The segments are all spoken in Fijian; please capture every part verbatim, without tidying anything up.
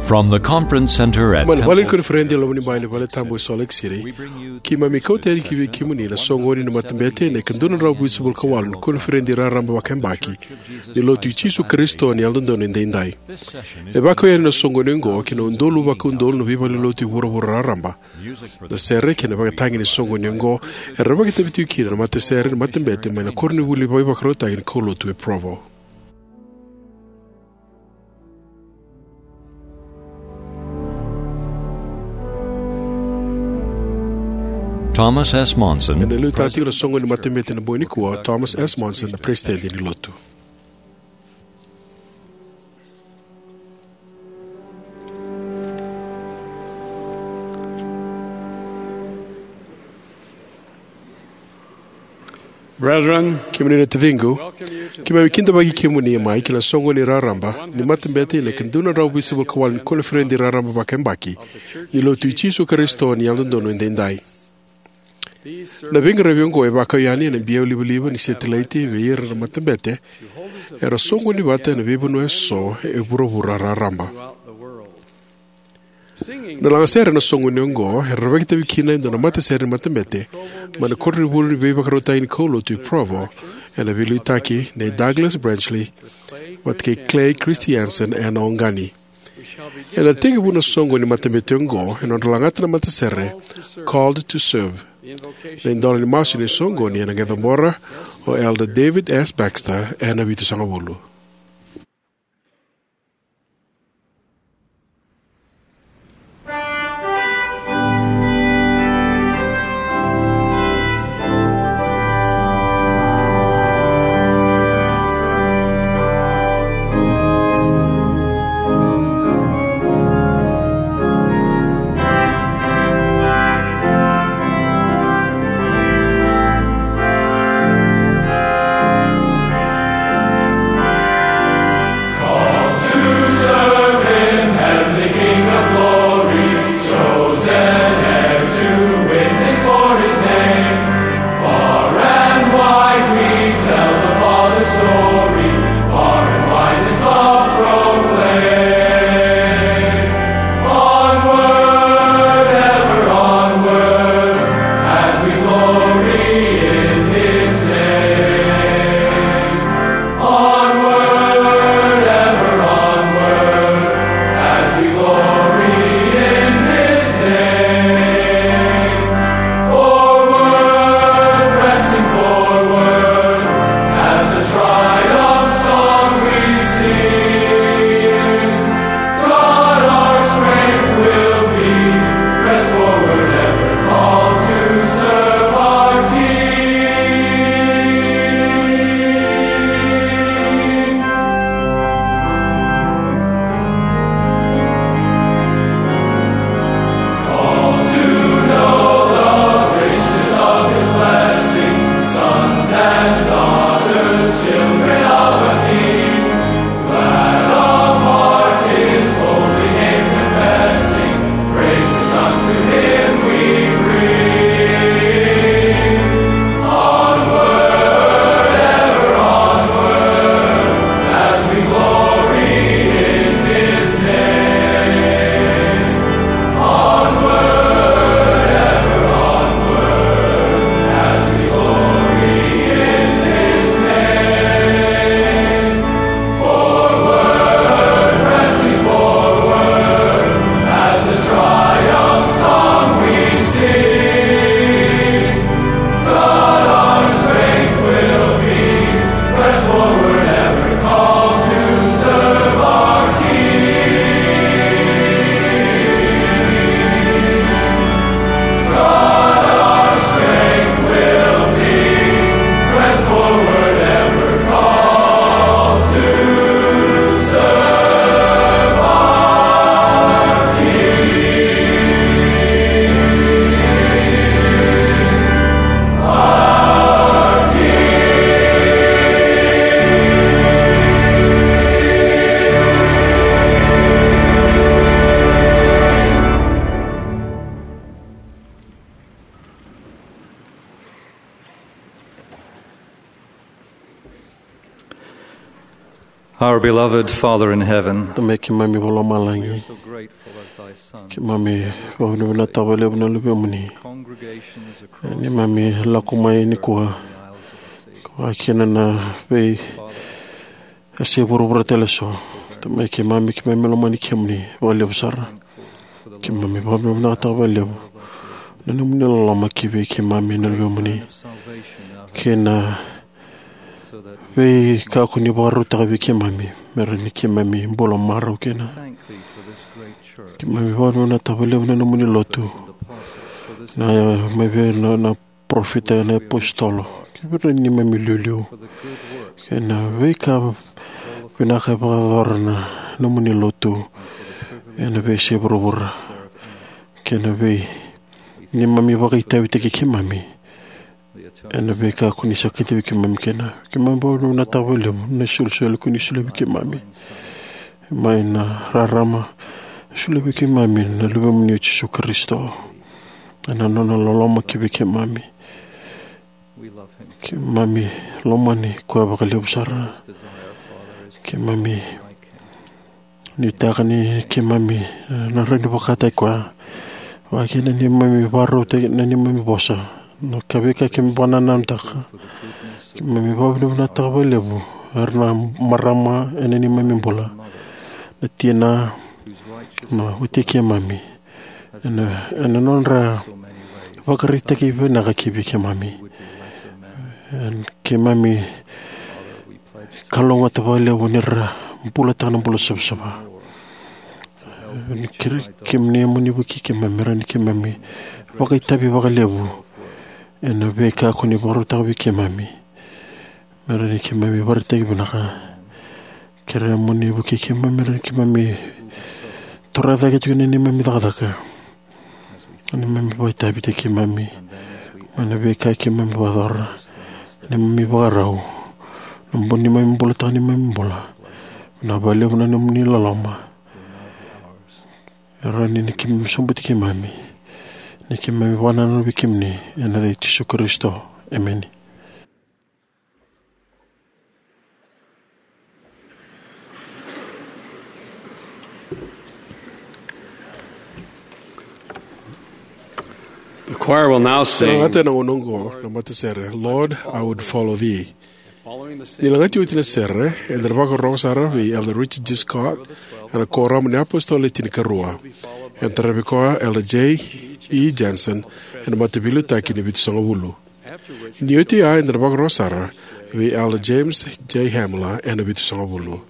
From the conference center at Mai na Vale ni Temple Koniferedi e Lomanibai ni Vale Tabu e Salt Lake City, keimami kauta yani ki vei kemuni na soqoni ni matabete ena ikadua na drau vitusagavulu ka walu ni Koniferedi Raraba Vakayabaki ni Lotu i Jisu Karisito ni Yalododonu Edaidai. E vakau yani na soqoni oqo ki na udolu vakaudolu na veivalenilotu e vuravura raraba. Na sere kei na ivakatagi ni soqoni oqo era vakaitavi tiko kina na matasere ni matabete mai na koronivuli ni veivakarautaki ni kaulotu e Provo. Thomas S. Monson, ena liutaka tiko na soqoni ni matabete ena bogi nikua o Thomas S. Monson, na Peresitedi ni Lotu. Brethren, kemuni na taciqu, keimami kidavaki kemuni mai ki na soqoni raraba ni matabete ena ikadua na drau vitusagavulu ka walu ni Koniferedi Raraba Vakayabaki ni Lotu i Jisu Karisito ni Yalododonu Edaidai. Na veiqaravi oqo e vakau yani ena biau livaliva ni setilaiti vei ira na matabete era soqoni vata ena veivanua eso e vuravura raraba. Na lagasere ena soqoni oqo era vakaitavi kina e dua na matasere ni matabete mai na koronivuli ni veivakarautaki ni kaulotu e Provo, ena veiliutaki nei Douglas Branchley vata kei Clay Christiansen ena Oqani. Ena tekivu na soqoni ni matabete oqo ena nodra lagata na matasere Called to Serve. Na idola ni masu ni soqoni ena qai cabora o Elder David S. Baxter ena vitusagavulu. Our beloved Father in heaven, Tamai keimami vakalomalagi, so grateful as thy sons. Keimami vakavinavinakataka vakalevu na luvemuni. Congregations across Ni mami lako mai nikua, the isles of the sea. Vakakina na vei e se vuravura tale so. Tamai keimami, keimami lomani kemuni vakalevu sara. Keimami vakavinavinakataka vakalevu na nomuni loloma ki vei keimami na luvemuni. Kei na veika ko ni vakarautaka vei keimami, me rawa ni keimami bula marau kina. Keimami vakavinavinakataka vakalevu na nomuni lotu, na mai vei na, na parofita, na apositolo, kei vei ira na neimami iliuliu, kei na veika vinaka e vakayacora na nomuni lotu ena veiyasai vuravura, kei na vei neimami vakaitavitaki keimami ena veika ko ni sa kacivi keimami kina. Keimami vakavinavinakataka vakalevu na isolisoli ko ni solia vei keimami mai na rarama, solia vei keimami na luvemuni o Jisu Karisito, ena nona loloma ki vei keimami. Keimami lomani koya vakalevu sara. Keimami nuitaka ni keimami, eh, na rawa ni vakataki koya. Vakakina ni keimami vakarautaki na neimami vosa, na ka veika keimami vakanananutaka. Keimami vakavinavinakataka vakalevu era na marama ena neimami bula, na tina, na wati keimami, ena, ena nodra vakaraitaki vinaka ki vei keimami. Ena keimami kalougata vakalevu ni ra bulataka na bula savasava. Ni kere kemuni mo ni vukei keimami, me rawa ni keimami vakaitavi vakalevu ena veika ko ni vakarautaka vei keimami, me rawa ni keimami vakaraitaki vinaka. Kere mo ni vukei keimami, me rawa ni keimami torocake tiko na neimami cakacaka, na neimami vakaitavitaki keimami mai na veika keimami vakayacora, na neimami vakarau, na bu- neimami bulataka neimami bula. Vinaka vakalevu na nomuni loloma. E rawa ni ni keimami sobuti keimami, ni keimami vakanananu vei kemuni, ena yaca i Jisu Karisito. Emeni. The choir will now sing. Sa na gata ena gauna oqo na matasere, Lord, I Would Follow Thee. Ni lagati oti na sere, eda na vakarorogo sara vei Elder Richard G. Scott ena Kuoramu ni iApositolo Le Tinikarua. Ena taravi koya Elder J. E. Jensen ena Mataveiliutaki ni Vitusagavulu. Ni oti ya, eda na vakarorogo sara vei Elder James J. Hamler ena Vitusagavulu.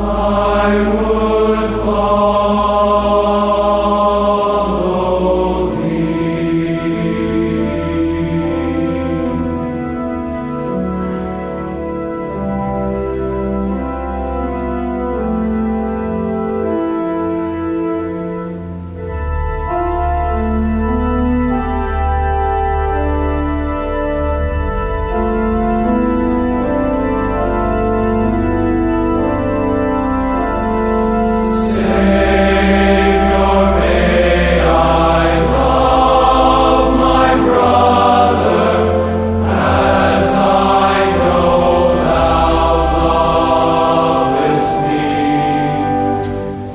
I would follow thee.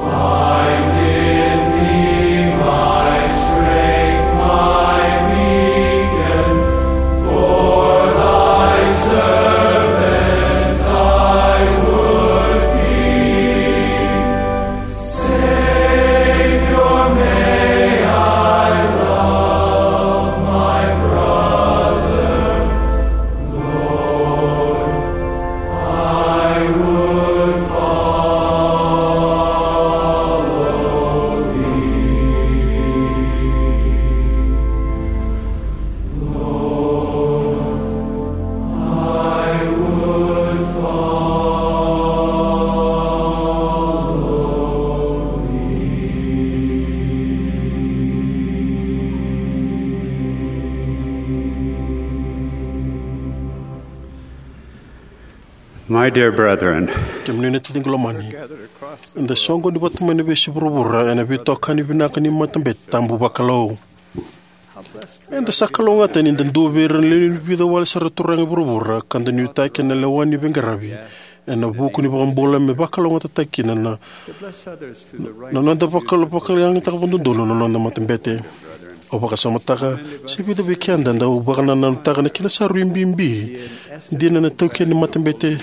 Find in thee my strength, my beacon, for thy servant I would be. Savior, may I love my brother. Lord, I would follow thee. Lord, I would follow thee. My dear brethren, kemuni na titiqu lomani, eda soqoni vata mai na veiyasai vuravura ena veitokani vinaka ni matabete tabu vakalou. Eda sa kalougata ni da dua vei ira na lewe ni vica wale sara na turaga e vuravura ka da nuitaki ena lewa ni veiqaravi ena vuku ni iVakabula me vakalougatataki kina na, na noda vakalo-, vakalougatataki vakadodonu na noda matabete. Au vakasamataka, se vica vei keda eda dau vakanananutaka na kena sa rui bibi dina na itaukei ni matabete,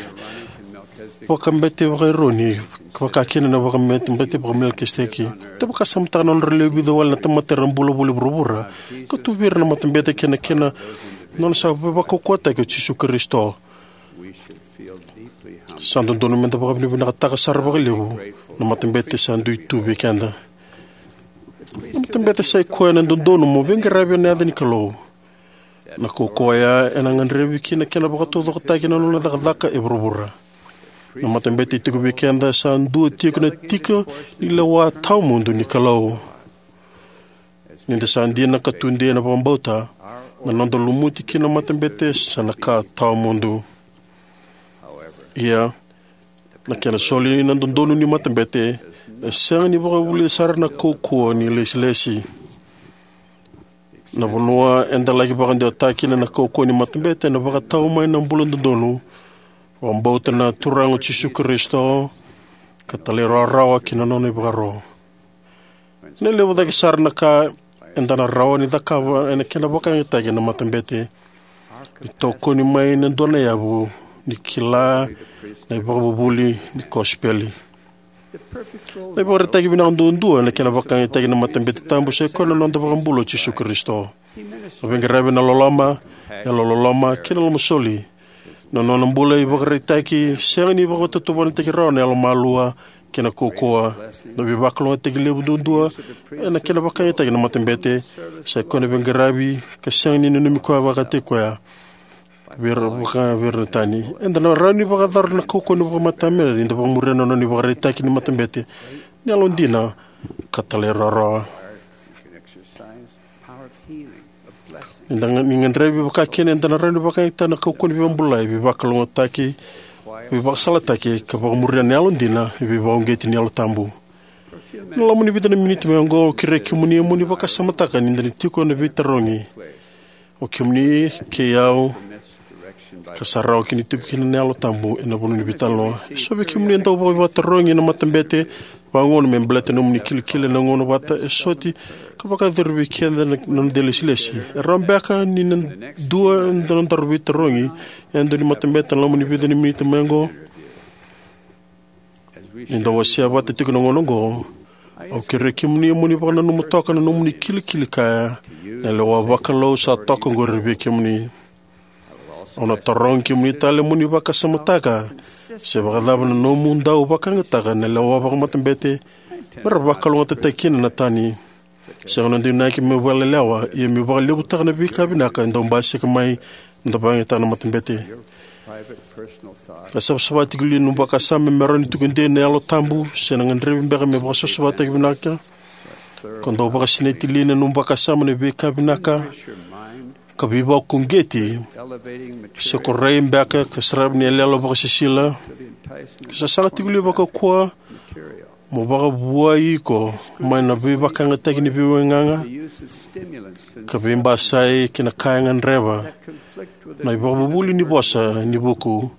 vakabete vaka-Eroni, vakakina na vakabete vaka-Melikiseteki. Da vakasamataka na nodra lewe vica wale na tamata era bula voli e vuravura, ka tu vei ira na matabete kei na kena nona sa veivakaukauwataki o Jisu Karisito. Sa dodonu meda vakavinavinakataka sara vakalevu na matabete sa dui tu vei keda. Na matabete sa i koya na dodonu mo veiqaravi ena yaca ni Kalou. Na kaukauwa oya ena gadrevi ki na kena vakataucokotaki na nona cakacaka e vuravura. Na matabete e tiko vei keda sa dua tiko na tiki ni lewa tawamudu ni Kalou. Ni da sa dina ka tudei ena vakabauta, na noda lumuti ki na matabete sa na ka tawamudu. Ia, na kena soli na dodonu ni matabete e sega ni vakavulica sara na kaukauwa ni lesilesi. Na vanua eda laki vakadewataka kina na kaukauwa ni matabete ena vakatau mai na bula dodonu, vakabauta na Turaga o Jisu Karisito, ka talairawarawa ki na nona ivakaro. Ena levu cake sara na ka eda na rawa ni cakava ena kena vakayagataki na matabete, ni tokoni mai na dua na yavu ni kila na ivakavuvuli ni kosipeli. Na ivakaraitaki vinaka duadua ena kena vakayagataki na matabete tabu sa i koya na noda iVakabula o Jisu Karisito. A veiqaravi ena loloma, yalololoma kei na lomasoli. Na nona bula e ivakaraitaki sega ni vakatautauvatataki rawa na yalomalua kei na kaukauwa. Na veivakalougatataki levu duadua ena kena vakayagataki na matabete sa i koya na veiqaravi ka sega ni nanumi koya vakataki koya vei ira, vaka vei ira na tani. Eda na rawa ni vakayacora na kaukauwa ni vakamatabete ni da vakamuria na nona ivakaraitaki ni matabete ni yalodina ka talairawarawa. Ni da ga-, ni gadrevi vakakina, eda na rawa ni vakayagataka na kaukauwa ni veivakabulai, veivakalougatataki, veivakasalataki, ka vakamuria na yalodina ni veivakauqeti ni Yalo Tabu. Ena loma ni vica na miniti mai oqo, au kerei kemuni mo ni vakasamataka ni da na tiko ena veitarogi, o kemuni kei au, ka sa rawa kina ni tiko kina na Yalo Tabu ena vanua ni veitalanoa. Eso vei kemuni e dau vakatarogi ena matabete vagauna me baleta na nomuni kilikili ena gauna vata e soti ka vakayacori vei keda na, na noda ilesilesi. E rawa beka ni na dua na nodaru veitarogi ena dua na matabete ena loma ni vica na miniti mai oqo? Ni da wasea vata tiko na gauna oqo, au kerei kemuni mo ni vakananuma toka na nomuni kilikili kaya na lewa vakalou sa toka oqori vei kemuni. Au na tarogi kemuni tale mo ni vakasamataka se vakacava na nomu dau vakayagataka na lewa vakamatabete me ra vakalougatataki kina na tani. Sega ni noda inaki meu vakalelewa, ia meu vakalevutaka na veika vinaka e dau basika mai na noda vakayagataka na matabete. Na savasava tiko li na nomu vakasama me rawa ni tukuni na Yalo Tabu, se na gadrevi beka me vakasavasavataki vinaka? Ko dau vakasinaiti li na nomu vakasama na veika vinaka ka veivakauqeti, se ko rai beka ka saravi na iyaloyalo vakasisila, ka sasaga tiko li vakaukauwa mo vakavuai iko mai na veivakayagataki ni veiwaigaga, ka veibasai kei na ka e gadreva na ivakavuvuli ni vosa ni vuku,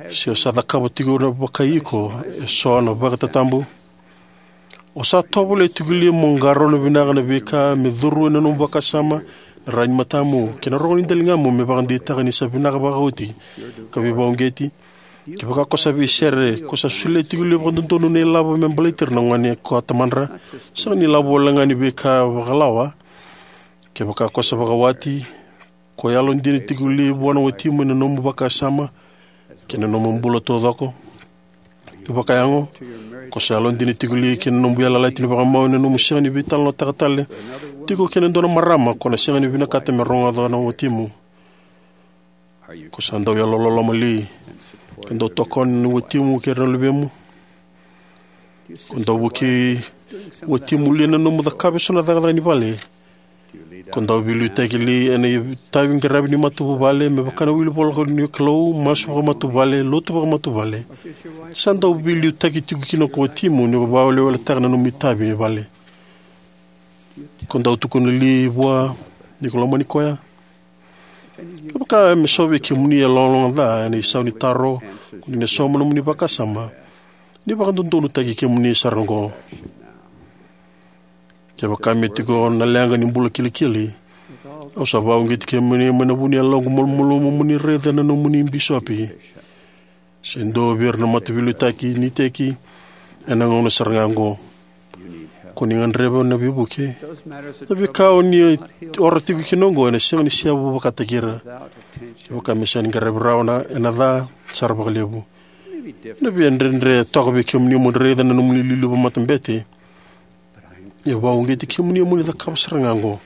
se o sa cakava tiko na vakai iko eso na vakatatabu? O sa tovolea tiko li mo qarauna vinaka na veika me curu ena nomu vakasama, na rai ni matamu, kei na rogo ni daligamu me vakadeitaka ni sa vinaka vakaoti ka veivakauqeti? Kevaka ko sa veisere, ko sa solia tiko li vakadodonu na ilavo me baleti ira na gone ko a tamadra? Sega ni lavo wale ga ni veika vakalawa. Kevaka ko sa vakawati, ko yalodina tiko li vua na watimu ena nomu vakasama kei na nomu bula taucoko? Vakayago, ko sa yalodina tiko li ki na nomu veiyalayalati ni vakamau ena nomu sega ni veitalanoataka tale tiko kei na dua na marama ko na sega ni vinakata me rogoca na watimu? Ko sa dau yalololoma li ka dau tokona na watimu kei ira na luvemu? Ko dau vukei watimu li ena nomu cakava eso na cakacaka ni vale? Ko dau veiliutaki li ena itavi qaravi ni matavuvale, me vaka na wili voleka ni Kalou, masu vakamatavuvale, lotu vakamatavuvale? Sa dau veiliutaki tiko kina ko watimu ni ko vakaweleweletaka na nomu itavi ni vale? Ko dau tukuna li vua ni ko lomani koya? Kevaka me so vei kemuni e logaloga ca ena isau ni taro ko ni na sauma nomuni vakasama, ni vakadodonutaki kemuni sara oqo. Kevaka me tiko na leqa ni bula kilikili, au sa vakauqeti kemuni mai na vu ni yaloqu malumalumu mo ni raica na nomuni bisopi se dua vei ira na mataveiliutaki ni iteki ena gauna sara ga oqo. Ko ni gadreva na veivuke. Na veika o ni ora tiko kina oqo ena sega ni seavu vakataki ira. Kevaka me sega ni qaravi rawa na, ena ca sara vakalevu. Ena via dredre toka vei kemuni mo ni raica na nomuni iliuliu vakamatabete. Ia vakauqeti kemuni mo ni cakava sara ga oqo,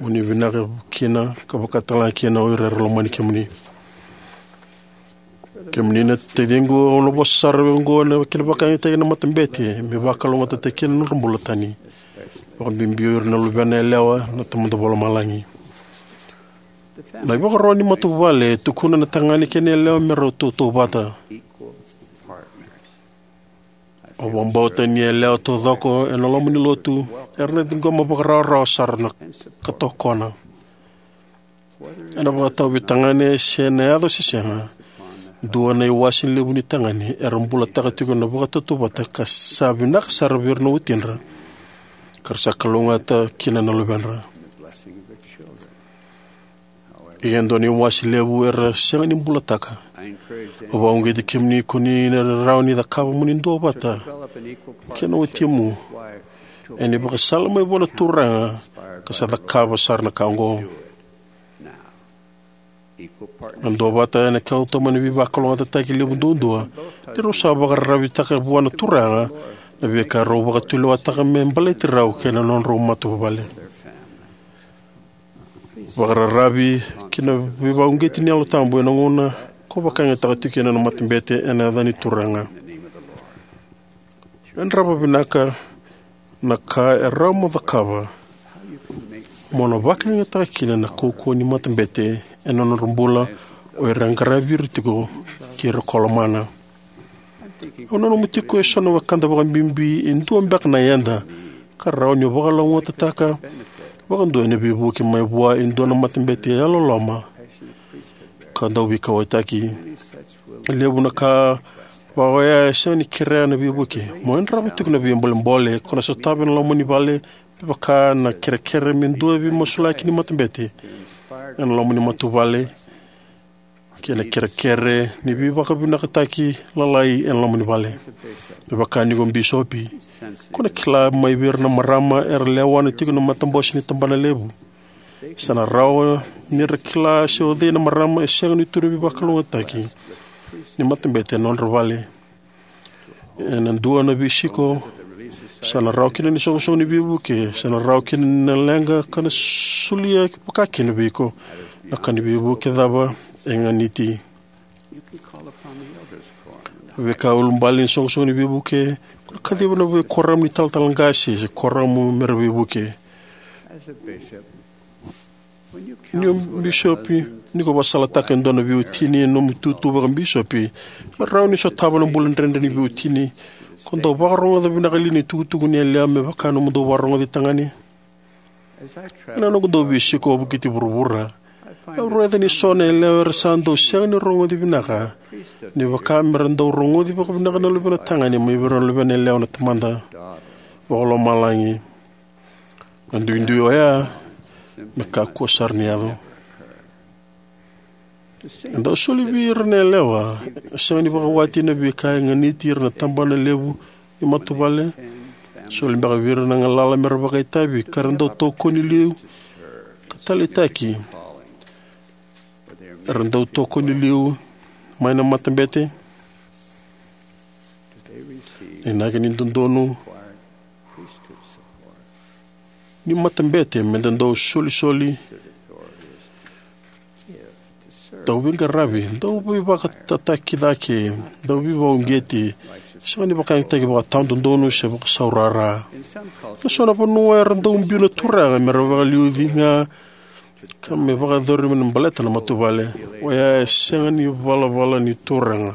mo ni vinaka kina ka vakatalega kina o ira era lomani kemuni. Kemuni na taciqu, au na vosa sara oqo ena kena vakayagataki na matabete me vakalougatataki kina na nodra bula tani, vakabibi o ira na luvena yalewa na Tamada Vakalomalagi. Na ivakaro ni matavuvale e tukuna na tagane kei na yalewa me rau tautauvata. Au vakabauta ni yalewa taucoko ena loma ni lotu era na ciqoma vakarawarawa sara na ka tokona. Ena vakatau vei tagane se na yaco se sega, dua na iwase levu ni tagane era bulataka tiko na vakatautauvata ka sa vinaka sara vei ira na watidra, ka ra sa kalougata kina na luvedra. Ia e dua na iwase levu era sega ni bulataka. Au vakauqeti kemuni ko ni na rawa ni cakava mo ni duavata kei na watimu ena ivakasala mai vua na Turaga ka sa cakava sara na ka oqo. Na duavata ena kauta mai na veivakalougatataki levu duadua ni rau sa vakararavitaka vua na Turaga na veika rau vakatulewataka me baleti rau kei na nodrau matavuvale. Vakararavi ki na veivakauqeti ni Yalo Tabu ena gauna ko vakayagataka tiko kina na matabete ena yaca ni Turaga. Yadrava vinaka na ka e rawa mo cakava mo na vakayagataka kina na kaukauwa ni matabete ena nodra bula o ira e qaravi ira tiko kei ira ko lomana. Au nanuma tiko eso na wekada vakabibi e dua beka na yada ka rawa ni vakalougatataka vakadua ena veivuke mai vua e dua na matabete yalololoma ka dau veikauwaitaki. E levu na ka vaka oya e sega ni kerea na veivuke. Mo yadrava tiko na veibolebole ko na sotava ena loma ni vale, me vaka na kerekere me dua veimasulaki ni matabete ena loma ni matavuvale, kei na kerekere ni veivakavinakataki lalai ena loma ni vale. Me vaka ni ko bisopi, ko na kila mai vei ira na marama era lewana tiko na matabose ni tabanalevu. Sa na rawa ni ra kila se o cei na marama e sega ni tu na veivakalougatataki ni matabete ena nodra vale. Ena dua na veisiko, sa na rawa kina ni soqosoqo ni veivuke, sa na rawa kina ni na leqa ka na solia vakakina vei iko na ka ni veivuke cava e ganiti. Veika ulubale ni soqosoqo ni veivuke, ko na kaciva na veikoramu ni talatala qase se koramu me ra veivuke. Ni o bisopi, ni ko vakasalataka e dua na veiwatini ena nomu itutu vakabisopi, e rawa ni sotava na bula dredre ni veiwatini. Ko dau vakarogoca vinaka li na itukutuku ni yalewa me vaka nomu dau vakarogoci tagane? Ena noqu dau veisiko vakavukiti vuravura, au raica ni so na yalewa era sa dau sega ni rogoci vinaka ni vaka me ra dau rogoci vakavinaka na luvena tagane mai vei ira na luvena yalewa na Tamada Vakalomalagi. Na duidui oya me kakua sara ni yaco. E dau soli vei ira na yalewa e sega ni vakawati na veika e ganiti ira na tabana levu ni matavuvale. Soli beka vei ira na galala me ra vakaitavi ka ra dau tokoni liu ka taleitaki, era dau tokoni liu mai na matabete. Inaki ni dodonu ni matabete me da dau solisoli, dau veiqaravi, dau veivakatataki cake, dau veivakauqeti, sega ni vakayagataki vakatawadodonu se vakasaurara. Na so na vanua era dau biu na turaga me ra vakaliuci ga ka me vakayacori me na baleta na matavuvale. Oya e sega ni valavala ni Turaga.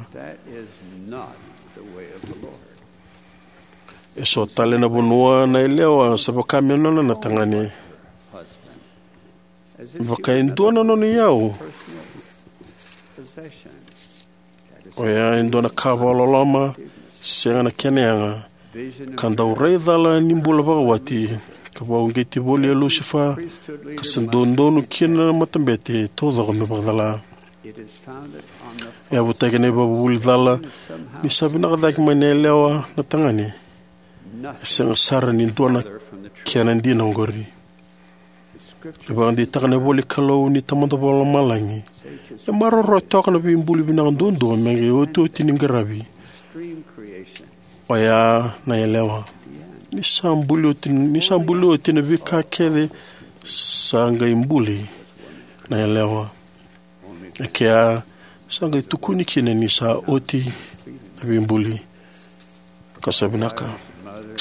E so tale na vanua na yalewa sa vaka me nona na tagane. Vaka e dua na nona iyau. Oya e dua na ka vakaloloma, sega na kena yaga, ka dau rai cala ni bula vakawati, ka vakauqeti voli e Lusifa, ka sa dodonu kina na matabete taucoko me vakacala. E yavutaki na ivakavuvuli cala ni sa vinaka cake mai na yalewa na tagane. E sega sara ni dua na kena dina oqori. E vakadeitaka na ivola ni Kalou ni Tamada Vakalomalagi, e maroroya toka na veibuli vinaka duadua me qai otioti ni qaravi, oya na yalewa. Ni sa buli oti, ni sa buli oti na veika kece, sa qai buli na yalewa. E kea sa qai tukuni kina ni sa oti na veibuli ka sa vinaka.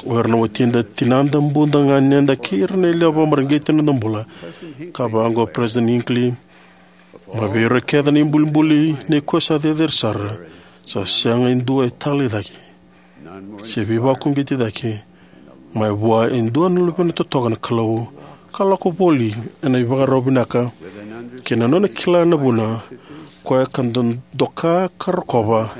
O ira na watida, tinada, buda, ganeda kei ira na yalewa vakamareqeti ena noda bula, ka vaqo o President Hinckley, mai vei ira kece na ibulibuli nei koya sa cecere sara, sa sega e dua e talei cake se veivakauqeti cake mai vua e dua na luvena totoka na Kalou, ka lako voli ena ivakarau vinaka kei na nona kila na vuna, koya ka dodoka ka rokova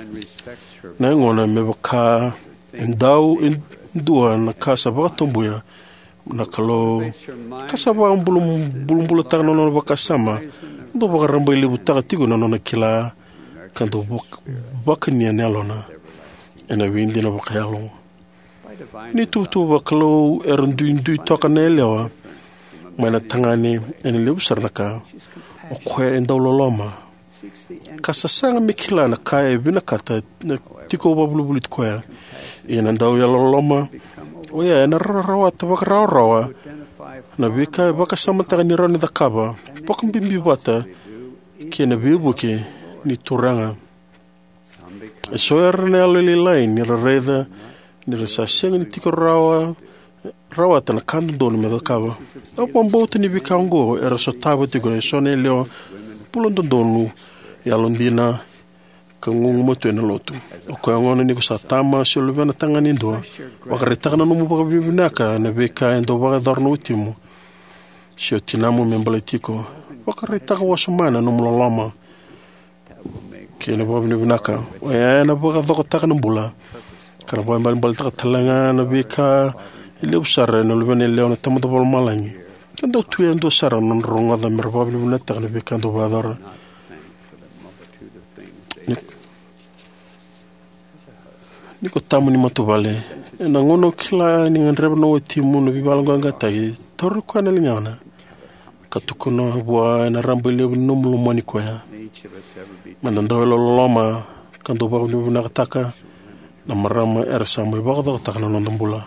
na yagona me vaka e dau e dua na ka sa vakatabuya na Kalou, ka sa vakabulabulataka na nona vakasama, dau vakarabailevutaka tiko na nona kila, ka dau vak-, vakania na yalona ena veidina vakayalo. Ni tuvatuva vakalou era duidui toka na yalewa mai na tagane ena levu sara na ka. O koya e dau loloma, ka sasaga me kila na ka e vinakata na tiko vakavolivoliti koya. Ia na dau yalololoma oya ena rawata vakarawarawa na veika e vakasamataka ni rawa ni cakava, vakabibi vata kei na veivuke ni Turaga. E so era na yalolailai ni ra raica ni ra sa sega ni tiko rawa, rawata na ka dodonu me cakava. Au vakabauta ni veika oqo era sotava tiko e so na yalewa bula dodonu, yalodina, ka gugumatua ena lotu. O koya gona ni ko sa tama se luvena tagane dua, vakaraitaka na nomu vakavinavinaka na veika e dau vakayacora na watimu se o tinamu me baleti iko. Vakaraitaka wasoma na nomu loloma kei na vakavinavinaka. Oya ena vakacokotaka na bula, ka na vakabalebaletaka talega na veika e levu sara ena luvena yalewa na Tamada Vakalomalagi. Ka dau tu yadua sara na nodra rogoca me ra vakavinavinakataka na veika dau vakayacora. Ni, ni ko tama ni matavuvale, ena gauna o kila ni gadreva na watimu na veivakayaloqaqataki, tauri koya na ligana Sa tukuna vua ena rabailevu ni nomu lomani koya. Meda dau yalololoma ka dau vakavinavinakataka na marama era sa mai vakacokotaka na noda bula.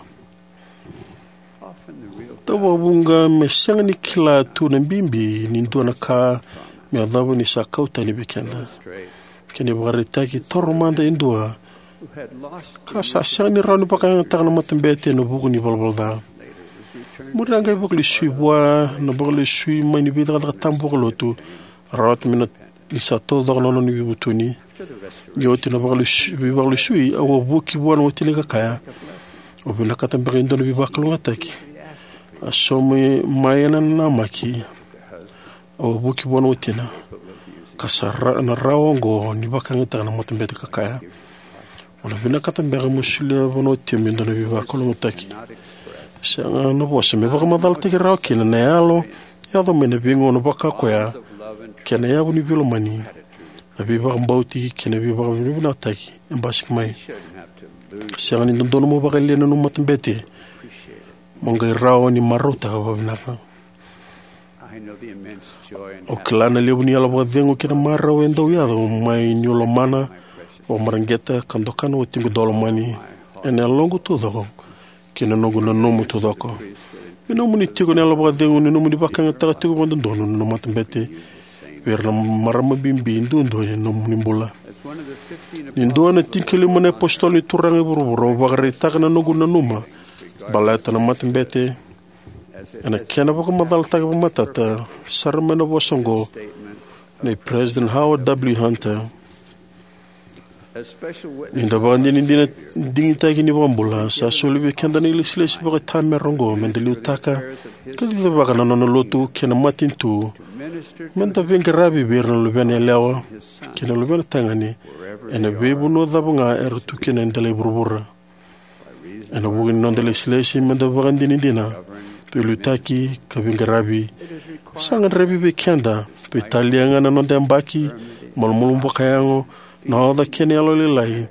Tau vakavuqa me sega ni kila tu na bibi ni dua na ka me yacova ni sa kau tani vei keda. Kena ivakaraitaki, taura mada e dua ka sa sega ni rawa ni vakayagataka na matabete ena vuku ni valavala ca. Muri a qai vakalesui vua na vakalesui mai ni veicakacaka tabu vakalotu, rawata me na ni sa taucoko na nona veivutuni. Ni oti na vakalesui, veivakalesui, au a vuki vua na watina ka kaya, "O vinakata beka e dua na veivakalougatataki?" A sauma mai ena namaki. Au a vuki vua na watina, "Ka sa ra-, na rawa oqo ni vakayagataka na matabete ka kaya, 'O na vinakata beka mo solia vua na watimu e dua na veivakalougatataki?'" Sega na vosa me vakamacalataki rawa kina na yalo e yaco mai na veigauna vaka koya kei na yavu ni veilomani, na veivakabauti kei na veivakavinavinakataki e basika mai. Sega ni dodonu mo vakayalia na nomu matabete mo qai rawa ni marautaka vakavinaka. Au kila na levu ni yalo vakacegu kei na marau e dau yaco mai niu lomana, vakamareqeta ka doka na watiqu daulomani ena yaloqu taucoko kei na noqu nanuma taucoko. Me nomuni tiko na yalo vakacegu ni nomuni vakayagataka tiko vakadodonu na matabete vei ira na marama bibi duadua ni nomuni bula. Ni dua na tinikalima na apositolo ni Turaga e vuravura, au vakaraitaka na noqu nanuma baleta na matabete ena kena vakamacalataki vakamatata sara mai na vosa oqo nei President Howard W. Hunter: "Ni da vakadinadina digitaki ni iVakabula, sa soli vei keda na ilesilesi vakaitamera oqo me da liutaka ka cicivaka na nona lotu kei na matanitu, me da veiqaravi vei ira na luvena yalewa kei na luvena tagane ena veivanua cava ga era tu kina e dela i vuravura." Ena vuku ni noda ilesilesi me da vakadinadina, veiliutaki ka veiqaravi, sa gadrevi vei keda, veitalia ga na noda yabaki, malumalumu vakayago, na oca kei na yalolailai,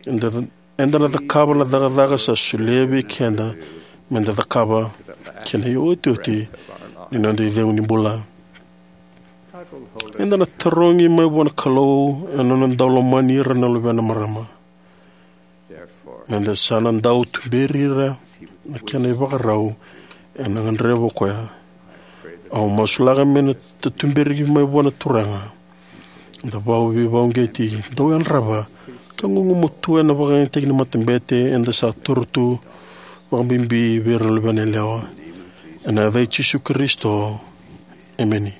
eda, eda na cakava na cakacaka sa solia vei keda me da cakava kei na iotioti ni noda icegu ni bula. Eda na tarogi mai vua na Kalou ena nona dau lomani ira na luvena marama. Meda sa na dau tuberi ira na kena ivakarau ena gadreva o koya. Au masulaka me na ta tuberi mai vua na Turaga, da vau veivauqeti, dau yadrava ka gugumatua ena vakayagataki ni matabete eda sa taura tu, vakabibi vei ira na luvena yalewa. Ena yaca i Jisu Karisito, emeni.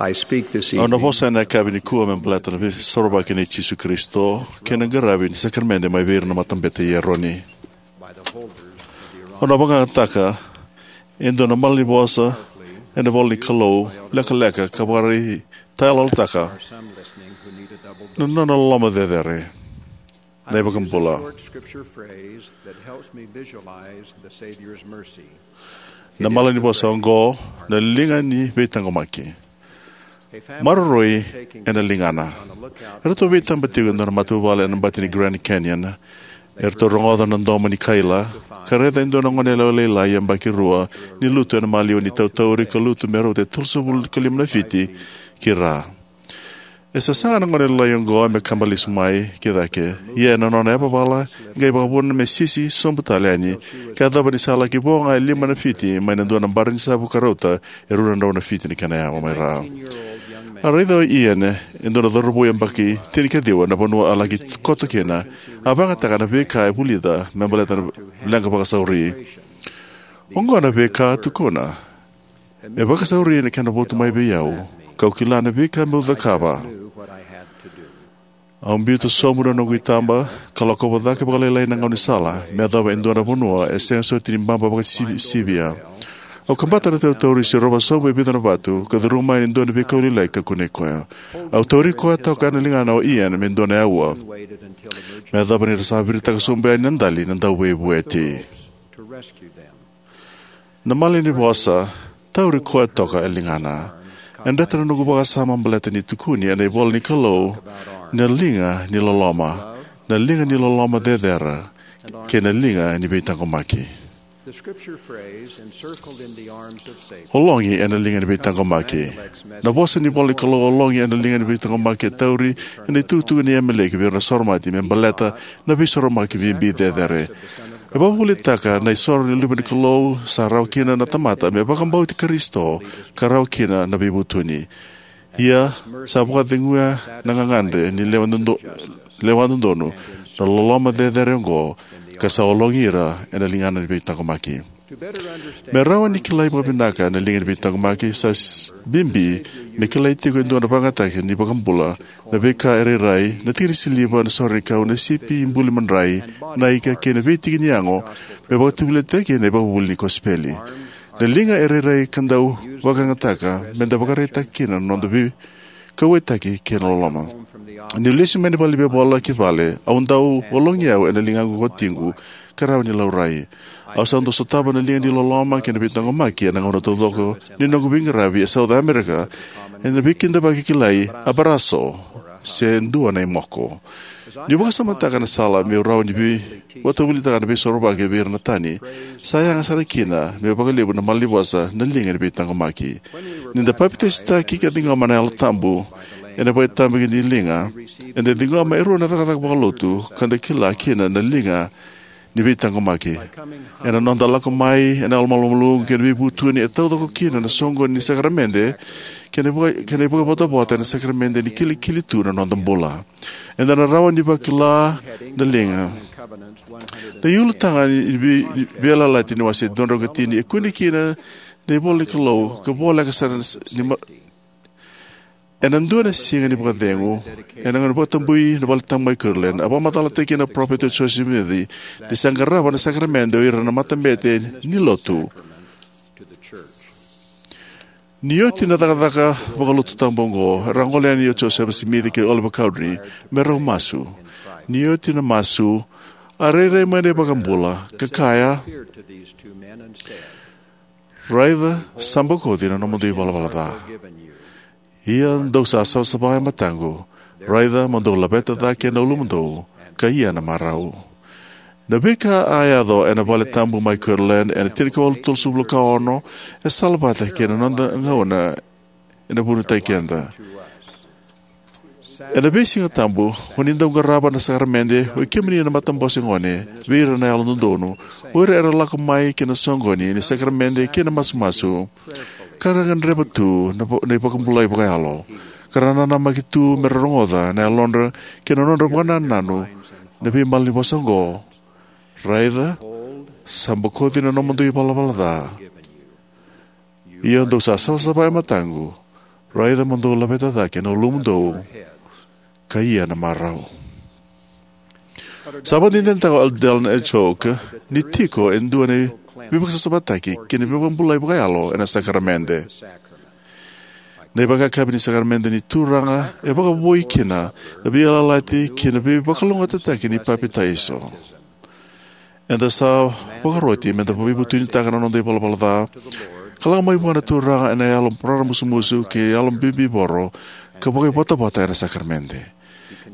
I speak this Au na evening vosa ena yakavi nikua me baleta na veisorovaki nei Jisu Karisito kei na qaravi ni sakaramede mai vei ira na matabete i Eroni. Au na vakayagataka e dua na malanivosa ena ivola ni Kalou lekaleka ka vakaraitayaloyalotaka na nona loloma cecere. Na iVakabula. Na malanivosa oqo na liga ni veitaqomaki. Maroroi ena ligana. Eratou veitaba tiko e dua na matavuvale ena bati ni Grand Canyon. Eratou rogoca na domo ni kaila ka raica e dua na goneyalewa lailai yabaki rua ni lutu ena maliwa ni tautauri ka lutu me rauta e tolusagavulu ka lima na fiti ki ra. E sasaga na goneyalewa oqo me kaba lesu mai ki cake, ia ena nona yavavala e qai vakavuna me sisi sobu tale yani, ka yacova ni sa laki vo ga e lima na fiti mai na dua na bara ni savu ka rauta e rua na drau na fiti na kena yawa mai ra. A raica o Ian e dua na cauravou yabaki tinikaciwa na vanua a laki koto kina. A vakayagataka na veika e vulica me baleta na leqa vakasauri. Oqo na veika a tukuna: "E vakasauri na kena votu mai vei au, kau kila na veika meu cakava. Au biuta sobu na noqu itaba ka lakova cake vakalailai na gaunisala me yacova e dua na vanua e sega soti ni baba vakasivia. Au kabata na tautauri, sirova sobu e vica na vatu, ka curuma yani e dua na veikau lailai ka kunei koya. Au tauri koya toka ena ligana o Ian me dua na aua, me yacova ni ra sa viritaka sobu yani na dali na dauveivueti." Na malanivosa, tauri koya toka e ligana, e dreta na noqu vakasama baleta ni tukuni ena ivola ni Kalou Na liga ni loloma, na liga ni loloma cecere, kei na liga ni veitaqomaki. The scripture phrase, encircled in the arms of safety. Ologi ena liga ni veitaqomaki. Na vosa ni vola ni Kalou, ologi ena liga ni veitaqomaki, e tauri ena itukutuku nei Ameleki vei ira na Soromati me baleta na veisoromaki bibi cecere. E vakavuvulitaka na isoro ni Luve ni Kalou, sa rawa kina na tamata me vakabauti Karisito, ka rawa kina na veivutuni. Ia, sa vakaceguya na gagadre ni lewa dodo-, lewa dodonu na loloma cecere oqo, ka sa ologi ira ena ligana ni veitaqomaki. Me rawa ni kilai vakavinaka na liga ni veitaqomaki, sa s-, bibi me kilai tiko e dua na vakayagataki ni iVakabula, na veika e rairai, na tiki ni siliva, na sore ni kau, na sipi, ibuli madrai, na ika, kei na veitiki ni yago, me vakatavulici kina na ivakavuvuli ni kosipeli. Na liga e rairai ka dau vakayagataka me da vakaraitaka kina na noda veikauwaitaki kei na loloma. Niu lesu mai na valenivola ki vale, au dau ologi au ena ligaqu ko watiqu, ka rawa ni laurai. Au sa dau sotava na liga ni loloma kei na veitaqomaki ena gauna taucoko ni noqu veiqaravi e South America, ena veikidavaki kilai, abraço, se dua na imoko. Niu vakasamataka na sala meu rawa ni vei-, vakatavulitaka na veisorovaki vei ira na tani, sa yaga sara kina meu vakalevu na malanivosa na liga ni veitaqomaki. Ni da papitaisotaki ka ciqoma na Yalo Tabu ena vakaitavi ni liga, eda ciqoma e rua na cakacaka vakalotu ka da kila kina na liga ni veitaqomaki. Ena noda lako mai ena yalomalumalumu kei na veivutuni, e taucoko kina na soqoni ni sakaramede kei na vaka-, kei na ivakavotavota ena sakaramede ni kilikili tu na noda bula. Eda na rawa ni vakila na liga. Na iulutaga ni vei-, ni Veiyalayalati ni wase dua drau ka tini e kune kina na ivola ni Kalou, ka voleka sara ni ma-, ena dua na siga ni vakacegu, ena gauna ni vakatabui na Valetabu mai Kirtland, a vakamacalataki kina na Parofita o Joseph Smith ni sa qarava na sakaramede o ira na matabete ni lotu. Ni oti na cakacaka vakalotu tabu oqo, era a gole yani o Joseph Smith kei Oliver Cowdery me rau masu. Ni oti na masu, a rairai mai na iVakabula, ka kaya, "Raica, sa bokoci na nomudou ivalavala ca. Ia dou sa savasava e mataqu, raica mo dou laveta cake na ulumudou, ka ia na marau." Na veika a yaco ena Valetabu mai Kirtland ena tinikawalu tolusagavulu ka ono e sala vata kei na noda gauna ena vunitaki keda. Ena veisiga tabu, o ni dau qarava na sakaramede, o i kemuni na matabose gone, vei ira na yalododonu, o ira era lako mai ki na soqoni ni sakaramede kei na masumasu, ka ra gadreva tu na vo-, na ivakabulai vakayalo, ka ra nanamaki tu me ra rogoca na yalodra kei na nodra vakanananu na veimalanivosa oqo: "Raica, sa bokoci na nomudou ivalavala ca. Ia dou sa savasava e mataqu, raica mo dou laveta cake na ulumudou, ka ia na marau." Sa vakadinadinataka o Elder Dallin H. Oak ni tiko e dua na veivakasavasavataki kei na veivakabulai vakayalo ena sakaramede. Na ivakayakavi ni sakaramede ni Turaga e vakavoui kina na veiyalayalati kei na veivakalougatataki ni papitaiso. Eda sa vakaroti me da veivutunitaka na noda ivalavala ca ka lako mai vua na Turaga ena yalo raramusumusu kei yalo bibivoro, ka vakaivotavota ena sakaramede.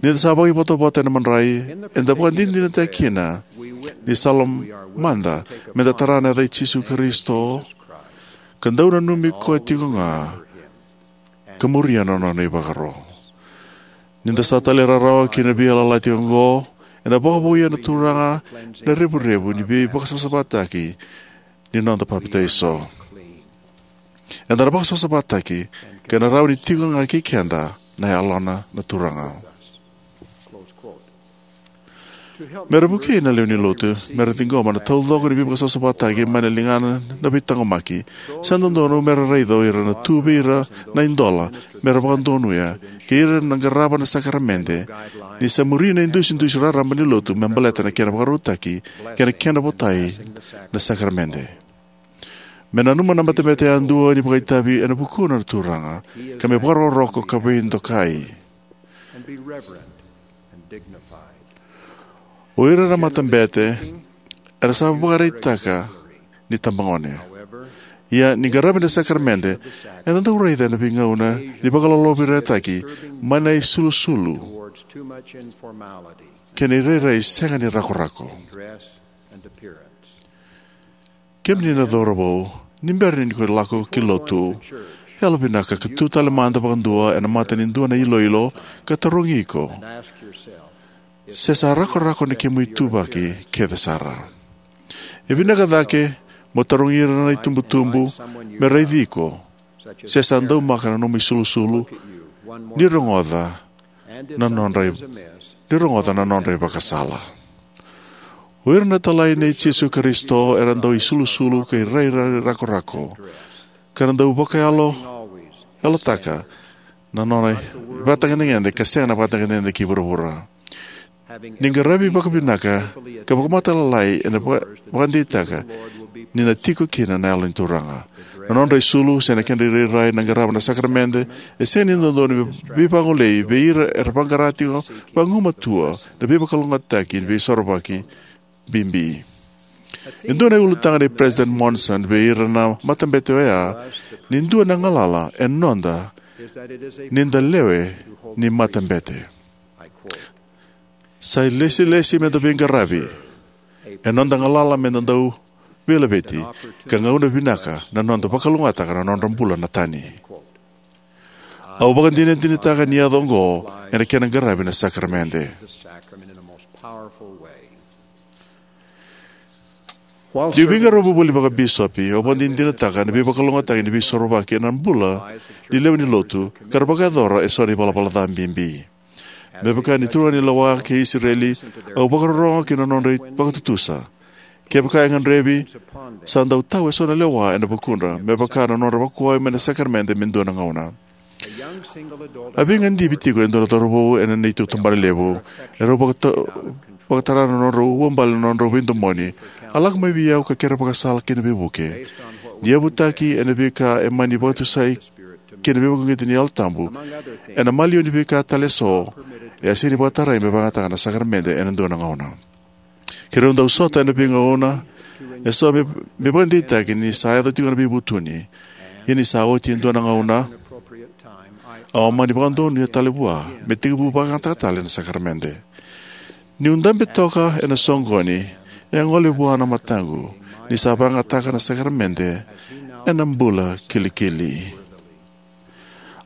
Ni da sa vakaivotavota ena madrai, eda vakadinadinataka kina ni sa lomada me da tara na yaca i Jisu Karisito, ka dau nanumi koya tiko ga, ka muria na nona ivakaro. Ni da sa talairawarawa ki na veiyalayalati oqo, ena vakavouya na Turaga na revurevu ni veivakasavasavataki ni noda papitaiso. Eda na vakasavasavataki, ka na rawa ni tiko ga kei keda na Yalona na Turaga. Me ra vukei na lewe ni lotu me ra ciqoma na taucoko ni veivakasavasavataki mai na ligana na veitaqomaki, sa dodonu me ra raica o ira na tu vei ira na idola me ra vakadonuya, kei ira na qarava na sakaramede, ni sa muri na idusidusi raraba ni lotu me baleta na kena vakarautaki kei na kena votai na sakaramede. Me nanuma na matabete yadua ni vakaitavi ena vukuna na Turaga, ka me vakarokoroko ka veidokai. O ira na matabete era sa vakaraitaka ni tabagone. Ia, ni qaravi na sakaramede, eda dau raica ena veigauna ni vakalolovirataki mai na isulusulu kei na irairai sega ni rakorako. Kemuni na cauravou, ni bera ni ko lako ki lotu, yalovinaka ka tu tale mada vakadua ena mata ni dua na iloilo ka tarogi iko se sa rakorako na kemu ituvaki kece sara. E vinaka cake mo tarogi ira na itubutubu me raici iko se sa daumaka na nomu isulusulu ni rogoca na nodra i- ni rogoca na nodra ivakasala. O ira na italai nei Jisu Karisito era dau isulusulu ka irairai rakorako ka ra dau vakayalo yalotaka na nona ivakatagedegede ka sega na vakatagedegede ki vuravura. Ni qaravi vakavinaka ka vakamatailalai ena vaka- vakadeitaka ni na tiko kina na Yalo ni Turaga. Na nodra isulu se na kedra irairai na qarava na sakaramede e sega ni dodonu me veivagolei vei ira era vaqara tiko vagumatua na veivakalougatataki ni veisorovaki bibi. E dua na ulutaga nei President Monson vei ira na matabete oya ni dua na galala e noda ni da lewe ni matabete. Sa ilesilesi me da veiqaravi. E noda galala me da dau veilaveti ka gauna vinaka na noda vakalougatataka na nodra bula na tani. Au vakadinadinataka ni yaco oqo ena kena qaravi na sakaramede. Niu veiqaravi voli vakabisopi, au vakadinadinataka na veivakalougatataki ni veisorovaki ena bula ni lewe ni lotu ka ra vakayacora eso na ivalavala ca bibi. Me vaka ni turaganilewa kei Isireli, au vakarorogo ki na nodra vakatutusa. Kevaka e gadrevi, sa dau tau eso na lewa ena vukudra me vaka na nodra vakuwai mai na sakaramede me dua na gauna. A veigadivi tiko e dua na cauravou ena neitou tabanalevu. Erau vakata- vakatara na nodrau uabale na nodrau veidomoni. A lako mai vei au ka kere vakasala kei na veivuke. Ni yavutaki ena veika e mani vakatusai kei na veivakauqeti ni Yalo Tabu, ena maliwa ni veika tale eso, e a sega ni vakatarai me vakayagataka na sakaramede ena dua na gauna. Keirau dau sota ena veigauna eso me, me vakadeitaki ni sa yaco tiko na veivutuni. Ia ni sa oti e dua na gauna, au a mani vakadonuya tale vua me tekivu vakayagataka tale na sakaramede. Niu dabe toka ena soqoni, e a gole vua na mataqu ni sa vakayagataka na sakaramede ena bula kilikili.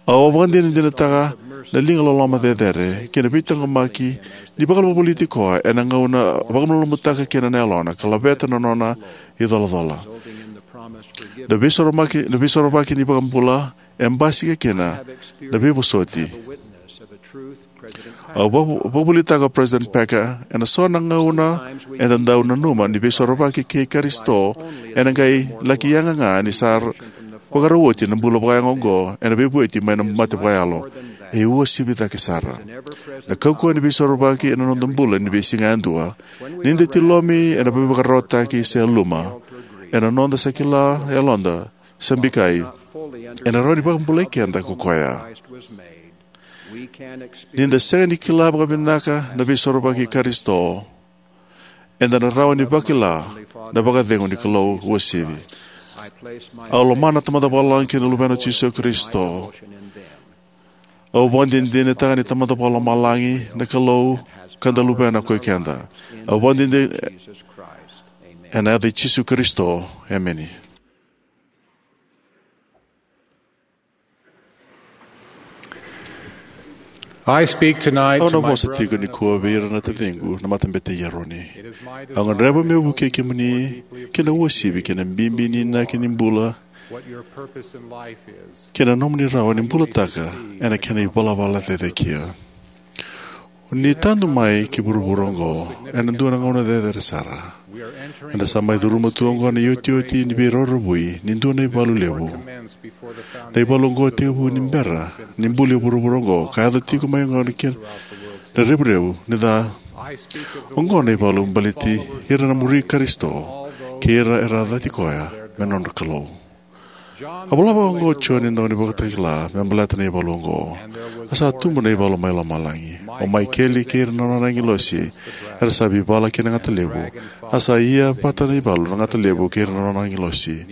Au vakadinadinataka na liga loloma cecere kei na veitaqomaki ni vakavolivoliti koya ena gauna a vakamalumalumutaka kina na yalona ka laveta na nona icolacola. Na veisorovaki, na veisorovaki ni iVakabula e basika kina na veivosoti. Au vaka- vakavolitaka o President Packer, ena so na gauna eda dau nanuma ni veisorovaki kei Karisito ena qai laki yaga ga ni sa vakarau oti na bula vakayago oqo ena veivueti mai na mate vakayalo. E uasivi cake sara na kaukauwa ni veisorovaki ena noda bula ni veisiga yadua. Ni da tilomi ena veivakararawataki se yaluma, ena noda sa kila yaloda sa bikai, ena rawa ni vakabulai keda ko koya. Ni da sega ni kila vakavinaka na veisorovaki i Karisito, eda na rawa ni vakila na vakacegu ni Kalou uasivi. Au lomana na Tamada Vakalomalagi kei na Luvena o Jisu Karisito. Au vakadinadinataka ni Tamada Vakalomalagi na Kalou ka da luvena ko i keda. Au vakadinadina ena yaca i Jisu Karisito. Emeni. I speak tonight Au na to my vosa tiko brothers nikua vei ira na taciqu na matabete i Eroni. It is my Au gadreva meu vukei kemuni ki na uasivi kei na bibi ni inaki ni bula what your purpose in life is. Kei na nomuni rawa ni bulataka ena kena ivalavala cecekia. Ni tadu mai ki vuravura oqo ena dua na gauna cecere sara. Eda sa mai curuma tu oqo na iotioti ni veirauravui ni dua na ivalu levu. Na ivalu oqo e tekivu ni bera ni buli vuravura oqo ka yaco tiko mai oqo na kena revurevu ni ca. Oqo na ivalu baleti ira na muri Karisito kei ira era a cati koya me nodra Kalou. A vola vaka oqo o Joni na daunivakatakila me baleta na ivalu oqo: A sa tubu na ivalu mai lomalagi. O Maikeli kei ira na nona agilosi Era sa veivala kei na gata levu, a sa ia vata na ivalu na gata levu kei ira na nona agilosi.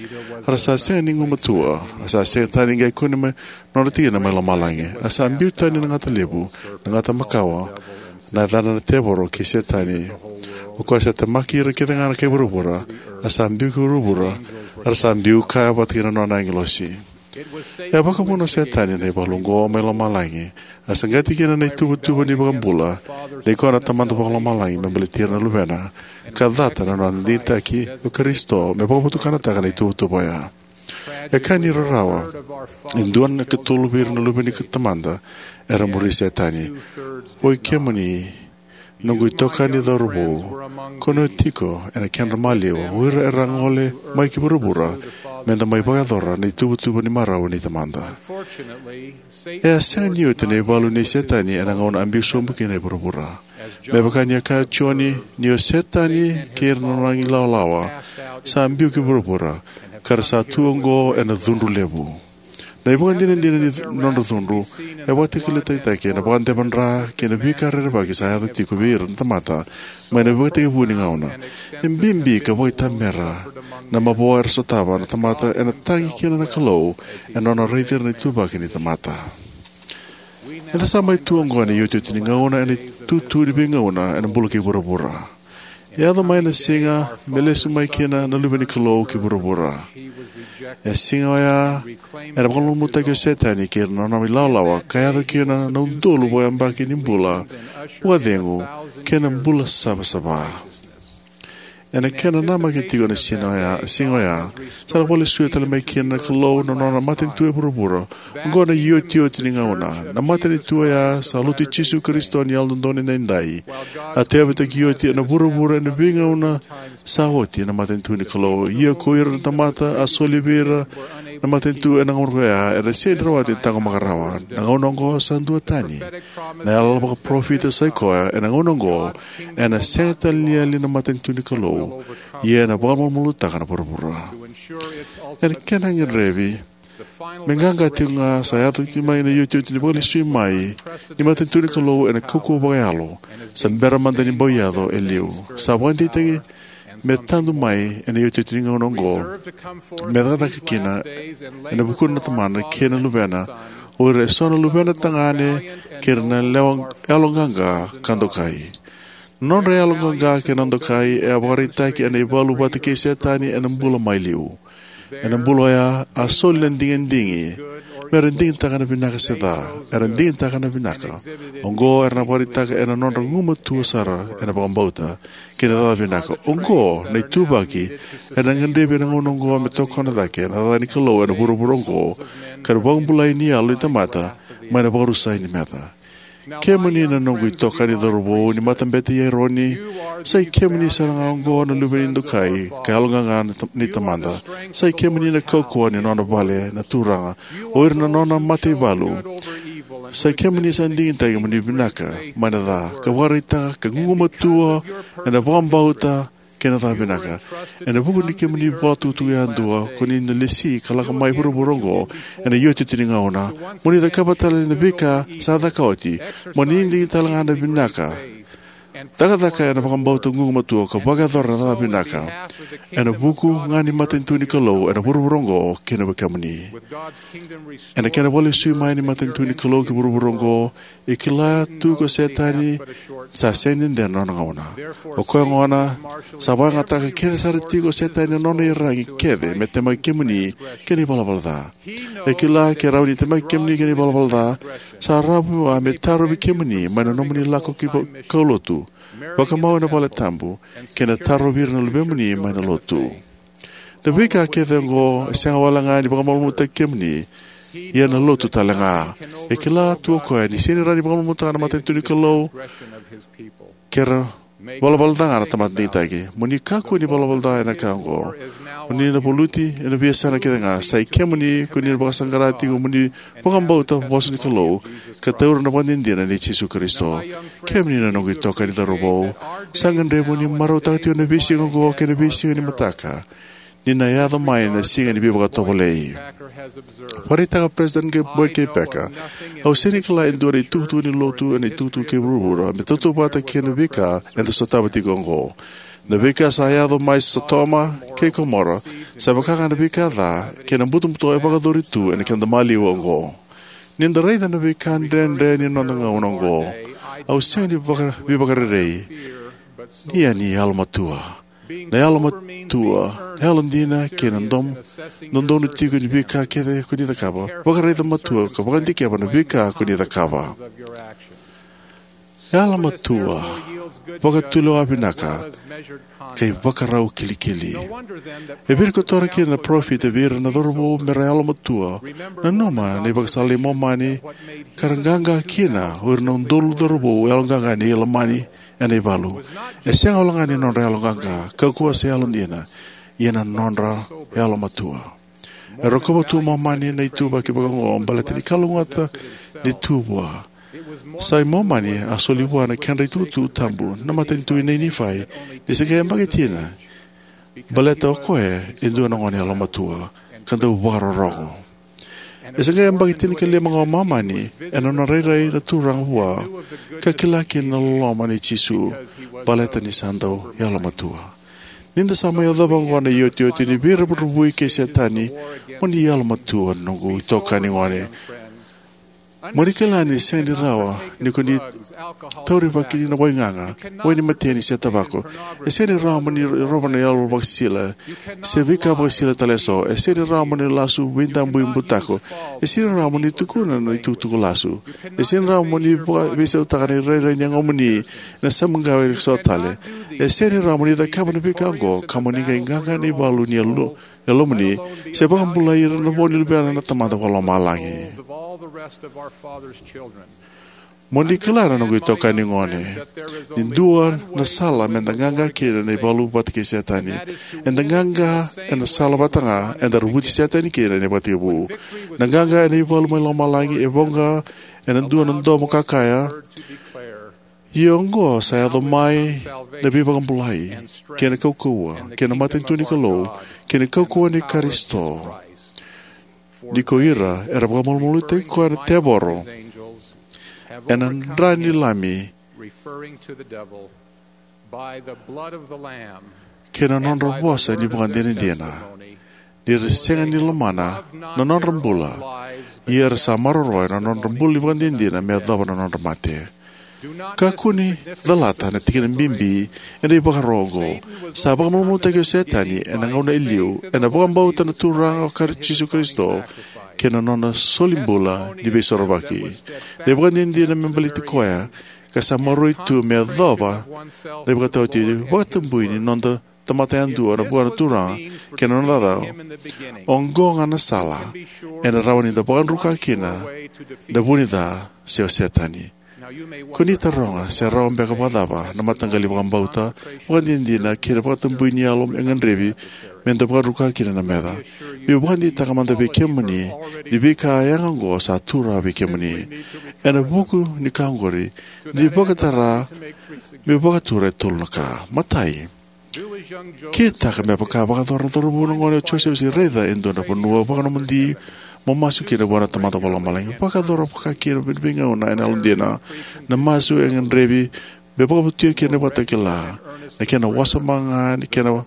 Era sa sega ni gumatua, a sa sega tale ni qai kune mai na nona tikina mai lomalagi. A sa biu tani na gata levu, na gata makawa, na yacana na tevoro kei Setani. O koya sa temaki ira kece ga na kai vuravura, a sa biu ki vuravura, era sa biu kaya vata kei na nona agilosi. E a vakavuna o Setani na ivalu oqo mai lomalagi, a saqati kina na ituvatuva ni vakabula, nei koya na Tamada Vakalomalagi me baleti ira na luvena, ka cata na nona digitaki o Karisito me vakavotukanataka na ituvatuva oya. E ka ni rarawa, e dua na katolu vei ira na luve ni Tamada era muri Setani. Oi kemuni, noqu itokani cauravou, ko ni tiko ena kedra maliwa o ira era a gole mai ki vuravura, me da mai vakayacora na ituvatuva ni marau ni Tamada. E a sega ni oti na ivalu nei Setani ena gauna a biu sobu kina e vuravura. Me vaka ni a kaya o Joni, ni o Setani kei ira na nona ilawalawa sa biu ki vuravura, ka ra sa tu oqo ena cudru levu. Na ivakadinadina ni nodra cudru e vakatakilakitaki ena vakadevadra kei na veika rerevaki sa yaco tiko vei ira na tamata mai na ivakatekivu ni gauna. E bibi ka vakaitamera na mavoa era sotava na tamata ena tagi kina na Kalou ena nona raici ira na ituvaki ni tamata. Eda sa mai tu oqo ena iotioti ni gauna, ena itutu ni veigauna ena bula kei vuravura. E yaco mai na siga me lesu mai kina na Luve ni Kalou ki vuravura. E siga oya ena vakamalumalumutaki o Setani kei ira na nona ilawalawa, ka yaco kina na udolu vakayabaki ni bula vakacegu kei na bula savasava. Ena kena namaki tiko na siga oya, siga oya, sa na vakalesui tale mai kina na Kalou na nona matanitu e vuravura. Oqo na iotioti ni gauna. Na matanitu oya sa Lotu i Jisu Karisito ni Yalododonu Edaidai. A tauyavutaki oti ena vuravura ena veigauna sa oti na matanitu ni Kalou. Ia ko ira na tamata a soli vei ira na matanitu ena gauna oya, era sega ni rawati na taqomaka rawa. Na gauna oqo sa duatani. Na yalayala vakaparofita sa i koya, ena gauna oqo, ena sega tale ni yali na matanitu ni Kalou, ia ena vakamalumalumutaka na vuravura. Ena kena gadrevi me qaqa tiko ga, sa yaco tiko mai na iotioti ni vakalesui mai ni matanitu ni Kalou ena kaukauwa vakayalo sa bera mada ni bau yaco e liu. Sa vakadeitaki me tadu mai ena iotioti ni gauna oqo, me cakacaka kina ena vukuna na Tamana kei na Luvena, o ira eso na luvena tagane kei ira na lewa yaloqaqa ka dokai. Nodra yaloqaqa kei na dokai e a vakaraitaki ena ivalu vata kei Setani ena bula mai liu. Ena bula oya a soli na digidigi, me ra digitaka na vinaka se ca, era digitaka na vinaka. Oqo era na vakaraitaka ena nodra gumatua sara ena vakabauta kei na cakacaka vinaka. Oqo na ituvaki ena gadrevi ena gauna oqo me tokona cake na cakacaka ni Kalou ena vuravura oqo, ka na vakabulai ni yalo ni tamata mai na vakarusai ni meca. Kemuni na noqu itokani cauravou ni matabete i Eroni, sa i kemuni sara ga oqo na luve ni dokai ka yaloqaqa ni Tamada. Sa i kemuni na kaukauwa ni nona vale na Turaga, o ira na nona mataivalu. Sa i kemuni sa digitaki mo ni vinaka mai na ca, ka vakaraitaka ka gugumatua ena vakabauta kei na cakacaka vinaka. Ena vuku ni kemuni vola tukutuku yadua, ko ni na lesi ka lako mai vuravura oqo ena iotioti ni gauna, mo ni cakava tale na veika sa caka oti, mo ni digi tale ga na vinaka. Cakacaka ena vakabauta, gugumatua, ka vakayacora na cakacaka vinaka ena vuku ga ni matanitu ni Kalou ena vuravura oqo kei na wekemuni. Ena kena vakalesui mai ni matanitu ni Kalou ki vuravura oqo, e kila tu ko Setani sa sega ni dede na nona gauna. O koya gona sa vakayagataka kece sara tiko o Setani na nona iyaragi kece me temaki kemuni kei na ivalavala ca. E kila ke rawa ni temaki kemuni kei na ivalavala ca, sa rawa vua me tarovi kemuni mai na nomuni lako ki va-, kaulotu, vakamau ena valetabu, kei na tarovi ira na luvemuni mai na lotu. Na veika kece oqo e sega wale ga ni vakamalumalumutaki kemuni, ia na lotu tale ga. E kila tu o koya ni sega ni rawa ni vakamalumalumutaka na matanitu ni Kalou ke ra valavala ca ga na tamata digitaki. Mo ni kakua ni valavala ca ena ka oqo. O ni na valuti ena veiyasana kece ga. Sa i kemuni ko ni na vakasaqara tiko mo ni vakabauta vosa ni Kalou ka taura na vakadinadina nei Jisu Karisito. Kemuni na noqu itokani cauravou, sa gadrevi mo ni marautaka tiko na veisiga oqo kei na veisiga ni mataka. ni na yaco mai na siga ni veivakatovolei. Vakaraitaka o President Boyd K. Packer, au sega ni kila e dua na itukutuku ni lotu ena itukutuku kei vuravura me tautauvata kei na veika eda sotava tiko oqo. Na veika sa yaco mai Sotoma kei Komora, sa vaka ga na veika ca kei na butobuto e vakayacori tu ena keda maliwa oqo. Ni da raica na veika dredre ni noda gauna oqo, au sega ni vaka, veivakarerei, ia ni yalomatua. Na yalomatua, na yalodina kei na dom, dodonu tiko ni veika kece ko ni cakava. Vakaraica matua ka vakadikeva na veika ko ni cakava. Yalomatua, vakatulewa vinaka, ka ivakarau kilikili. E virikotora kina na parofita vei ira na cauravou me ra yalomatua. Nanuma na ivakasala i Momani, ka ra qaqa kina o ira na udolu cauravou yaloqaqa ni Ilamani ena ivalu. E sega wale ga ni nodra yaloqaqa, kaukauwa se yalodina, ia na nodra yalomatua. E rokova tu o Momani na ituvaki vakaoqo baleta ni kalougata ni tu vua. Sa i Momani a soli vua na kedra itukutuku tabu na matanitu nei Nifai, ni se qai yabaki tina, baleta o koya e dua na gone yalomatua ka dau vakarorogo. E se qai yabaki tinikalima ga o Momani ena nona rairai na Turaga vua, ka kila kina na loloma nei Jisu, baleta ni sa dau yalomatua. Ni da sa mai yacova oqo na iotioti ni veiravuravui kei Setani, mo ni yalomatua, noqu itokani gone. Mo ni kila ni sega ni rawa ni ko ni taurivaki na waigaga, wai ni mateni se tavako. E sega ni rawa mo ni rova na yalo vakasisila se veika vakasisila tale eso. E sega ni rawa mo ni lasu veidabui butako. E sega ni rawa mo ni tukuna na itukutuku lasu. E sega ni rawa mo ni vaka, veisautaka na irairai ni yagomuni ena samuqawe ni so tale. E sega ni rawa mo ni cakava na veika oqo ka mo ni qai qaqa ena ivalu ni yalo, yalomuni, se vakabulai ira na vo ni luvena na Tamada Vakalomalagi. Mo ni kila na noqu itokani gone, ni dua na sala meda qaqa kina na ivalu vata kei Setani. Eda qaqa ena sala vata ga eda ravuti Setani kina ena ivakatekivu. Na qaqa ena ivalu mai lomalagi e voqa ena dua na domo ka kaya, ia oqo sa yaco mai na veivakabulai, kei na kaukauwa, kei na matanitu ni Kalou, kei na kaukauwa ni Karisito. Ni ko ira era vakamalumalumutaki koya na tevoro ena dra ni Lami, kei na nodra vosa ni vakadinadina, ni ra sega ni lomana na nodra bula, ia era sa maroroya na nodra bula ni vakadinadina me yacova na nodra mate. Kakua ni calata na tikina bibi ena ivakaro oqo. Sa vakamalumalumutaki o Setani ena gauna e liu ena vakabauta na Turaga o Kari-, Jisu Karisito, kei na nona solibula ni veisorovaki, na ivakadinadina me baleti koya, ka sa maroroi tu me yacova na ivakataotioti vakatabui ni noda tamata yadua na vua na Turaga kei na nona cakacaka. Oqo ga na sala ena rawa ni da vakadruka kina na vu ni ca se o Setani. Ko ni taroga se rawa beka vakacava na mataqali vakabauta, vakadinadina kei na vakatabui ni yalo e gadrevi me da vakadruka kina na meca. Meu vakadeitaka mada vei kemuni ni veika yaga oqo sa tu rawa vei kemuni. Ena vuku ni ka oqori, ni vakatara, meu vakatura e tolu na ka. Matai, kitaka me vaka vakayacora na cauravou na gone o Josefa, se raica e dua na vanua vakanomodi mo masu kina vua na Tamada Vakalomalagi. Vakayacora vaka kina na veigauna ena yalodina. Na masu e gadrevi me vakavotuya kina na ivakatakila, na kena wasoma ga ni kena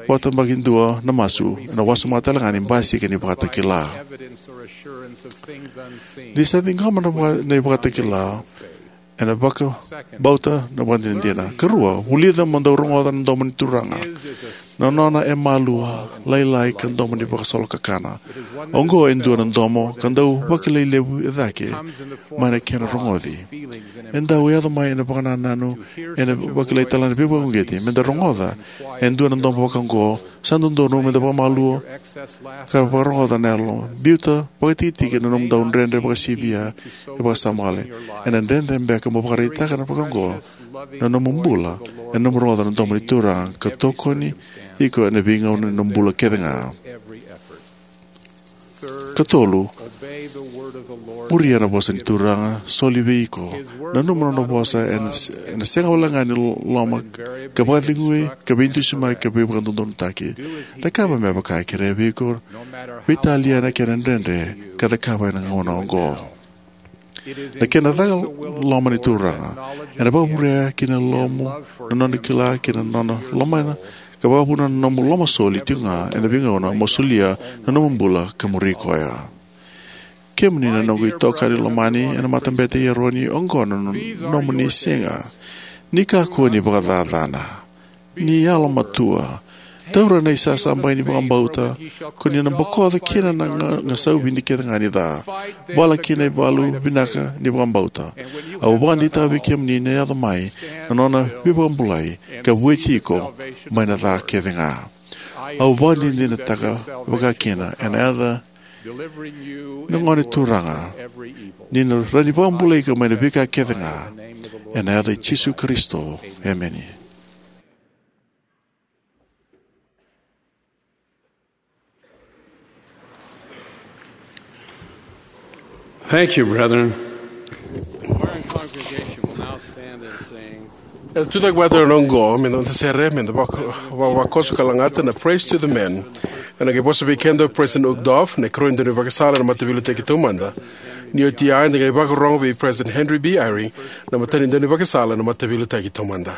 vakatabakidua na masu, ena wasoma tale ga ni basika ni ivakatakila. Ni sa ciqoma na vaka-, na ivakatakila, ena vakabauta na vakadinadina. Karua, vulica mo dau rogoca na domo ni Turaga. Na nona e malua, lailai ka domo ni vakasolokakana. Oqo e dua na domo ka dau vakilai levu e cake mai na kena rogoci. E dau yaco mai ena vakanananu, ena vakilai tale na veivakauqeti. Me da rogoca e dua na domo vaka oqo, sa dodonu me da vakamalua ka vakarogoca na yalo. Biuta vakatikitiki na nomudou dredre vakasivia e vakasama wale. Ena dredre beka mo vakaraitaka na vaka oqo na nomu bula ena nomu rogoca na domo ni Turaga ka tokoni iko ena veigauna ni nomu bula kece ga. Katolu, muria na vosa ni Turaga, soli vei iko. Nanuma na nona vosa ena, ena sega wale ga ni loma ka vakacegui ka veidusimaki ka veivakadodonutaki. Cakava me vaka e kerea vei iko, veitalia na kena dredre ka cakava ena gauna oqo. Na kena caka loma ni Turaga ena vakavurea kina na lomamu, na nona kila kina na nona lomana, ka vakavuna na nomu lomasoli tiko ga ena veigauna mo solia na nomu bula ka muri koya. Kemuni na noqu itokani lomani ena matabete i Eroni, oqo na no-, nomuni siga. Ni kakua ni vakacacana. Ni yalomatua. Taura na isasabai ni vakabauta, ko ni na bokoca kina na ga-, gasau vidi kece ga ni ca. Vala kina ivalu vinaka ni vakabauta. Au vakadeitaka vei kemuni ni na yaco mai na nona veivakabulai ka vueti iko mai na ca kece ga. Au vakadinadinataka vakakina ena yaca na Gone Turaga ni na rawa ni vakabulai iko mai na veika kece ga. Ena yaca i Jisu Karisito. Emeni. Thank you, brethren. E tucake vata na oqo, me da sere, me da vaka-, va-, vakoso ka lagata na Praise to the Men. Ena qai vosa vei keda o President Uchtdorf, na ikarua ni daunivakasala ena Mataveiliutaki Taumada. Ni oti ya, eda qai vakarorogo vei President Henry B. Eyring, na matani daunivakasala ena Mataveiliutaki Taumada.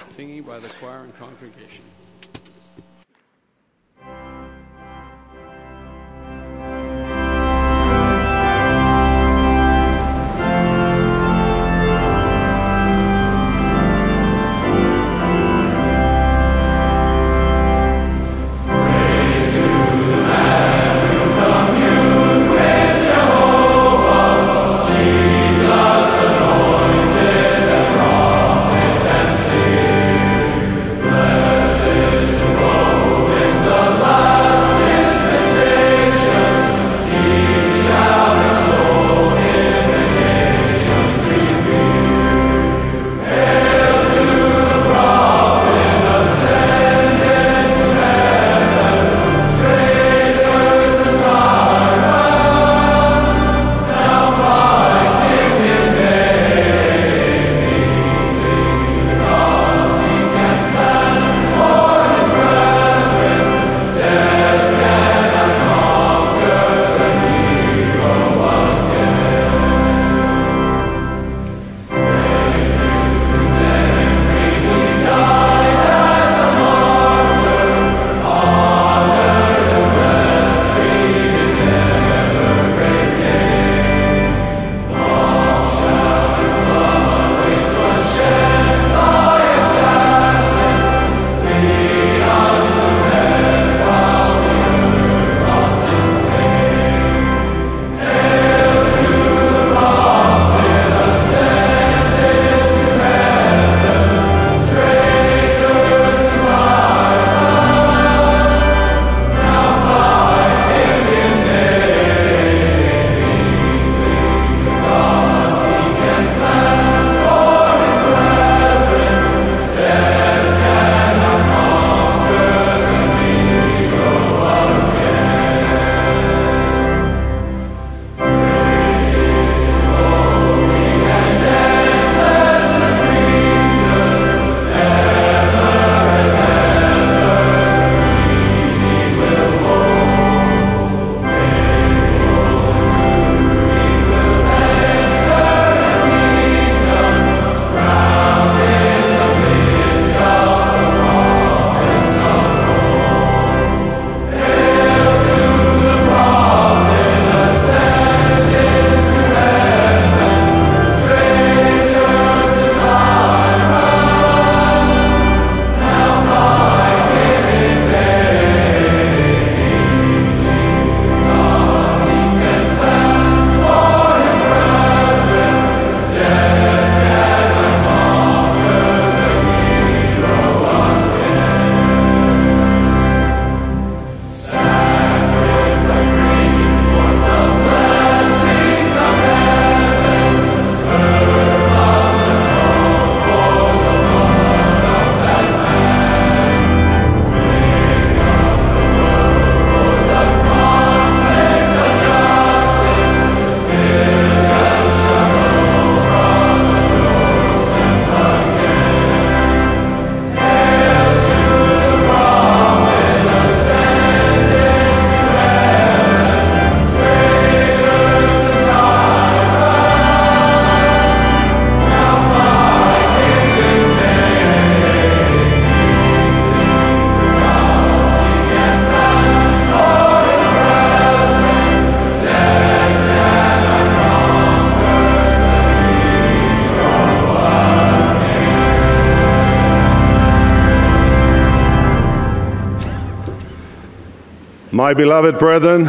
My beloved brethren,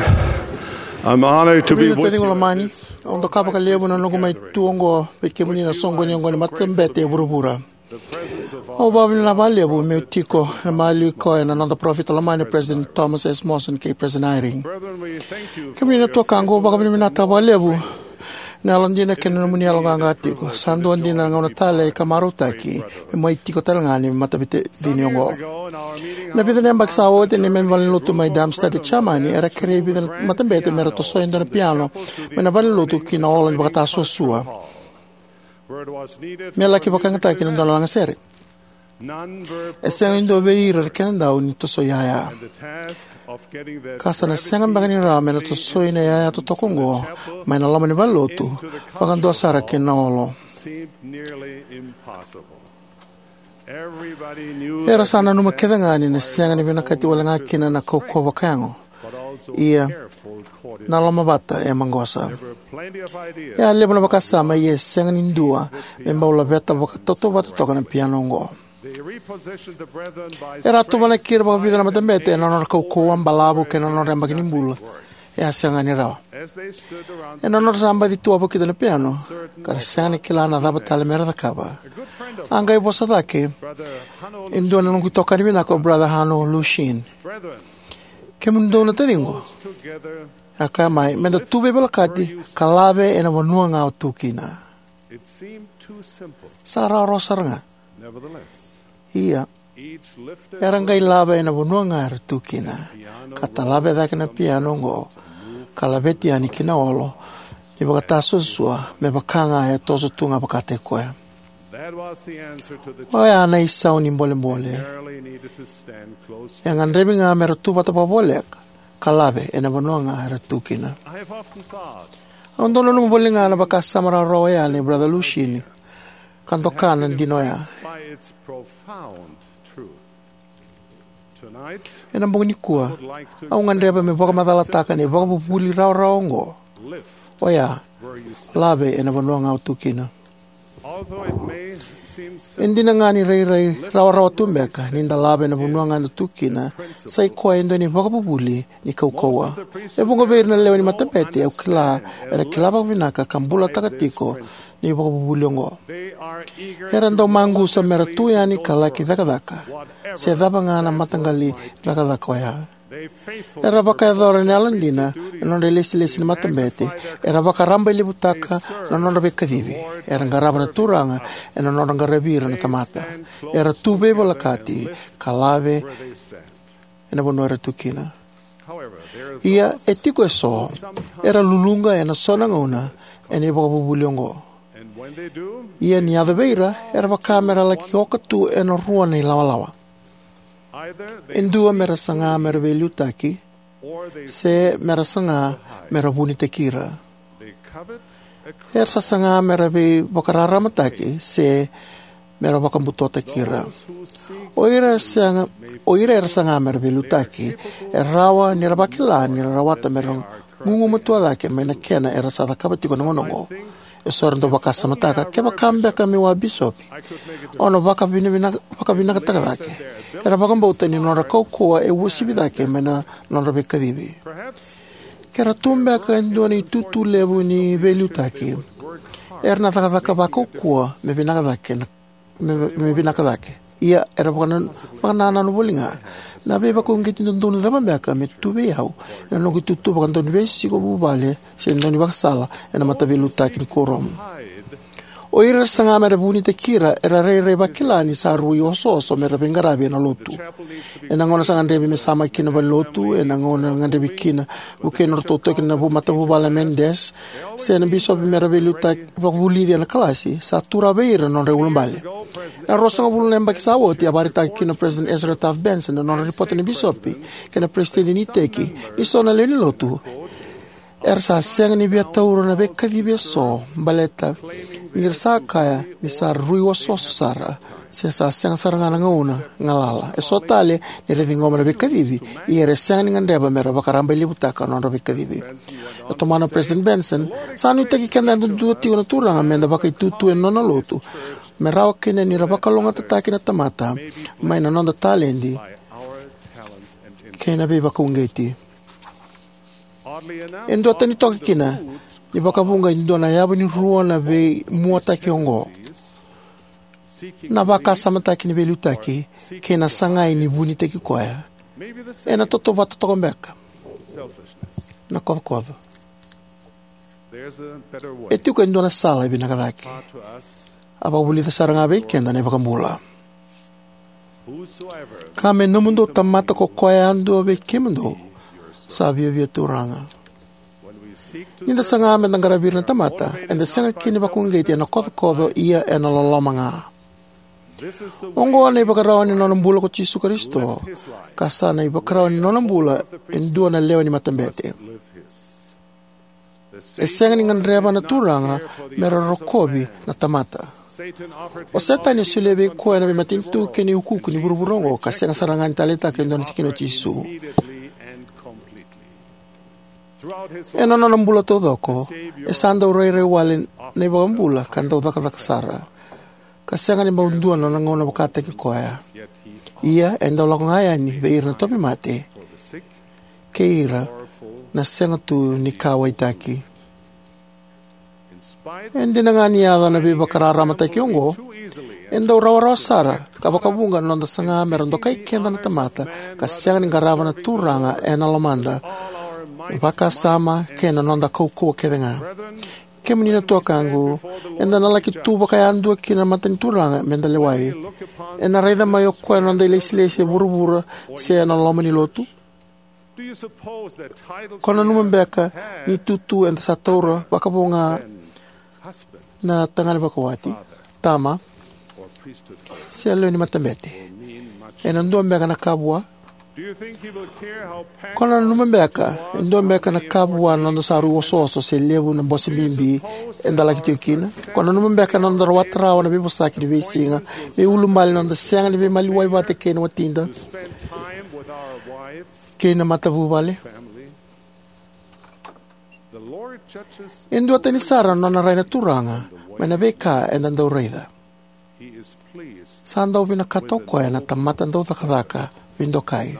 I'm honored to be Kemuni na with taciqu you. Lomani, au doka vakalevu na noqu mai tu oqo vei kemuni na soqoni oqo ni matabete e vuravura. Au vakavinavinaka vakalevu meu tiko ena maliwa ni koya na noda parofita lomani, President Thomas S. Monson kei President Eyring. Kemuni na tuakaqu, au vakavinavinaka vakalevu na yalodina kei na nomuni yaloqaqa tiko. Sa dua dina na gauna talei ka marautaki me mai tiko tale ga ni mataveitacini oqo. Na vica na yabaki sa oti, ena neimami valenilotu mai Darmstadt, e Jamani, era kerei vica na matabete mera tosoi e dua na piano mai na valenilotu ki na olo ni vakatasuasua me laki vakayagataki ena dua na lagasere. E sega ni dua vei ira na kenadau ni tosoi yaya, ka sa na sega beka ni rawa me na tosoi na yaya totoka oqo mai na loma ni valenilotu, vakadua sara ki na olo. Era sa nanuma kece ga ni na sega ni vinakati wale ga kina na kaukauwa vakayago. Ia, na lomavata e maqosa. E a levu na vakasama, ia e sega ni dua me bau laveta vakatautauvata toka na piano oqo. Era a tuvanaki ira vakavica na matabete ena nodra kaukauwa, balavu, kei na nodra yabaki ni bula. E a sega ni rawa. Ena nodra sa baci tu wavokita na piano, ka ra sega ni kila na cava tale mera cakava, a qai vosa cake e dua na noqu itokani vinaka, o Brother Hanno Luschin. Kemudou na taciqu, a kaya mai, meda tu veivolekati ka lave ena vanua ga o tu kina. Sa rawarawa sara ga. Ia, era qai lave ena vanua ga era tu kina, ka talave cake na piano oqo, ka laveti yani ki na olo ni vakatasuasua, me vaka ga e toso tu ga vakataki koya. Oya na isau ni bolebole. E gadrevi ga mera tu vata vakavoleka ka lave ena vanua ga era tu kina. Au dau nanuma voli ga na vakasama rawarawa oya nei Brother Luschin, ka doka na dina oya. Ena bogi nikua, au gadreva meu vakamacalataka na ivakavuvuli rawarawa oqo. Oya, lave ena vanua ga o tu kina. E dina ga ni rairai rawarawa tu beka ni da lave ena vanua ga eda tu kina, sa i koya e dua na ivakavuvuli ni kaukauwa. E vuqa vei ira na lewe ni matabete au kila era kila vakavinaka ka bulataka tiko na ivakavuvuli oqo. Era dau maqusa mera tu yani ka laki cakacaka se cava ga na mataqali cakacaka oya. Era vakayacora na yalodina ena nodra ilesilesi ni matabete. Era vakarabailevutaka na nodra veikacivi. Era qarava na Turaga ena nodra qaravi ira na tamata. Era tu veivolekati ka lave ena vanua era tu kina. Ia, e tiko eso era luluqa ena so na gauna ena ivakavuvuli oqo. Ia ni yaco vei ira, era vaka mera laki oka tu ena rua na ilawalawa. E dua mera saga mera veiliutaki, se mera saga mera vunitaki ira. Era sa saga mera veivakararamataki, se mera vakabutotaki ira. O ira sega, o ira era saga mera veiliutaki, e rawa ni ra vakila ni ra rawata mera gugumatua cake mai na kena era sa cakava tiko na gauna oqo. Eso era dau vakasamataka, kevaka beka meu a bisopi, au na vakavinavina-, vakavinakataka cake. Era vakabauta ni nodra kaukauwa e uasivi cake mai na nodra veikacivi. Ke ra tu beka e dua na itutu levu ni veiliutaki, era na cakacaka vakaukauwa me vinaka cake na me, me vinaka cake. Ia, era vakana-, vakanananu voli ga. Na veivakauqeti dodonu cava beka me tu vei au ena noqu itutu vakadauniveisiko, vuvale, se daunivakasala ena mataveiliutaki ni kuoramu? O ira era saga mera vunitaki ira, era rairai vakila ni sa rui osooso mera veiqaravi ena lotu. Ena gauna sa gadrevi me samaki kina valenilotu, ena gauna era gadrevi kina vukei nodratou toki na vu-, matavuvale Mendes, se na bisopi mera veiliutaki vakavulici ena kalasi, sa tu rawa vei ira na nodra iulubale. Ena ruasagavulu na yabaki sa oti, a vakaraitaka kina o President Ezra Taft Benson na nodra ripota na bisopi kei na peresitedi ni iteki ni so na lewe ni lotu era sa sega ni via taura na veikacivi eso baleta ni ra sa kaya ni sa rui osooso sara, se sa sega sara ga na gauna galala. Eso tale ni ra ciqoma na veikacivi, ia era sega ni gadreva mera vakarabailevutaka na nodra veikacivi. E tomana o President Benson, sa nuitaki keda yadudua tiko na Turaga meda vakaitutu ena nona lotu, me rawa kina ni ra vakalougatataki na tamata mai na noda taledi kei na veivakauqeti. E duatani toka kina, ni vakavuqa e dua na yavu ni rua na veimuataki oqo: na vakasamataki ni veiliutaki kei na sagai ni vunitaki koya. Ena tautauvata toka beka na kocokoco. E tiko e dua na sala e vinaka cake. A vakavulica sara ga vei keda na iVakabula: Ka me nomudou tamata ko koya yadua vei kemudou sa viavia Turaga. Ni da saga me da qaravi ira na tamata, eda sega kina ni vakauqeti ena kocokoco, ia ena loloma ga. Oqo na ivakarau ni nona bula ko Jisu Karisito, ka sa na ivakarau ni nona bula e dua na lewe ni matabete. E sega ni gadreva na Turaga me ra rokovi na tamata. O Setani e solia vei koya na veimatanitu kei na iukuuku ni vuravura oqo, ka sega sara ga ni taleitaka e dua na tikina o Jisu. Ena nona bula taucoko, e sa dau rairai wale na iVakabula ka dau cakacaka sara, ka sega ni bau dua na nona gauna vakataki koya. Ia e dau lako ga yani vei ira na tauvimate kei ira na sega tu ni kauwaitaki. E dina ga ni yaco na veivakararamataki oqo, e dau rawarawa sara ka vakavuqa na noda saga me ra dokai keda na tamata ka sega ni qarava na Turaga ena lomada, vakasama kei na noda kaukauwa kece ga. Kemuni na tuakaqu, eda na laki tu vakayadua kina na mata ni Turaga me da lewai. Ena raica mai o koya na noda ilesilesi e vuravura se ena loma ni lotu? Ko nanuma beka ni tutu eda sa taura vakavo ga na tagane vakawati, tama, se lewe ni matabete, ena dua beka na ka vua? Ko nanuma beka e dua beka na ka vua na noda sa rui osooso se levu na bose bibi eda laki tiko kina? Ko nanuma beka na noda rawata rawa na veivosaki ni veisiga me ulubale na noda sega ni veimaliwai vata kei na watida kei na matavuvale? E duatani sara na nona rai na Turaga mai na veika eda dau raica. Sa dau vinakata o koya na tamata dau cakacaka veidokai,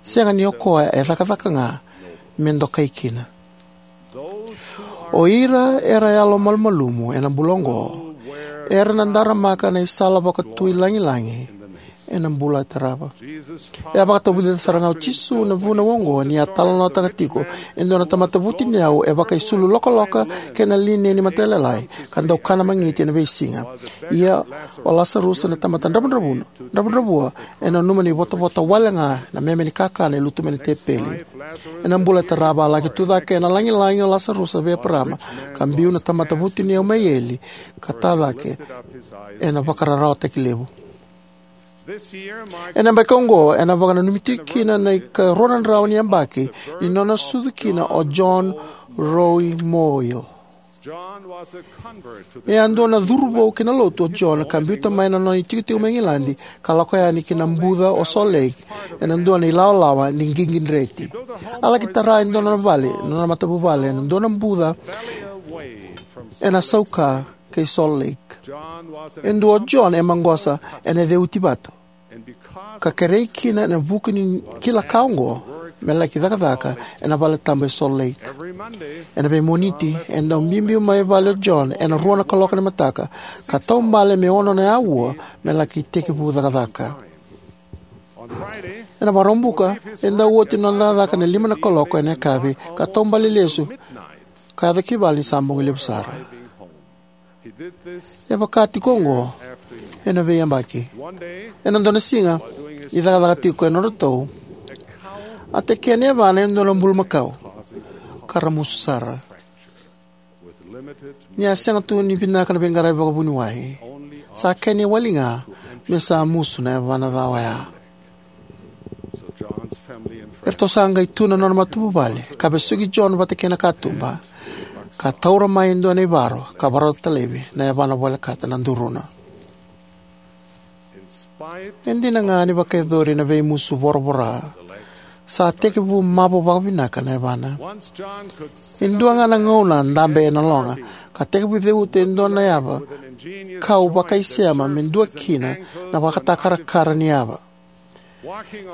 sega ni o koya e cakacaka ga me dokai kina. O ira era yalomalumalumu ena bula oqo era na daramaka na isala vakatui lagilagi ena bula e tarava. E a vakatavulica sara ga o Jisu na vunau oqo ni a talanoataka tiko e dua na tamata vutuniyau e vakaisulu lokaloka kei na lineni matailalai ka dau kana magiti ena veisiga. Ia o Lasarusa na tamata dravudravua, dravudravua, e nanuma ni votavota wale ga na meme ni kakana e lutu mai na tepeli. Ena bula e tarava a laki tucake ena lagilagi o Lasarusa vei Eparama, ka biu na tamata vutuniyau mai eli ka ta cake ena vakararawataki levu. Ena yabaki oqo ena vakananumi tiko kina na ikarua na drau ni yabaki ni nona sucu kina o John Rowe Moyle. E a dua na curuvou ki na lotu o John ka biuta mai na nona itikotiko mai Igiladi ka lako yani ki na buca o Salt Lake ena dua na ilawalawa ni qiqi dreti. A laki tara e dua na nona vale, na nona matavuvale, ena dua na buca ena sauka kei Salt Lake. E dua o John e maqosa ena ceuti vatu, ka kerei kina ena vuku ni kila ka oqo me laki cakacaka ena valetabu e Salt Lake. Ena veimoniti e dau biubiu mai vale o John ena rua na kaloko ni mataka ka taubale me ono na auwa me laki tekivu cakacaka. Ena Vakaraubuka e dau oti na nona cakacaka na lima na kaloko ena yakavi ka taubale lesu ka yaco ki vale ni sa bogi levu sara. E vaka tiko oqo ena veiyabaki. Ena dua na siga, ni cakacaka tiko e nodratou, a tekea na yavana e dua na bulumakau ka ramusu sara. Ni a sega tu ni vinaka na veiqaravi vakavuniwai, sa kena iwali ga me sa musu na yavana ca oya. Eratou sa qai tu na nona matavuvale ka vesuki John vata kei na katuba, ka taura mai e dua na ivaro ka varauta laivi na yavana volekata na duruna. E dina ga ni vakayacori na veimusu voravora, sa tekivu mavo vakavinaka na yavana. E dua ga na gauna a dabe ena loga ka tekivu ceuta e dua na yava kau vakaisema me dua kina na vakatakarakara ni yava.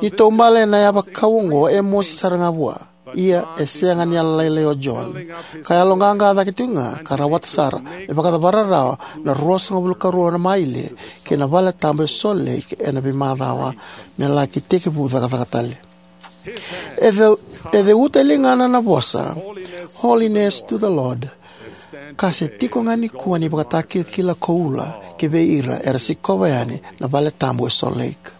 Ni taubale ena yava kau oqo e mosi sara ga vua. Ia e sega ni yalolailai o John, ka yaloqaqa cake tiko ga ka rawata sara me vakacavara rawa na ruasagavulu ka rua na maile ki na vale tabu e Salt Lake ena veimacawa me laki tekivu cakacaka tale. E ceu-, e ceuta e ligana na vosa Holiness to the Lord, ka se tiko ga nikua na ivakatakilakila koula ki vei ira era sikova yani na vale tabu e Salt Lake.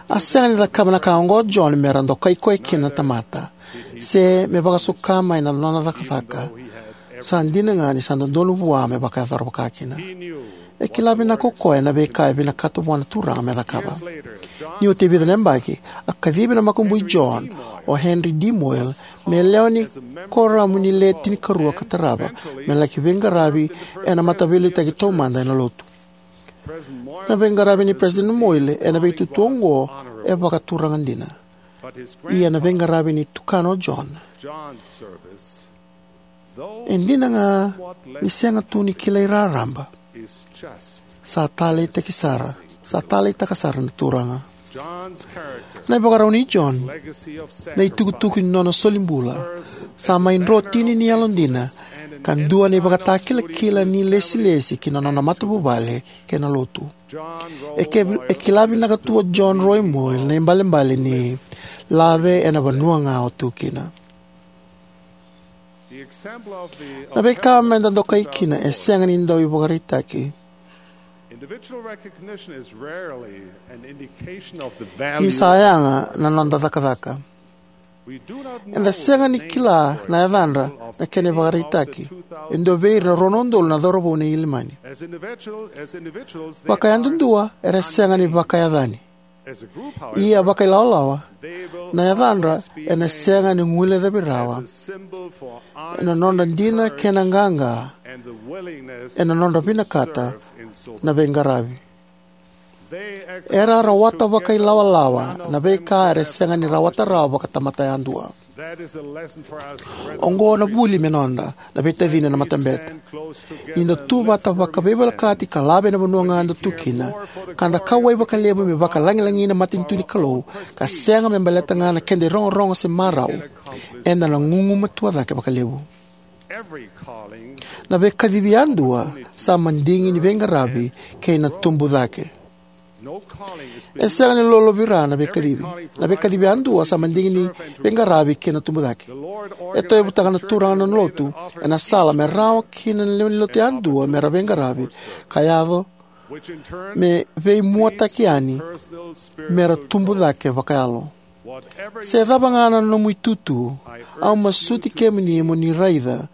A sega ni cakava na ka oqo o John me ra dokai koya kina na tamata, se me vakasuka mai na nona cakacaka. Sa dina ga ni sa dodonu vua me vakayacora vakakina. E kila vinaka o koya na veika e vinakata vua na Turaga me cakava. Ni oti e vica na yabaki, a kacivi na makubui John, o Henry D. Moyle, me lewe ni Kuoramu ni Le Tinikarua ka tarava me laki veiqaravi ena mataveiliutaki taumada ena Lotu. Na veiqaravi nei President Moyle ena veitutu oqo e vakaturaga dina. Ia na veiqaravi ni tukana o John, e dina ga ni sega tu ni kilai raraba, sa taleitaki sara, sa taleitaka sara na Turaga. Na ivakarau nei John, na itukutuku ni nona solibula, sa mai drotini ni yalodina ka dua na ivakatakilakila ni lesilesi ki na nona matavuvale kei na Lotu. E ke-, e kila vinaka tu o John Roy Moyle na ibalebale ni lave ena vanua ga o tu kina. Na veika meda dokai kina e sega ni dau ivakaraitaki. Ni sa yaga na noda cakacaka. Eda sega ni kila na yacadra na kena ivakaraitaki e dua vei ira na rua na udolu na cauravou na Ilimani. Vakayadudua era sega ni vakayacani. Ia vakailawalawa, na yacadra ena sega ni guilecavi rawa ena nodra dina kei na qaqa, ena nodra vinakata na veiqaravi. Era rawata vakailawalawa na veika era sega ni rawata rawa vakatamata yadua. Oqo na vuli me noda, na veitacini ena matabete. Ni da tu vata vakaveivolekati ka lave ena vanua ga da tu kina, ka da kauwai vakalevu me vakalagilagi na matanitu ni Kalou, ka sega me baleta ga na keda irogorogo se marau, eda na gugumatua cake vakalevu. Na veikacivi yadua sa madigi ni veiqaravi kei na tubu cake. E sega ni lolovira na veikacivi. Na veikacivi yadua sa madigi ni veiqaravi kei na tubu cake. E tauyavutaka na Turaga na nona Lotu ena sala me rawa kina na lewe ni Lotu yadua me ra veiqaravi, ka yaco me veimuataki yani me ra tubu cake vakayalo. Se cava ga na nomu itutu, au masuti kemuni mo ni raica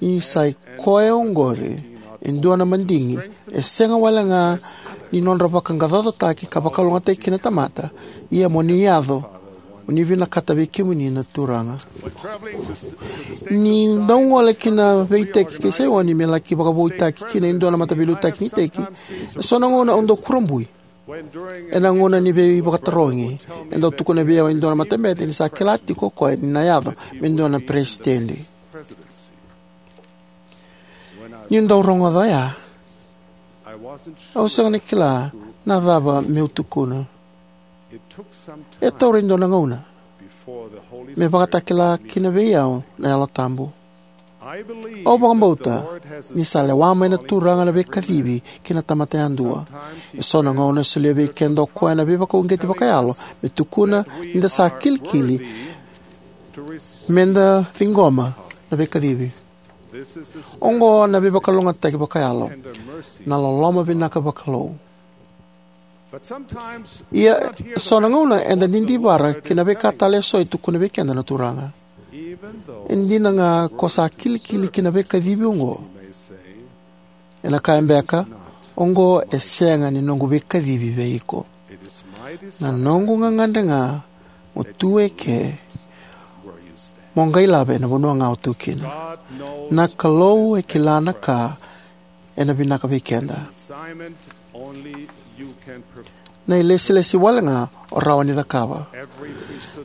ni sa i koya oqori e dua na madigi e sega wale ga ni nodra vakaqaqacotaki ka vakalougatataki kina na tamata, ia mo ni yaco, mo ni vinakata vei kemuni na Turaga. Ni dau gole ki na veiiteki kei Saioni me laki vakavoutaki kina e dua na mataveiliutaki ni iteki, e so na gauna au dau kurabui. Ena gauna ni veivakatarogi, e dau tukuna vei au e dua na matabete ni sa kila tiko o koya ni na yaco me dua na peresitedi. Niu dau rogoca oya, au sega ni kila na cava meu tukuna. E taura e dua na gauna me vakatakila kina vei au na Yalo Tabu. Au vakabauta ni sa lewa mai na Turaga na veikacivi ki na tamata yadua. E so na gauna e solia vei keda o koya na veivakauqeti vakayalo me tukuna ni da sa kilikili me da ciqoma na veikacivi. Oqo na veivakalougatataki vakayalo, na loloma vinaka vakalou. Ia, so na gauna eda didivara ki na veika tale e so e tukuna vei keda na Turaga. E dina ga ko sa kilikili ki na veikacivi oqo, ena kaya beka, oqo e sega ni noqu veikacivi vei iko. Na noqu gagadre ga mo tu eke, mo qai lave ena vanua ga o tu kina. Na Kalou e kila na ka ena vinaka vei keda. Na ilesilesi wale ga o rawa ni cakava.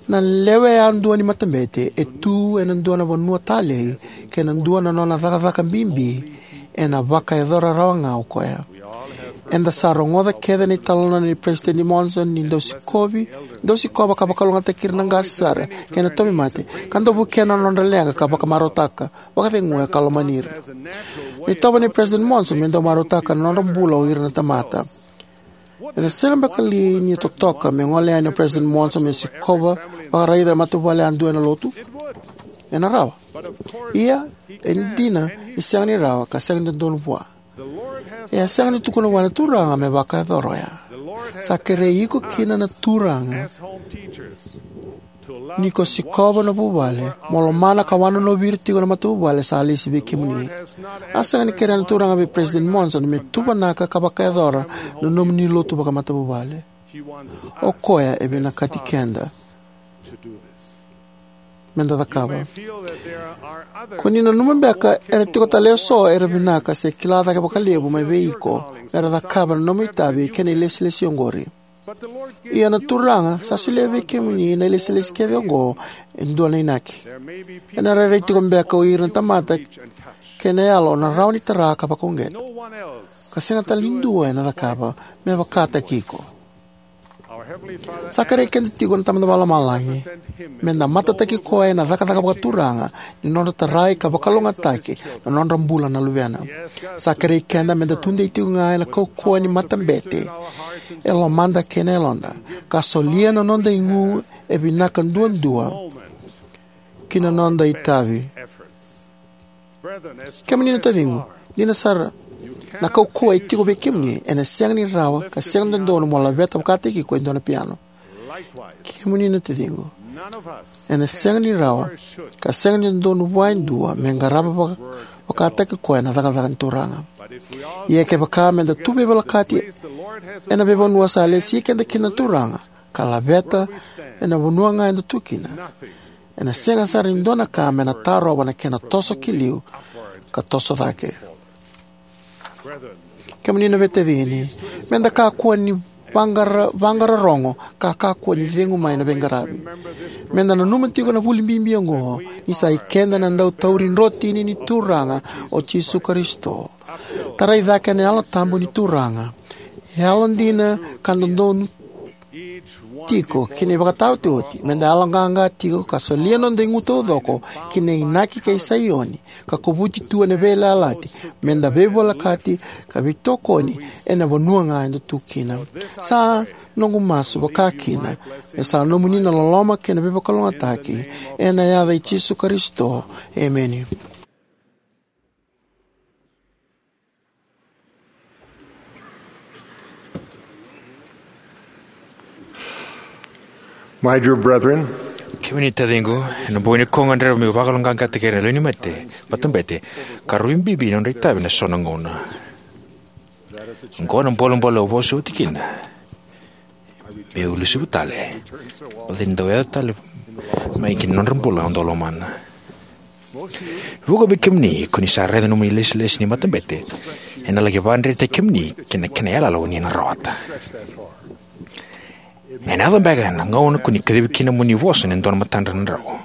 Na lewe yadua ni matabete e tu ena dua na vanua talei kei na dua na nona cakacaka bibi ena vakayacora rawa ga o koya. Eda sa rogoca kece na italanoa nei President Monson ni dau sikovi, dau sikova ka vakalougatataki ira na qase sara kei na tauvimate, ka dau vukea na nodra leqa ka vakamarautaka, vakaceguya ka lomani ira. Na itovo nei President Monson me dau marautaka na nodra bula o ira na tamata. Ena sega beka li ni totoka me gole yani o President Monson me sikova vakaraica na matavuvale yadua ena lotu? Ena rawa. Ia, e dina ni sega ni rawa ka sega ni dodonu vua. E a sega ni tukuna vua na Turaga me vakayacora oya. Sa kerei iko kina na Turaga ni ko sikova na vuvale, mo lomana ka wanonovi ira tiko na matavuvale sa lesi vei kemuni. A sega ni kerea na Turaga vei President Monson me tuvanaka ka vakayacora na nomuni lotu vakamatavuvale. O koya e vinakati keda meda cakava. Ko ni nanuma beka era tiko tale eso era vinaka se kila cake vakalevu mai vei iko mera cakava na nomu itavi kei na ilesilesi oqori. Ia na Turaga sa solia vei kemuni na ilesilesi kece oqo e dua na inaki. Ena rairai tiko beka o ira na tamata kei na yalo na rawa ni tara ka vakauqeta, ka sega tale ni dua ena cakava me vakataki iko. Sa kerei keda tiko na Tamada Vakalomalagi meda matataki koya ena cakacaka vakaturaga ni nodra tarai ka vakalougatataki na nodra bula na luvena. Sa kerei keda meda tudei tiko ga ena kaukauwa ni matabete e lomada kei na yaloda, ka solia na noda igu e vinaka duadua ki na noda itavi. Kemuni na taciqu, dina sara, na kaukauwa e tiko vei kemuni, ena sega ni rawa ka sega ni dodonu mo laveta vakataki iko e dua na piano. Kemuni na taciqu, ena sega ni rawa ka sega ni dodonu vua e dua me qarava vaka-, vakataki koya na cakacaka ni Turaga. Ia kevaka meda tu veivolekati ena veivanua sa lesi keda kina na Turaga, ka laveta ena vanua ga eda tu kina, ena sega sara ni dua na ka me na tarova na kena toso ki liu ka toso cake. Kemuni na veitacini, meda kakua ni vaqara-, vaqara rogo ka kakua ni cegu mai na veiqaravi. Meda nanuma tiko na vuli bibi oqo, ni sa i keda na dau tauri drotini ni Turaga o Jisu Karisito. Tarai cake na Yalo Tabu ni Turaga. Yalodina ka dodonu tiko ki na ivakataotioti, meda yaloqaqa tiko ka solia noda igu taucoko ki na inaki kei Saioni, ka kovuti tu ena veiyalayalati, meda veivolekati ka veitokoni ena vanua ga eda tu kina. Sa noqu masu vakakina me sa nomuni na loloma kei na veivakalougatataki, ena yaca i Jisu Karisito. Emeni. My dear brethren, kemuni taciqu, ena bogi nikua au gadreva meu vakaloqaqataki ira na lewe ni mate, matabete, ka rui bibi na nodra itavi ena so na gauna. Oqo na bolebole au vosa oti kina. Meu lesuva tale. Baleta ni dau yaco tale mai ki na nodra bula au dau lomana. Vuqa vei kemuni ko ni sa raica nomuni lesilesi ni matabete ena laki vakadretaki kemuni kei na kena yalayala o ni na rawata. Ena yaco beka na gauna ko ni kacivi kina mo ni vosa ena dua na matadra na drau.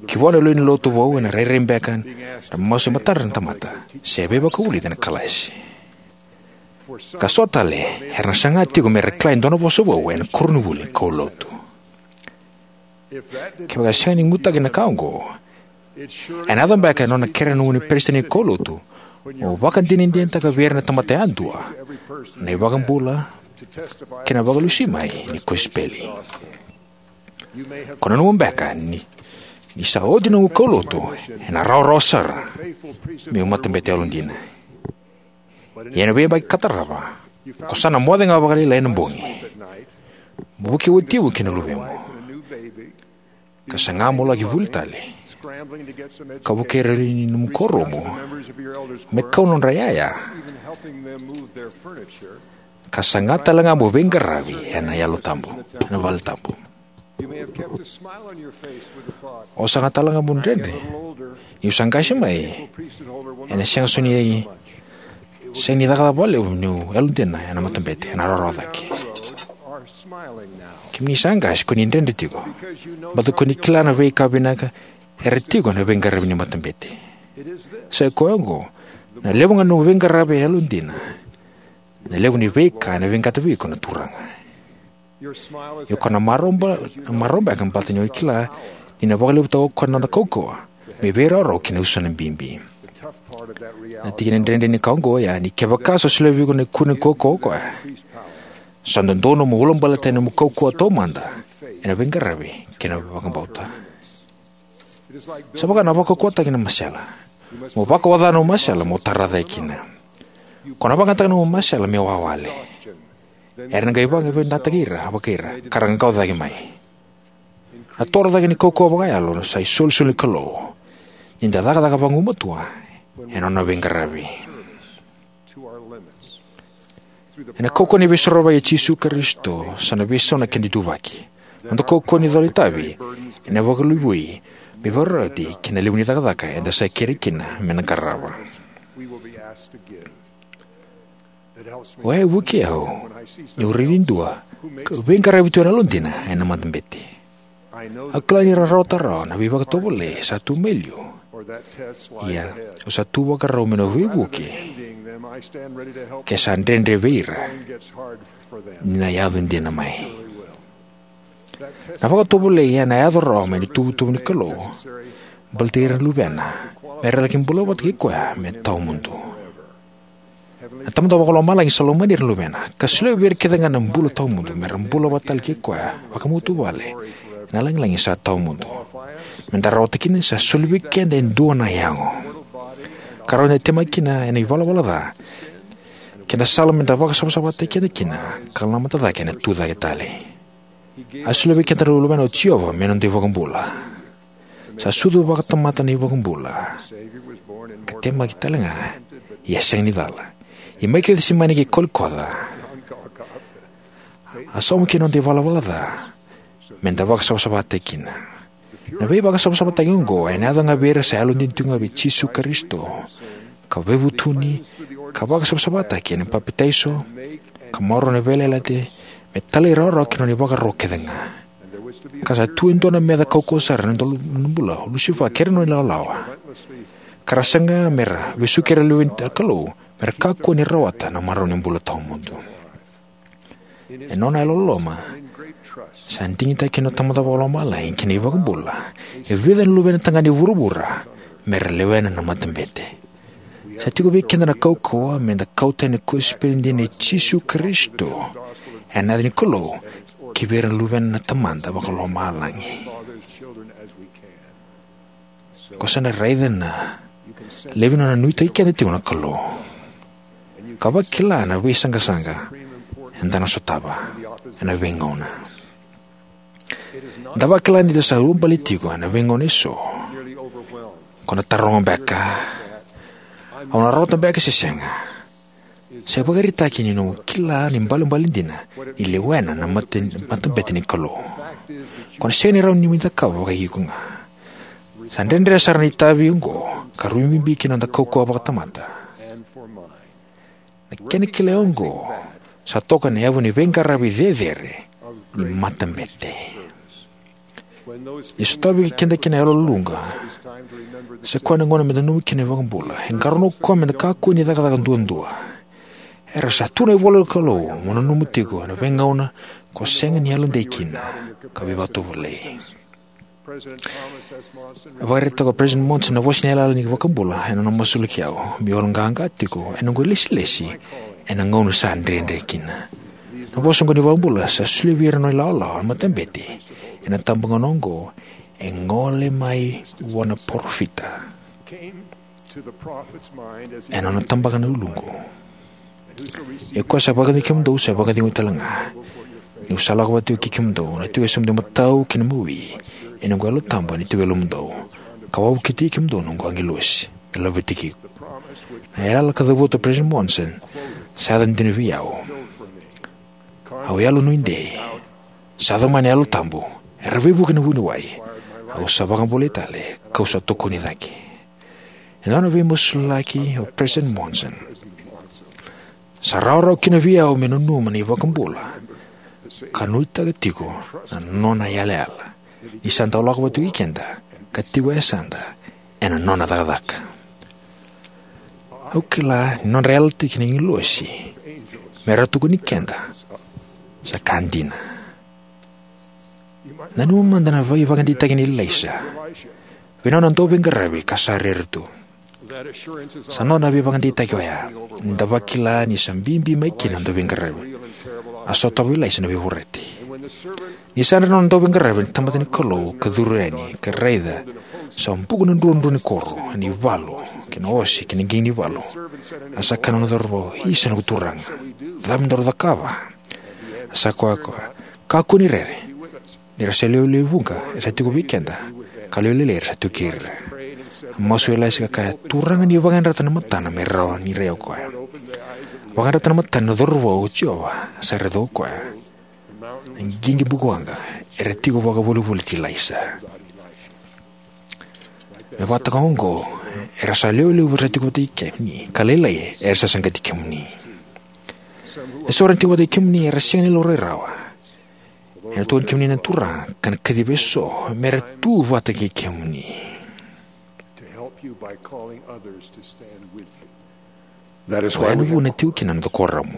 Ki vua na lewe ni lotu vou ena rairai beka na masu e matadra na tamata se veivakavulici ena kalasi. Ka so tale era na saga tiko mera kila e dua na vosa vou ena koronivuli ni kaulotu. Kevaka e sega ni gutaki na ka oqo, ena yaco beka ena nona kerea na nomuni peresitedi ni kaulotu mo vakadinadinataka vei ira na tamata yadua na iVakabula kei na Vakalesui mai ni kosipeli. Ko nanuma beka ni, ni sa oti nomu kaulotu, ena rawarawa sara meu matabete yalodina. Ia ena veiyabaki ka tarava, ko sa na moce ga vakalailai ena bogi mo vukei watimu kei na luvemu, ka saga mo laki vuli tale ka vukei ira na lewe ni nomu kuoramu me kau na nodra iyaya, ka saga tale ga mo veiqaravi ena Yalo Tabu, ena vale tabu. O saga tale ga mo dredre niu sa qase mai, ena sega soti ni, sega ni cakacaka vakalevu niu yalodina ena matabete, ena rawarawa cake. Kemuni sa qase, ko ni dredre tiko, baleta ko ni kila na veika vinaka era tiko ena veiqaravi ni matabete. Sa i koya oqo, na levu ga ni nomu veiqaravi e yalodina, na levu ni veika ena veiqata vei iko na Turaga. Ia ko na marau ba-, marau beka baleta ni o kila ni na vakalevutaka o koya na noda kaukauwa me veirawarawa ki na usana bibi. Na tikina dredre ni ka oqo oya ni kevaka sa solia vei iko na ikuna ni kaukauwa o koya, sa dodonu mo ulabaletaka na nomu kaukauwa taumada ena veiqaravi kei na vakabauta. Sa vaka na vakaukauwataki na masela. Mo vakaoca na nomu masela mo tara cake kina. Ko na vakayagataka na nomu masela me wawale. Era na qai vakavinakataki ira, vaka ira, ka ra qaqaco cake mai. Na toro cake ni kaukauwa vakayalo sa isolisoli ni Kalou ni da cakacaka vagumatua ena nona veiqaravi. Ena kaukauwa ni Veisorovaki i Jisu Karisito, sa na veisau na keda ituvaki. Noda kaukauwa ni cola itavi ena vakaluvui me vakaroti ki na levu ni cakacaka eda sa kerei kina me na qarava. Oya e vukei au niu raici dua ka veiqaravi tu ena yalodina ena matabete. Au kila ni ra rawata rawa na veivakatovolei sa tu mai liu. Ia, au sa tu vakarau meu na veivuke ke sa dredre vei ira ni na yaco dina mai. Na vakatovolei ena yaco rawa mai na ituvatuva ni Kalou baleti ira na luvena me ra laki bula vata kei koya me tawamudu. Na Tamada Vakalomalagi sa lomani ira na luvena ka solia vei ira kece ga na bula tawamudu me ra bula vata tale kei koya vakamatavuvale ena lagilagi sa tawamudu. Me da rawata kina, sa soli vei keda e dua na yago ka rawa ni da temaki kina ena ivalavala ca kei na sala me da vakasavasavataki keda kina ka namata cake ena tucake tale. A solia vei keda na Luvena o Jiova me noda iVakabula. Sa sucu vakatamata na iVakabula ka temaki tale ga, ia sega ni cala. Ia mai Kecisemani ki Kolikoca, a sauma kina noda ivalavala ca me da vakasavasavataki kina. Na veivakasavasavataki oqo ena yaco ga vei ira sa yalodina tiko ga vei Jisu Karisito, ka veivutuni, ka vakasavasavataki ena papitaiso, ka maroroya na veiyalayalati me talairawarawa ki na nona ivakaro kece ga. Ka sa tu e dua na meca kaukauwa sara ena dua na bula, o Lusifa kei ira na nona ilawalawa, ka ra saga me ra vesuki ira na luve ni Kalou me ra kakua ni rawata na marau ni bula tawamudu. Ena nona yalololoma, sa digitaka kina na Tamada Vakalomalagi kei na iVakabula e vica na luvena tagane e vuravura me ra lewena na matabete. Sa tiko vei keda na kaukauwa me da kauta na kosipeli dina i Jisu Karisito ena yaca ni Kalou ki vei ira na luvena na Tamada Vakalomalagi. Ko sa na raica na levu ni nona nuitaki keda tiko na Kalou, ka vakila na veisaqasaqa eda na sotava ena veigauna. Da vakila ni da sa ulubale tiko ena veigauna eso. Ko na taroga beka, au na rawata beka se sega? Sa ivakaraitaki ni nomu kila na ibalebale dina ni lewena na mate-, matabete ni Kalou. Ko na sega ni rawa ni mai cakava vakaiko ga. Sa dredre sara na itavi oqo ka rui bibi ki na noda kaukauwa vakatamata. Na kena kilai oqo sa toka ena yavu ni veiqaravi cecere ni matabete. Ni sotavi keda kina na yaloluluqa, sa koya na gauna me da nanuma kina na iVakabula. E qarauna o koya me da kakua ni cakacaka duadua. Era sa tu na ivola ni Kalou mo nanuma tiko ena veigauna ko sega ni yalodei kina ka veivakatovolei. A vakaraitaka o President Monson na vosa ni yalayala ni iVakabula ena nona masulaki au meu yaloqaqa tiko ena noqu ilesilesi ena gauna sa dredre kina. Na vosa oqo ni iVakabula sa solia vei ira na nona ilawalawa na matabete ena itabagauna oqo e gole mai vua na parofita ena nona tabaka na uluqu. Ia o koya sa vakacegui kemudou sa vakacegui tale ga, niu sa lako vata tiko kei kemudou. Na tiko e so mudou matau kei na imawi, ia noqu Yalo Tabu ena tiko e lomamudou, ka vakavukitaki kemudou na noqu agilosi me laveti iko. Na yalayala ka cavuta o President Monson sa yaco dina vei au. Au yalo nuidei. Sa yaco mai na Yalo Tabu. Era veivuke na vuniwai. Au sa vakabulai tale, kau sa tokoni cake. Ena nona veimasulaki o President Monson, sa rawarawa kina vei au meu nanuma na iVakabula ka nuitaka tiko na nona yalayala ni sa dau lako vata tiko kei keda ka tiko e yasada ena nona cakacaka. Au kila ni nodra yalataki na agilosi me ra tukuni keda sa ka dina. Nanuma mada na veivakadeitaki nei Ilaisa vei nona dauveiqaravi ka sa rere tu. Sa nona veivakadeitaki oya ni da vakila ni sa bibi mai kina na dauveiqaravi, a sotava o Ilaisa na veivorati. Ni sa yadra na nona dauveiqaravi na tamata ni Kalou ka curu yani ka raica sa buku na druadrua ni koro, na ivalu kei na ose kei na qiqi ni valu, a sa kaya na nona cauravou, "Isa, noqu Turaga, cava me daru cakava?" A sa kaya o koya, "Kakua ni rere, ni ra sa lewe levu vuqa era sa tiko vei keda, ka lewe lailai era sa tiko kei ira." A masu o Ilaisa ka kaya, "Turaga, ni vakayadrata na matana me rawa ni rai o koya." Vakayadrata na matana na cauravou, o Jiova sa raica o koya. Na qiqi bukawaqa era tiko vakavolivoliti Ilaisa. Me vakataka oqo, era sa lewe levu era sa tiko vata kei kemuni, ka lailai era sa saqati kemuni. Eso era tiko vata kei kemuni era sega ni laurai rawa. Ena tukuni kemuni na Turaga ka na kacivi eso me ra tu vata kei kemuni. O ya na vuna e tiko kina na noda kuoramu.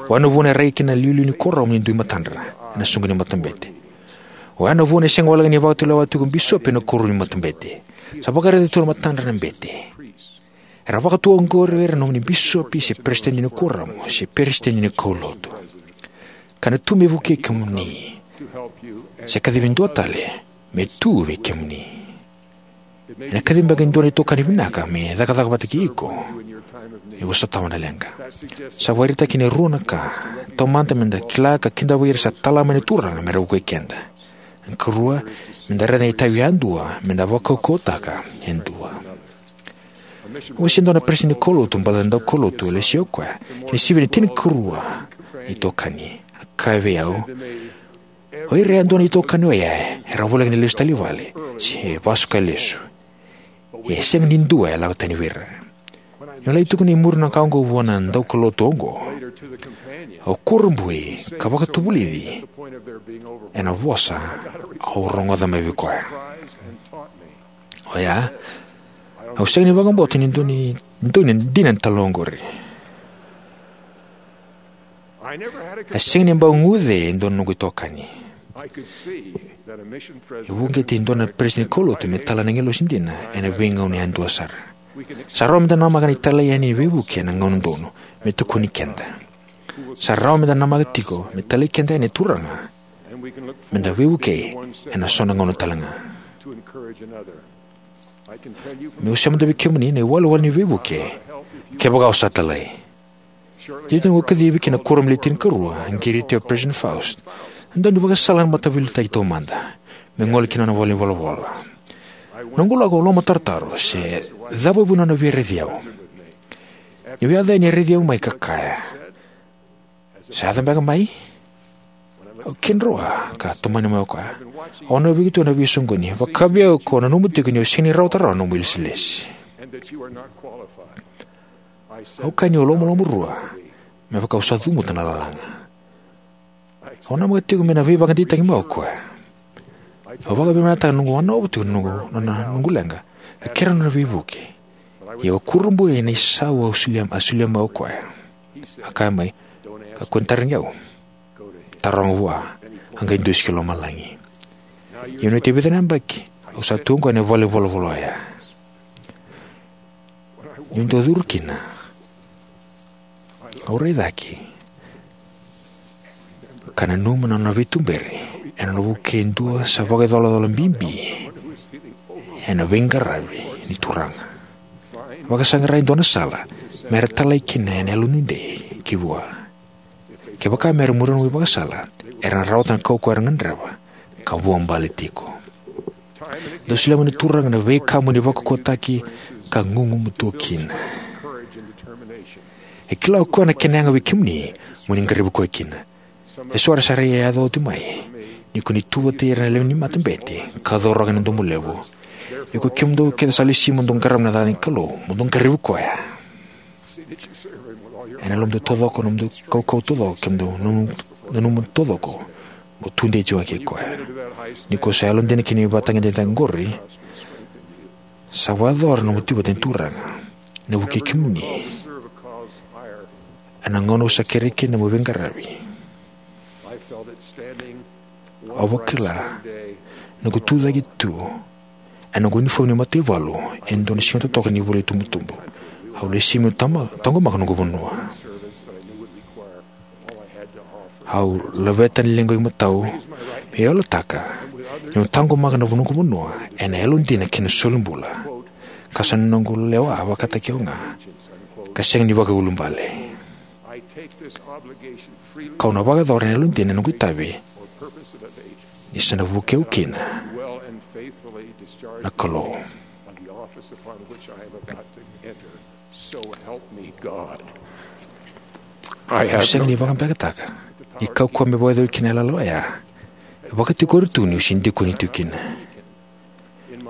O ya na vuna e rai kina na iliuliu ni kuoramu ni dui matadra ena soqo ni matabete. O ya na vuna e sega walega ni vakatulewa tiko bisopi ena koro ni matabete. Sa vakaraica tu na matadra na bete. Era vakatu oqori o ira na nomuni bisopi se peresitedi ni kuoramu se peresitedi ni kaulotu. Ka na tu me vukei kemuni, se kacivi dua tale me tu vei kemuni. Ena kacivi beka e dua na itokani vinaka me cakacaka vata kei iko ni ko sotava na leqa. Sa vakaraitaki ena rua na ka. Taumada, me da kila ka kidavaki ira sa tala mai na Turaga me ra vukei keda. Na karua, me da raica na itavi yadua me da vakaukauwataka yadua. Au wasea e dua na peresitedi ni kaulotu baleta na daukaulotu e lesia o koya ena sivi ni tinikarua na itokani. A kaya vei au, "O ira yadua na itokani oya era voleka ni lesu tale i vale se vasu ka lesu. Ia e sega ni dua e lako tani vei ira." Niu lai tukuna e muri na ka oqo vua na daukaulotu oqo, au kurabui ka vakatavulici ena vosa au rogoca mai vei koya. O ya, au sega ni vakabauta ni dua ni, dua ni dina ni talanoa oqori. A sega ni bau guce e dua na noqu itokani. E uqeti e dua na peresitedi ni kaulotu me tala na agilosi dina ena veigauna yadua sara. Sa rawa me da namaka na italai yani ni veivuke ena gauna donu me tukuni keda. Sa rawa me da namaka tiko me talai keda yani na Turaga me da veivukei ena so na gauna tale ga. Meu sema tu vei kemuni na iwalewale ni veivuke kevaka o sa talai. Tiko noqu kacivi ki na kuoramu ni tinikarua, a qiriti au o President Faust. E dua na ivakasala na mataveiliutaki taumada me gole ki na nona valenivolavola. Noqu lako, au lomatarotaro se cava vua na nona via raici au. Niu yaco yani, e raici au mai ka kaya, "Sa yaco beka mai?" Au kidroa ka tomani mai o koya, "Au nanumi iko tu ena veisoqoni. Vaka vei au, ko nanuma tiko ni o sega ni rawata rawa na nomu ilesilesi." Au kaya niu lomalomarua me vaka au sa cavuta na lalaga. Au namaka tiko me na veivakadeitaki mai o koya. Au vakavinavinakataka na noqu wanovo tiko na noqu, na, na noqu leqa, ka kerea na nona veivuke. Ia au kurabui ena isau au solia, a solia mai o koya. A kaya mai, "Kakua ni tarogi au. Taroga vua, a qai dusi ki lomalagi." Ia ena oti e vica na yabaki, au sa tu oqo ena valenivolavola oya. Niu dau curu kina, au rai cake ka nanuma na nona veituberi ena nona vukei e dua sa vakaicolacola bibi ena veiqaravi ni Turaga. Vakasaqara e dua na sala me ra talai kina ena yalonuidei ki vua. Kevaka me ra muria na nomu ivakasala, era na rawata na kaukauwa era gadreva ka vuabale tiko. Dou solia mai na Turaga na veika mo ni vakaukauwataki ka gugumatua kina. E kila o koya na kena yaga vei kemuni mo ni qaravi koya kina. Eso era sa raiyaco oti mai ni ko ni tu vata kei ira na lewe ni matabete ka cauraka ena domo levu. Ia ko kemudou kece sa lesi mo dou qarava na yaca ni Kalou, mo dou qaravi koya ena yalomudou taucoko, nomudou kaukauwa taucoko, kemudou nanuma, nanuma taucoko, mo tudei tiko ga kei koya. Ni ko sa yalodina ki na ivakatagedegede oqori, sa vakayacora na nomu tu vata kei na Turaga, na vukei kemuni Ena gauna au sa kerei kina meu veiqaravi, au vakila noqu tucake tu ena noqu unifomu ni mataivalu ena dua na siga totoka ni vulaitubutubu. Au lesi meu tama- taqomaka noqu vanua. Au laveta na liqu imatau meu yalataka niu taqomaka na noqu vanua ena yalodina kei na solibula, ka sa noqu lewa vakataki au ga, ka sega ni vakaiulubale. Kau na vakayacora ena yalodina na noqu itavi, ni sa na vukei au kina na Kalou. Au sega ni vakabekataka ni kaukauwa me vakayacori kina na yalayala oya e vakatikori tu niu se dikoni tu kina.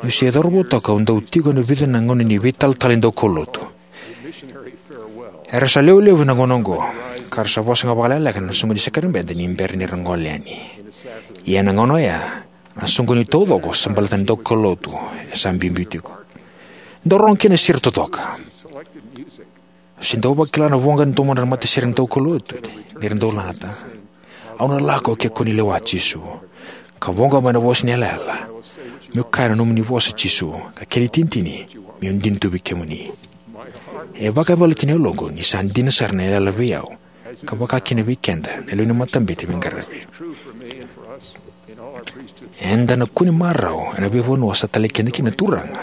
Niu se cauravou toka, au dau tiko ena vica na gauna ni veitalatala ni daukaulotu. Era sa lewe levu ena gauna oqo, ka ra sa vosa ga vakalekaleka ena soqoni ni sakaramede ni bera ni ra gole yani. Ia ena gauna oya, na soqoni taucoko sa baleta na daukaulotu e sa biubiu tiko. Dau rogo kina na sere totoka. Au se dau vakila na voqa e domoda na matasere ni daukaulotu ni ra dau lagata: "Au na lako ke ko ni lewa, Jisu, ka voqa mai na vosa ni yalayala, meu kaya na nomuni vosa, Jisu, ka kena itinitini, meu dina tu vei kemuni." E vakayavalati na yaloqu ni sa dina sara na yalayala vei au, ka vaka kina vei keda na lewe ni matabete veiqaravi. Eda na kune marau ena veivanua sa talai keda kina na Turaga.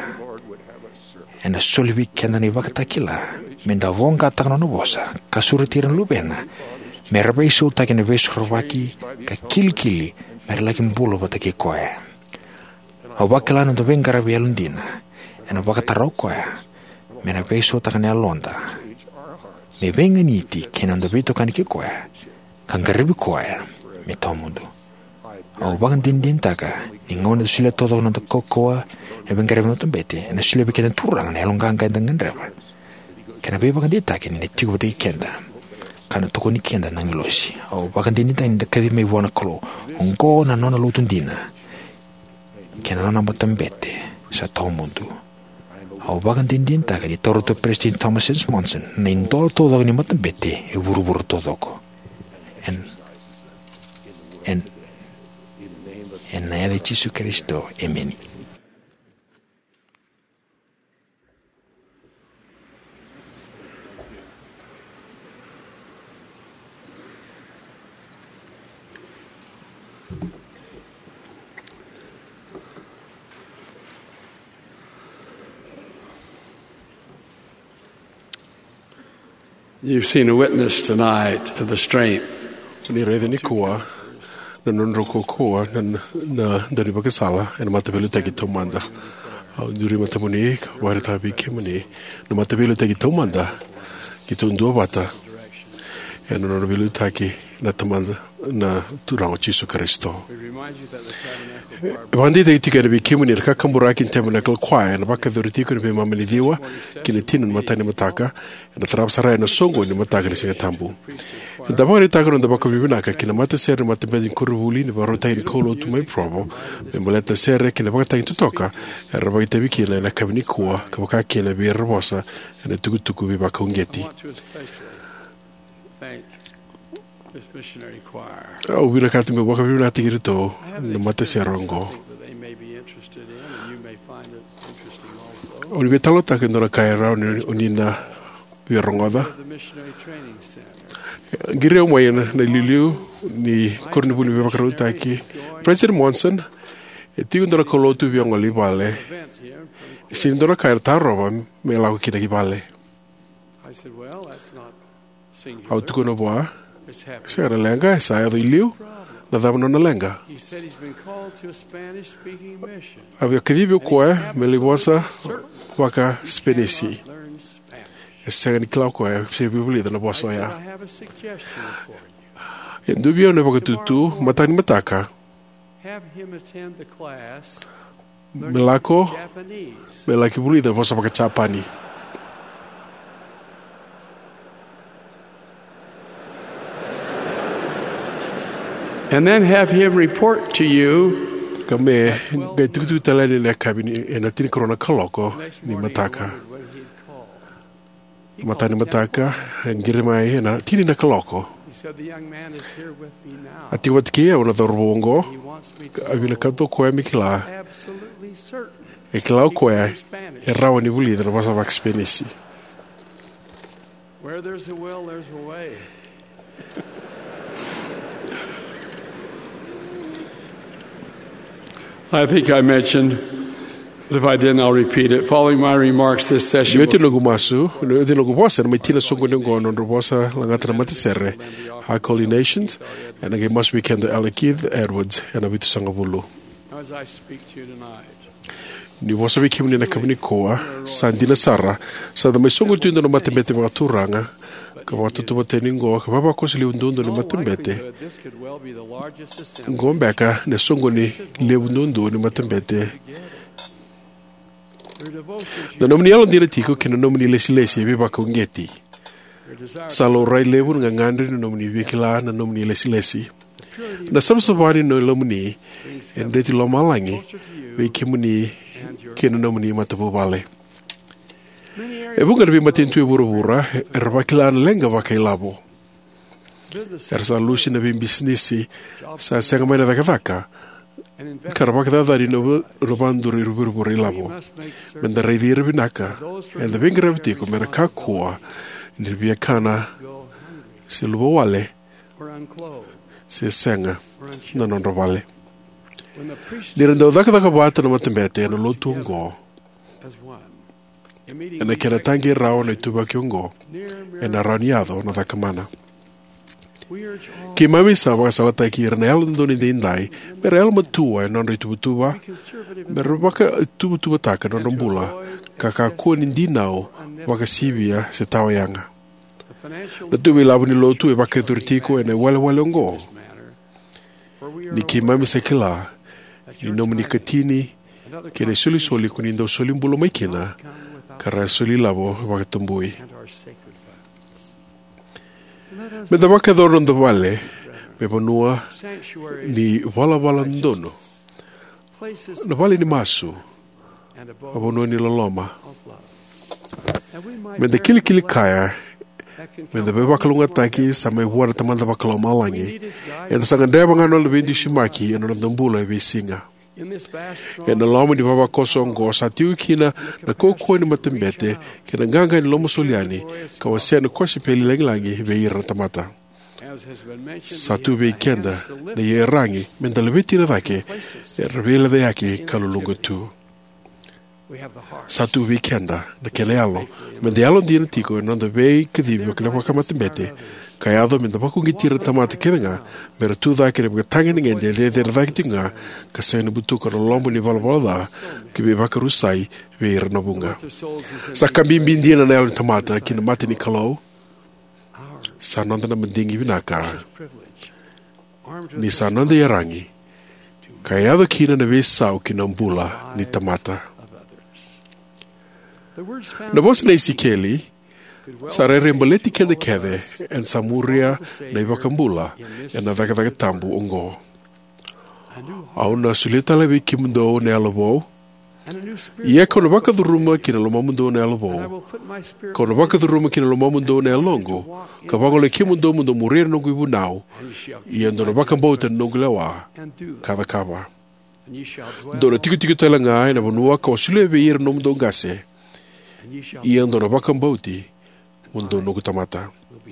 Ena soli vei keda na ivakatakila meda voqataka na nona vosa, ka sureti ira na luvena mera veisautaki ena veisorovaki ka kilikili mera laki bula vata kei koya. Au vakila na noda veiqaravi yalodina ena vakatara o koya me na veisautaka na yaloda me veiganiti kei na noda veitokani kei koya, ka qaravi koya me tawamudu. Au vakadinadinataka ni gauna eda solia taucoko na noda kaukauwa ena veiqaravi ni matabete, ena solia vei keda na Turaga na yaloqaqa eda gadreva kei na veivakadeitaki ni na tiko vata kei keda, ka na tokoni keda na agilosi. Au vakadinadinataka ni da kacivi mai vua na Kalou. Oqo na nona lotu dina kei na nona matabete sa tawamudu. Au vakadinadinataka ni taura tu o Peresitedi Thomas S. Monson na idola taucoko ni matabete e vuravura taucoko. En, en, ena yaca i Jisu Karisito, emeni. You've seen a witness tonight of the strength. Ni raica nikua na nodrau kaukauwa na, na, na daunivakasala ena mataveiliutaki taumada. Au duri matamuni ka vakaraitaka vei kemuni na mataveiliutaki taumada keitou duavata ena nona veiliutaki na Tamada, na Turaga o Jisu Karisito. E vakadeitaki tiko yani vei kemuni na kakaburaki ni Tabernacle Choir ena vakayacori tiko ena veimama ni ciwa ki na tini ni mataka ni mataka, ena tarava sara ena soqoni ni mataka ni Siga Tabu. Eda vakaraitaka na noda vakavinavinaka ki na matasere ni matabete ni koronivuli ni vakarautaki ni kaulotu mai Provo me baleta na sere kei na ivakatagi totoka era vakaitavi kina ena yakavi nikua, ka vaka kina vei ira era vosa ena itukutuku veivakauqeti. Au vinakata meu vakavinavinakataki iratou na matasere oqo. O ni veitalanoataka e dua na ka e rawa ni o ni na via rogoca. Qiri au mai na, na iliuliu ni koronivuli ni veivakarautaki. President Monson, e tiko e dua na kaulotu via gole i vale. E sega ni dua na ka era tarova me lako kina ki vale. Au tukuna vua, sega na leqa, e sa yaco i liu. Na cava nona leqa? A via kacivi o koya me lai vosa vaka-Sipenisi. E sega ni kila o koya se via vulica na vosa oya. E dua vei au na vakatutu, mataka ni mataka me lako me laki vulica vosa vaka-Japani. And then have him report to you. Ka me qai tukutuku tale yani ena yakavi ni, ena tinikarua na kaloko ni mataka. Mataka ni mataka, e qiri mai ena tini na kaloko. A tiko vata kei au na cauravou oqo. A vinakata o koya me kila e kila o koya e rawa ni vulica na vosa vakaSipenisi. I think I mentioned, but if I didn't, I'll repeat it. Following my remarks, this session. Ni oti noqu masu, ni oti noqu vosa ena mai tini na soqoni oqo, nodra vosa lagata na matasere, High Calling Nations, ena qai masu vei keda o Elder Keith Edwards ena vitusagavulu. As I speak to you tonight, ni vosa vei kemuni ena yakavi nikua, sa dina sara, sa da mai soqoni tu e dua na matabete vakaturaga, ka vakatautauvata yani oqo, ka vavakoso levu duadua ni matabete oqo beka na soqoni levu duadua ni matabete. Na nomuni yalodina tiko kei na nomuni ilesilesi e veivakauqeti. Sa laurai levu na gagadre ni nomuni veikila na nomuni ilesilesi. Na savasava ni lomamuni e dreti lomalagi vei kemuni kei na nomuni matavuvale. E vuqa na veimatanitu e vuravura era vakila na leqa vakailavo. Era sa lusi na veibisinisi, sa sega mai na cakacaka, ka ra vakacacani na vu-, na vakaduri vuravura ilavo. Meda raici ira vinaka eda veiqaravi tiko, mera kakua ni ra via kana se luvawale se sega na nodra vale. Ni ra dau cakacaka vata na matabete ena lotu oqo, ena kena taqei rawa na ituvaki oqo, ena rawa ni yaco na cakamana. Keimami sa vakasalataki ira na Yalododonu Edaidai mera yalomatua ena nodra ituvatuva, mera vakatuvatuvataka na nodra bula, ka kakua ni dinau vakasivia se tawayaga. Na tuva ilavo ni lotu e vakayacori tiko ena iwalewale oqo, ni keimami sa kila ni nomuni ikatini kei na isolisoli ko ni dau soli bula mai kina, ka ra soli ilavo vakatabui. Meda vakayacora na noda vale me vanua ni valavala donu, na vale ni masu, a vanua ni loloma. Meda kilikili kaya, meda veivakalougatataki sa mai vua na Tamada Vakalomalagi. Eda sa gadreva ga na nona veidusimaki ena noda bula e veisiga. Ena loma ni vavakoso oqo sa tiko kina na kaukauwa ni matabete kei na qaqa ni lomasoli yani, ka wasea na kosipeli lagilagi vei ira na tamata. Sa tu vei keda na iyaragi meda laveti ira cake era veilecayaki ka luluqa tu. Sa tu vei keda na kena yalo meda yalodina tiko ena noda veikacivi vaka na vakamatabete, ka yaco meda vakauqeti ira na tamata kece ga mera tu cake ena ivakatagedegede e cecere cake tiko ga, ka sega ni butuka na loloma ni valavala ca ki veivakarusai vei ira na vuqa. Sa ka bibi dina na yalo ni tamata ki na mata ni Kalou. Sa noda na madigi vinaka ni sa noda iyaragi ka yaco kina na veisau ki na bula ni tamata. Na vosa nei Isikeli sa rairai baleti keda kece eda sa muria na iVakabula ena cakacaka tabu oqo. Au na solia tale vei kemudou na yalo vou. Ia kau na vakacuruma ki na lomamudou na yalo vou. Kau na vakacuruma ki na lomamudou na yaloqu, ka vagolei kemudou mo dou muria na noqu ivunau. Ia dou na vakabauta na noqu lewa ka cakava. Dou na tikotiko tale ga ena vanua kau a solia vei ira na nomudou qase. Ia dou na vakabauti mo dou noqu tamata.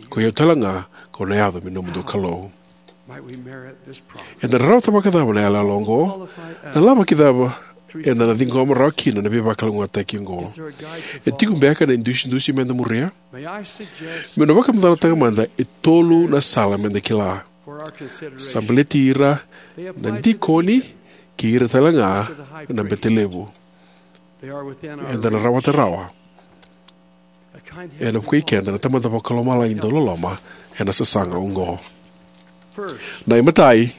Ko i au tale ga kau na yaco me nomudou Kalou. Eda na rawata vakacava na yalayala oqo? Na lavaki cava eda na ciqoma rawa kina na veivakalougatataki oqo? E tiko beka na idusidusi meda muria? Meu na vakamacalataka mada e tolu na sala meda kila. Sa baleti ira na dikoni kei ira tale ga na bete levu. Eda na rawata rawa. Ena vukei keda na Tamada Vakalomalagi dau loloma ena sasaga oqo. Na imatai,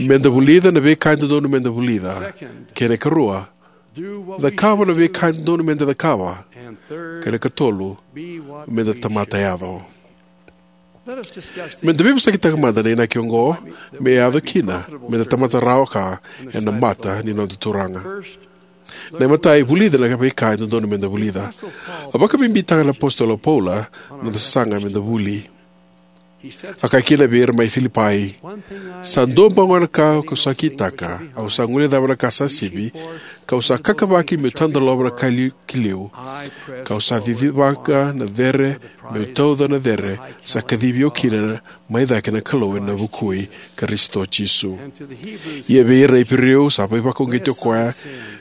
meda vulica na veika e dodonu meda vulica. Kei na ikarua, cakava na veika e dodonu meda cakava. Kei na ikatolu, meda tamata yaco. Meda veivosakitaka mada na inaki oqo me yaco kina meda tamata rawa ka ena mata ni noda Turaga. Na imatai, vulica na veika e dodonu meda vulica. A vakabibitaka na apositolo o Paula na noda sasaga meda vuli. A kaya kina vei ira mai Filipai, sa dua bau ga na ka kau sa kitaka, au sa guilecava na ka sa sivi, kau sa kakavaki meu tadolova na ka li- ki liu, kau sa cicivaka na cere meu tauca na cere sa kacivi au kina mai cake na Kalou ena vuku i Karisito Jisu. Ia vei ira na Iperiu, sa veivakauqeti o koya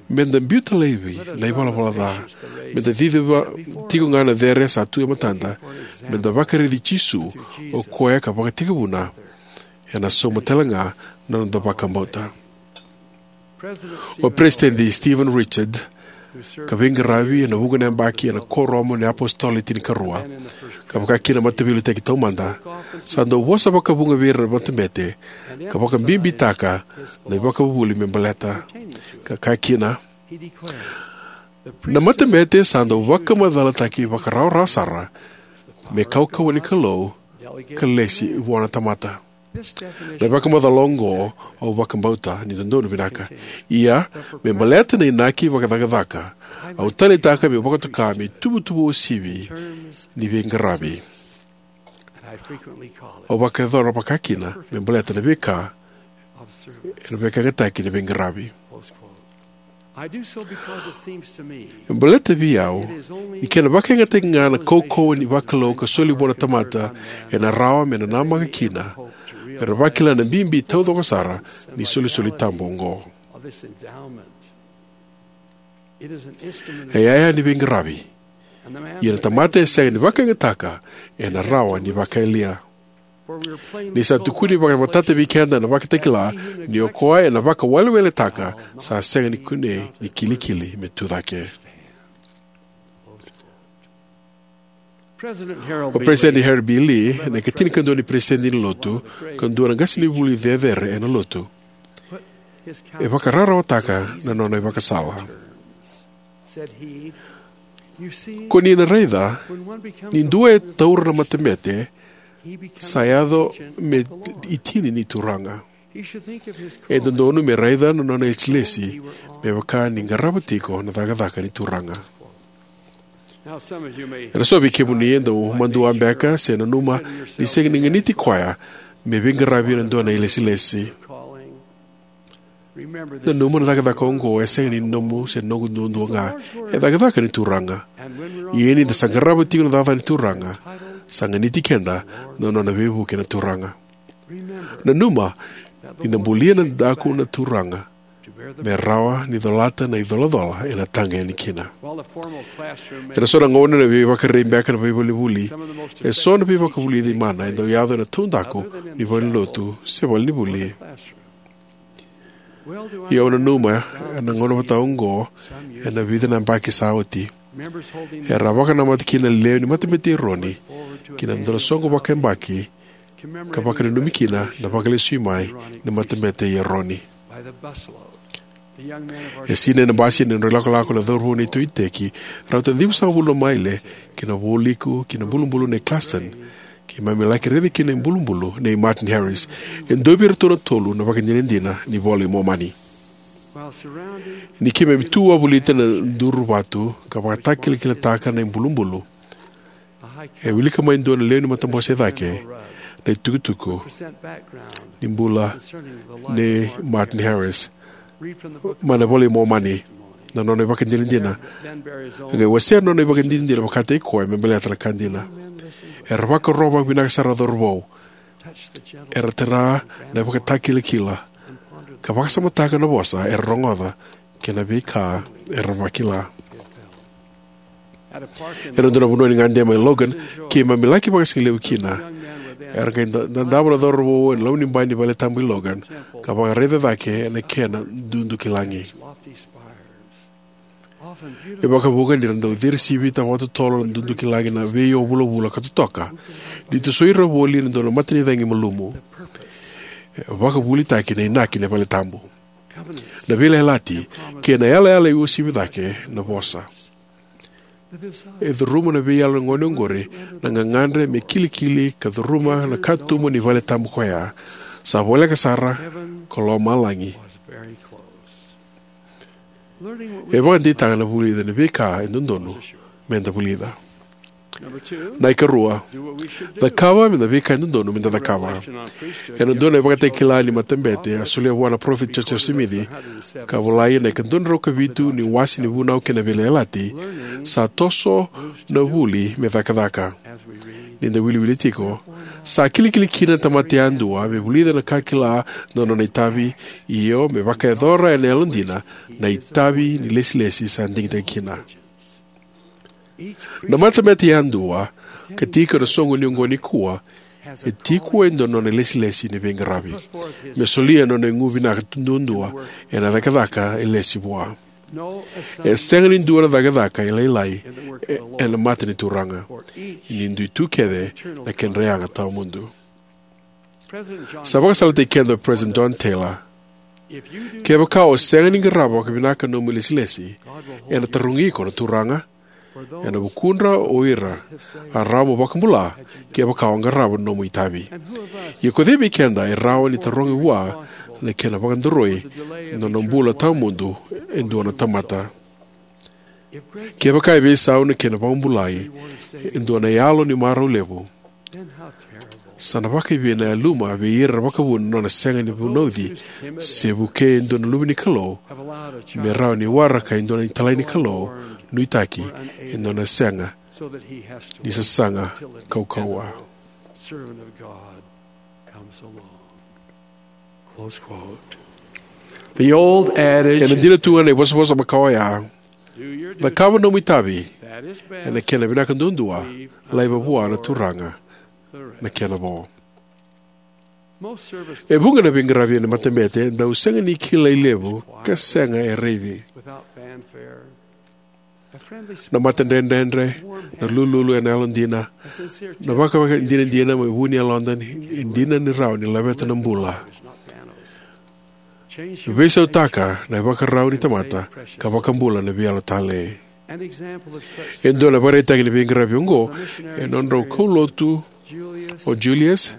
meda biuta laivi na ivalavala ca, meda ciciva tiko ga na cere sa tu e matada, meda vakaraici Jisu, o koya ka vakatekivuna ena sauma tale ga na noda vakabauta. O Peresitedi Stephen Richard, ka veiqaravi ena vuqa na yabaki ena Kuoramu ni iApositolo Le Tinikarua, ka vaka kina na Mataveiliutaki Taumada, sa dau vosa vakavuqa vei ira na matabete ka vakabibitaka na ivakavuvuli me baleta. Ka kaya kina, na matabete sa dau vakamacalataki vakarawarawa sara me kaukauwa ni Kalou ka lesi vua na tamata. Na vakamacala oqo au vakabauta ni dodonu vinaka. Ia, me baleta na inaki vakacakacaka, au taleitaka meu vakatoka me ituvatuva uasivi ni veiqaravi. Au vakayacora vakakina me baleta na veika ena vakayagataki ni veiqaravi. E baleta vei au ni kena vakayagataki ga na kaukauwa ni vakalou ka soli vua na tamata ena rawa me nanamaki kina, me ra vakila na bibi taucoko sara ni solisoli tabu oqo. E yaya ni veiqaravi. Ia na tamata e sega ni vakayagataka ena rawa ni vakayalia. Ni sa tukuni vakamatata vei keda na Vakatakila ni o koya ena vakaweleweletaka sa sega ni kunei ni kilikili me tu cake. O President Harold B. Lee, na ikatinikadua ni President ni Lotu, ka dua na qasenivuli cecere ena Lotu, e vakararawataka na nona ivakasala. Ko ni na raica, ni dua e taura na matabete, sa yaco me itini ni Turaga. E dodonu me raica na nona ilesilesi me vaka ni qarava tiko na cakacaka ni Turaga. Era so vei kemuni e dau madua beka se nanuma ni sega ni ganiti koya me veiqaravi ena dua na ilesilesi. Nanuma na cakacaka oqo e sega ni nomu se noqu duadua ga. E cakacaka ni Turaga. Ia ni da sa qarava tiko na cakacaka ni Turaga, sa ganiti keda na nona veivuke na Turaga. Nanuma ni na bulia na daku na Turaga me rawa ni colata na icolacola ena taqa yani kina. Ena so na gauna na veivakarei beka na veivalevuli, e so na veivakavulici mana e dau yaco ena taudaku ni valenilotu se valenivuli. Ia au nanuma ena gauna vata oqo, ena vica na yabaki sa oti, era a vakanamata kina na lewe ni matabete i Eroni ki na dua na soqo vakayabaki ka vakananumi kina na vakalesui mai ni matabete i Eroni. E sinai na basi ena nodra ilakolako na cauravou nei Tui Teki, rauta ni ciwasagavulu na maile, ki na vualiku ki na bulubulu nei Clarkston. Keimami laki raica kina na ibulubulu nei Martin Harris, e dua vei iratou na tolu na ivakadinadina ni iVola i Momani. Ni keimami tu wavolita na duru vatu ka vakatakilakilataka na ibulubulu, e wilika mai e dua na lewe ni matabose e cake na itukutuku ni bula nei Martin Harris mai na iVola i Momani, na nona ivakadinadina. E qai wasea na nona ivakadinadina vakataki koya me baleta na ka dina. Era vakarorogo vakavinaka sara na cauravou. Era tara na ivakatakilakila ka vakasamataka na vosa era rogoca kei na veika era vakila. Ena dua na vanua ni gade mai Logan keimami laki vakasigalevu kina, era qai da- dadava na cauravou ena loma ni bai ni valetabu i Logan ka vakaraica cake ena kena dudukilagi. E vakavuqa ni ra dau cirisivita vakatotolo na dudukilagi na veio vulavula ka totoka ni tosoi ira voli ena dua na matanicagi malumu. E vakavulitaki na inaki ni valetabu, na veiyalayalati kei na yalayala e uasivi cake na vosa. E curuma na veiyalo ni gone oqori na gagadre me kilikili ka curuma na katuba ni valetabu ko ya. Sa voleka sara ko lomalagi. E vakadeitaka na vulica na veika e dodonu meda vulica. Na ikarua, cakava meda veika e dodonu meda cakava. Ena dua na ivakatakila ni matabete a solia vua na parofita Josefa Simici, ka volai ena ika dua na drau ka vitu ni wase ni Vunau kei na Veiyalayalati, sa toso na vuli me cakacaka. Ni da wiliwili tiko, sa kilikili kina na tamata yadua me vulica na ka kila na nona itavi, io me vakayacora ena yalodina na itavi ni ilesilesi sa digitaki kina. Na matabete yadua ka tiko ena soqoni oqo nikua e tiko e dua na nona ilesilesi ni veiqaravi me solia na nona igu vinaka duadua ena cakacaka e lesi vua. E sega ni dua na cakacaka e lailai e, ena mata ni Turaga, ni dui tu kece na kedra yaga tawamudu. Sa vakasalataki keda o President John Taylor: "Kevaka o sega ni qarava vakavinaka na nomu ilesilesi, ena tarogi iko na Turaga ena vukudra o ira a rawa mo vakabula kevaka o qarava na nomu itavi. Ia ko cei vei keda e rawa ni tarogi vua na kena vakadaroi na nona bula tawamudu e dua na tamata? Kevaka e veisau na kena vakabulai e dua na yalo ni marau levu, sa na vakaivei na yaluma vei ira vakavuna na nona sega ni vunauci se vukei e dua na luve ni Kalou me rawa ni waraka e dua na italai ni Kalou nuitaki e dua na sega ni sasaga kaukauwa." Close quote. The old adage Ena dina tu ga na ivosavosa makawa oya: "Cakava nomu itavi, ena kena vinaka duadua, laiva vua na Turaga na kena vo." E vuqa na veiqaravi ena matabete e dau sega ni kilai levu ka sega e raici. Na matadredredre, na lululu ena yalodina, na vakavakadinadina mai vu ni yaloda e dina ni rawa ni laveta na bula. Veisautaka na ivakarau ni tamata ka vakabula na veiyalo talei. E dua na ivakaraitaki ni veiqaravi oqo e nodrau kaulotu o Julius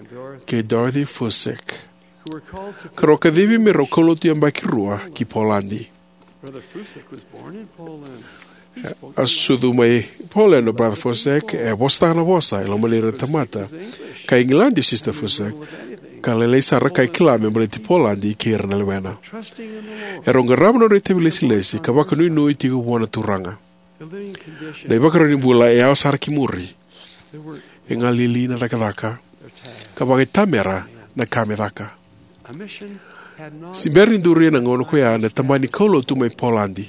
kei Dorothy Fussek, ka rau kacivi me rau kaulotu yabaki rua ki Poladi. A sucu mai Poland o Brother Fussek, e vosataka na vosa e loma ni ira na tamata. Kai Igiladi o Sister Fussek, ka lailai sara ka kila me baleti Poladi kei ira na lewena. E rau qarava na nodra itavi lesilesi ka vakanuinui tiko vua na Turaga. Na ivakarau ni bula e yawa sara ki muri. E galili na cakacaka, ka vakaitamera na ka me caka. Se bera ni duri ena gauna ko ya na tabana ni kaulotu mai Poladi.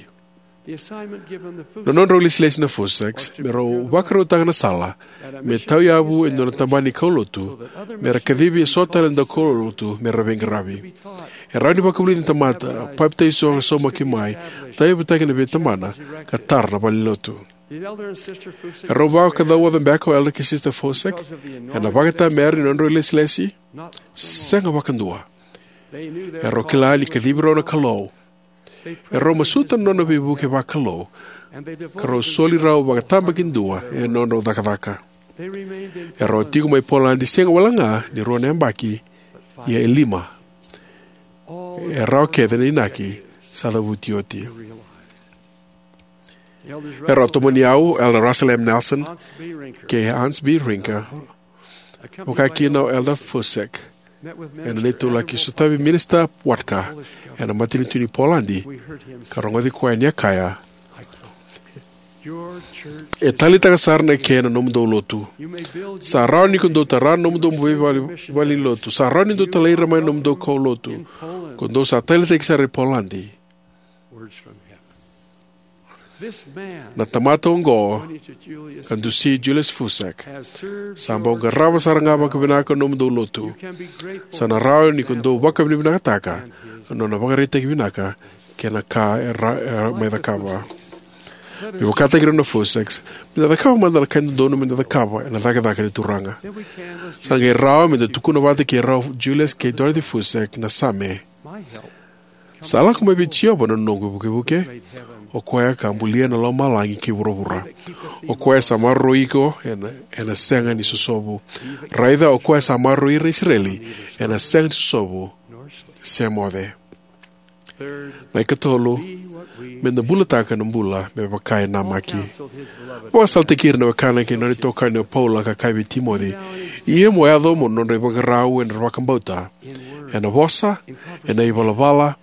Na nodrau lesilesi na Fusseks me rau vakarautaka na sala me tauyavu e dua na tabana ni kaulotu me ra kacivi e so tale na daukaulotu me ra veiqaravi. E rawa ni vakavulici na tamata, papitaiso ka saumaki mai, tauyavutaki ena veitabana, ka tara na valenilotu. E rau vakacauoca beka o Elder kei Sister Fussek ena vakaitamera ni nodrau lesilesi? Sega vakadua. E rau kila ni kacivi rau na Kalou. E rau masuta na nona veivuke vakalou, ka rau soli rau vakatabakidua ena nodrau cakacaka. E rau tiko mai Poladi sega wale ga ni rua na yabaki, ia e lima. E rawa kece na inaki sa cavuti oti. E rau tomani au Elder Russell M. Nelson kei Hans B. Rinker, vaka kina o Elder Fussek, ena neitou laki sotavi Minisita Watka ena matanitu ni Poladi, ka rogoci koya ni a kaya: "E taleitaka sara na kena nomudou lotu. Sa rawa ni ko dou tara na nomudou veivale, vale ni lotu. Sa rawa ni dou talai ira mai na nomudou kaulotu. Ko dou sa taleitaki sara i Poladi." Na tamata oqo, ka dusi Julius Fussek, sa bau qarava sara ga vakavinaka na nomudou lotu. Sa na rawa ni ko dou vakavinavinakataka na nona vakaraitaki vinaka kei na ka e ra-, e ra-, mai cakava. Me vakataki rau na Fusseks, meda cakava mada na ka e dodonu meda cakava ena cakacaka ni Turaga. Sa qai rawa meda tukuna vata kei rau Julius kei Dorothy Fussek na Same: "Sa lako mai vei Jiova na noqu ivukevuke, o koya ka bulia na lomalagi kei vuravura. O koya sa maroroi iko ena, ena sega ni sosovu. Raica, o koya sa maroroi ira na Isireli ena sega ni sosovu se moce." Na ikatolu, me da bulataka na bula me vaka e namaki. Vakasalataki ira na wekana kei na nona itokani o Paula ka kaya vei Timoci, ia mo yaco mo nodra ivakarau ena vakabauta, ena vosa, ena ivalavala,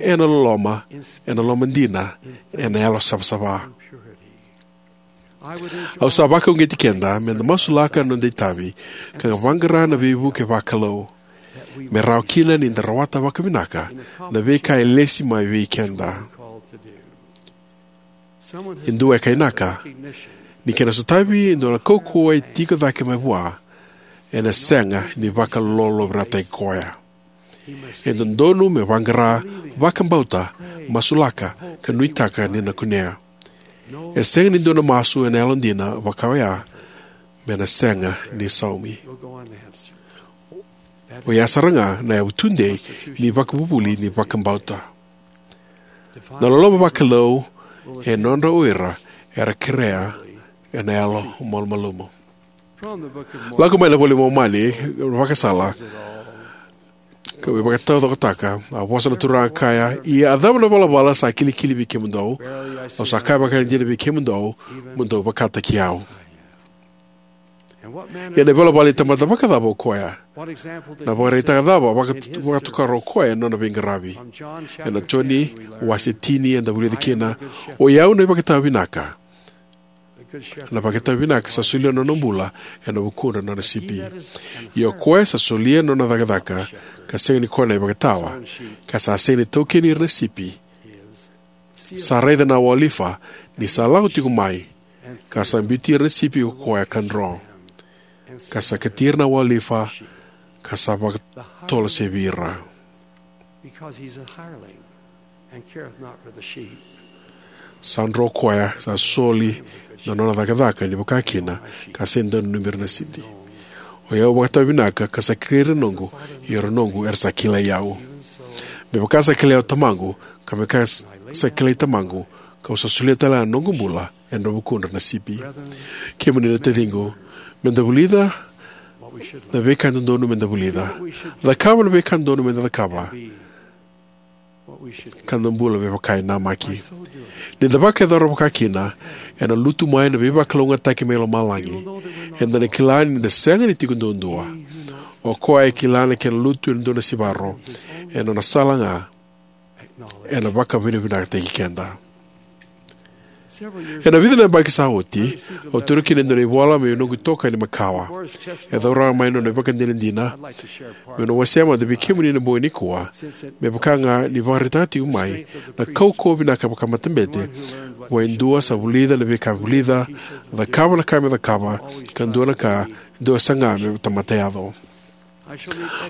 ena loloma, ena loma dina, ena yalo savasava. Au sa vakauqeti keda me da masulaka na noda itavi ka vaqara na veivuke vakalou, me rawa kina ni da rawata vakavinaka na veika e lesi mai vei keda. E dua e kainaka ni kena sotavi e dua na kaukauwa e tiko cake mai vua, ena sega ni vakalolovirataki koya. E dodonu me vaqara, vakabauta, masulaka, ka nuitaka ni na kunea. E sega ni dua na masu ena yalodina vaka oya me na sega ni saumi. Oya sara ga na yavu tudei ni vakavuvuli ni vakabauta. Na loloma vakalou e nodra o ira era kerea ena yalo malumalumu. Lako mai na iVola i Momani, Vakasala, ka me vakataucokotaka, a vosa na Turaga kaya, ia a cava na valavala sa kilikili vei kemudou? Au sa kaya vakaidina vei kemudou, mo dou vakataki au. Ia na ivalavala ni tamata vakacava o koya? Na vakaraitaka cava vakatu-, vakatokara o koya ena nona veiqaravi? Ena Joni wase tini eda vulica kina, o i au na ivakatawa vinaka. Na vakatawa vinaka sa solia na nona bula ena vukudra na nona sipi. Ia o koya sa solia na nona cakacaka, ka sega ni koya na ivakatawa, ka sa sega ni taukeni ira na sipi, sa raica na wolifa ni sa lako tiko mai, ka sa biuti ira na sipi ko koya ka dro, ka sa kati ira na wolifa, ka sa vakatolosevi ira. Sa dro koya, sa soli na nona cakacaka ni vakakina, ka sega ni dau nanumi ira na sipi. O i au vakatawa vinaka, ka sa kilai ira na noqu, ia ira na noqu era sa kilai au. Me vaka sa kilai au Tamaqu, ka me vaka sa kilai Tamaqu, kau sa solia tale ga na noqu bula ena vukudra na sipi. Kemuni na taciqu, me da vulica na veika e dodonu me da vulica, cakava na veika e dodonu me da cakava, ka da bula me vaka e namaki. Ni da vakayacora vakakina, ena lutu mai na veivakalougatataki mai lomalagi. Eda na kila ni da sega ni tiko duadua. O koya e kila na kena lutu ena dua na sivaro, ena nona sala ga ena vakavinavinakataki keda. Ena vica na yabaki sa oti, au taura kina e dua na ivola mai noqu itokani makawa. E cauraka mai na nona ivakadinadina. Meu na wasea mada vei kemuni ena bogi nikua, me vaka ga ni vakaraitaka tiko mai na kaukauwa vinaka vakamatabete vua e dua sa vulica na veika e vulica, cakava na ka me cakava, ka dua na ka, dua saga me tamata yaco.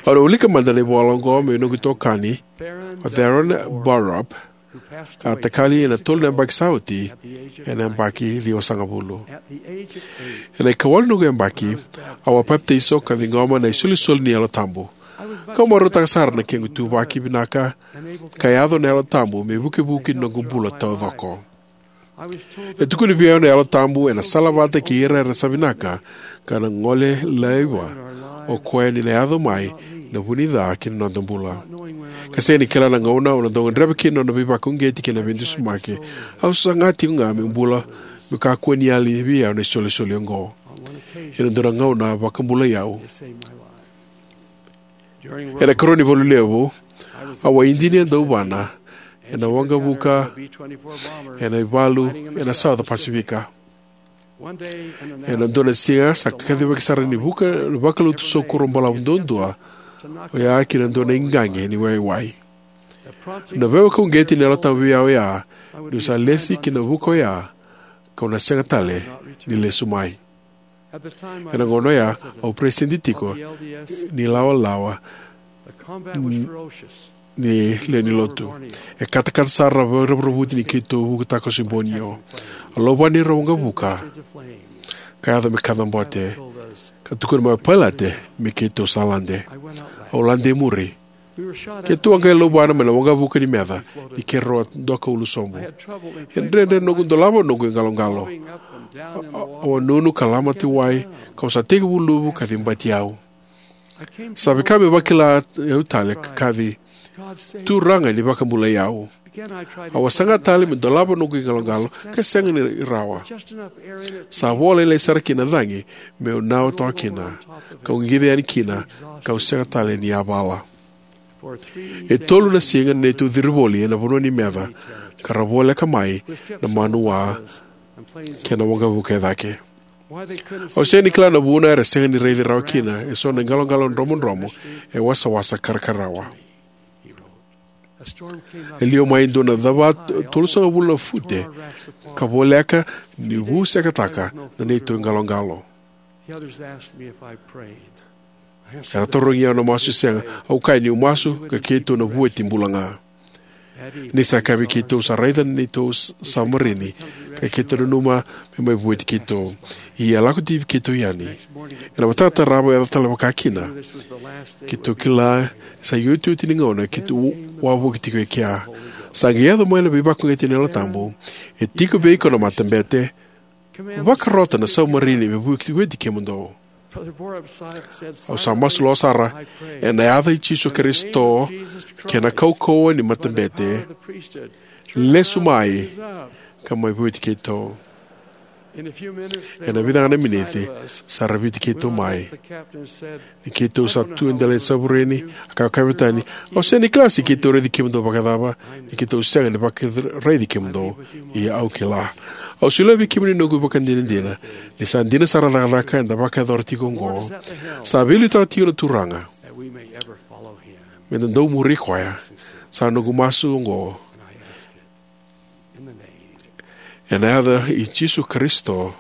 Au na wilika mada na ivola oqo mai noqu itokani, o Theron Barop, ka a takali ena tolu na yabaki sa oti, ena yabaki ciwasagavulu. Ena ikawalu ni noqu yabaki, au a papitaiso ka ciqoma na isolisoli ni Yalo Tabu. Kau marautaka sara na kequ ituvaki vinaka, ka yaco na Yalo Tabu me ivukevuke ni noqu bula taucoko. E tukuni vei au na Yalo Tabu ena salavata kei ira era sa vinaka, ka na gole laiva o koya ni na yaco mai na vu ni ca ki na noda bula. Ka sega ni kila na gauna au na dau gadreva kina na nona veivakauqeti kei na veidusimaki, au saga tiko ga meu bula, meu kakua ni yali vei au na isolisoli oqo. Ena dua na gauna a vakabulai au. Ena ikarua ni valu levu, au a idinia dauvana ena waqavuka ena ivalu ena South Pacific. Ena dua na siga sa kacivaki sara ni vuka na vakalotu saukuro balavu duadua oya ki na dua na iqaqi ni waiwai. Na veivakauqeti ni Yalo Tabu vei au oya, niu sa lesi ki na vuka oya, kau na sega tale ni lesu mai. Ena gauna oya, au peresitedi tiko ni lawalawa ni lewe ni lotu. E katakata sara na veiravuravutaki ni keitou vuka takoso i Borneo. A lauvani ira waqavuka ka yaco me kacabote, ka tukuna mai o pailate me keitou sa lade. Au lade e muri. Keitou a qai lauvana mai na waqavuka ni meca ni keirau a doka ulu sobu. E dredre noqu dolava noqu iqaloqalo. Au a nunu ka lamati wai, kau sa tekivu luvu ka cibati au. Sa vaka me vakila au tale ka kaci, Turaga ni vakabulai au. Au a saga tale meu dolava noqu iqaloqalo ka sega ni rawa. Sa vo lailai sara kina na cagi meu nawa toka kina, kau qica yani kina, kau sega tale ni yavala. E tolu na siga na neitou ciri voli ena vanua ni meca, ka ra voleka mai na manuwa kei na waqavuka e cake. Au sega ni kila na vuna era sega ni raici rawa kina eso na iqaloqalo dromodromo e wasawasa karakarawa. E liwa mai e dua na cava tolusagavulu na fute ka voleka ni vusekataka na neitou iqaloqalo. Era tarogi au na masu se sega. Au kaya niu masu ka keitou na vueti bula ga. Ni sa kaya vei keitou sa raica na neitou savarini ka keitou nanuma me mai vueti keitou. Ia e lako tiko keitou yani. Ena mataka tarava e yaco tale vakakina. Keitou kila sa iotioti ni gauna keitou wavoki tiko e kea. Sa qai yaco mai na veivakauqeti ni Yalo Tabu. E tiko vei iko na matabete. Vakarota na savarini me vueti kemudou. Au sa masu loa sara, ena yaca i Jisu Karisito kei na kaukauwa ni matabete, lesu mai ka mai vueti keitou. Ena vica ga na miniti sa raviti keitou mai. Ni keitou sa tu e dela ni savarini, a kaya o kapitan, au sega ni kila se keitou raici kemudou vakacava, ni keitou sega ni vakaraici kemudou, ia au kila. Au solia vei kemuni noqu ivakadinadina, ni sa dina sara na cakacaka eda vakayacora tiko oqo. Sa veiliutaka tiko na Turaga. Meda dau muri koya. Sa noqu masu oqo. Ena yaca i Jisu Karisito.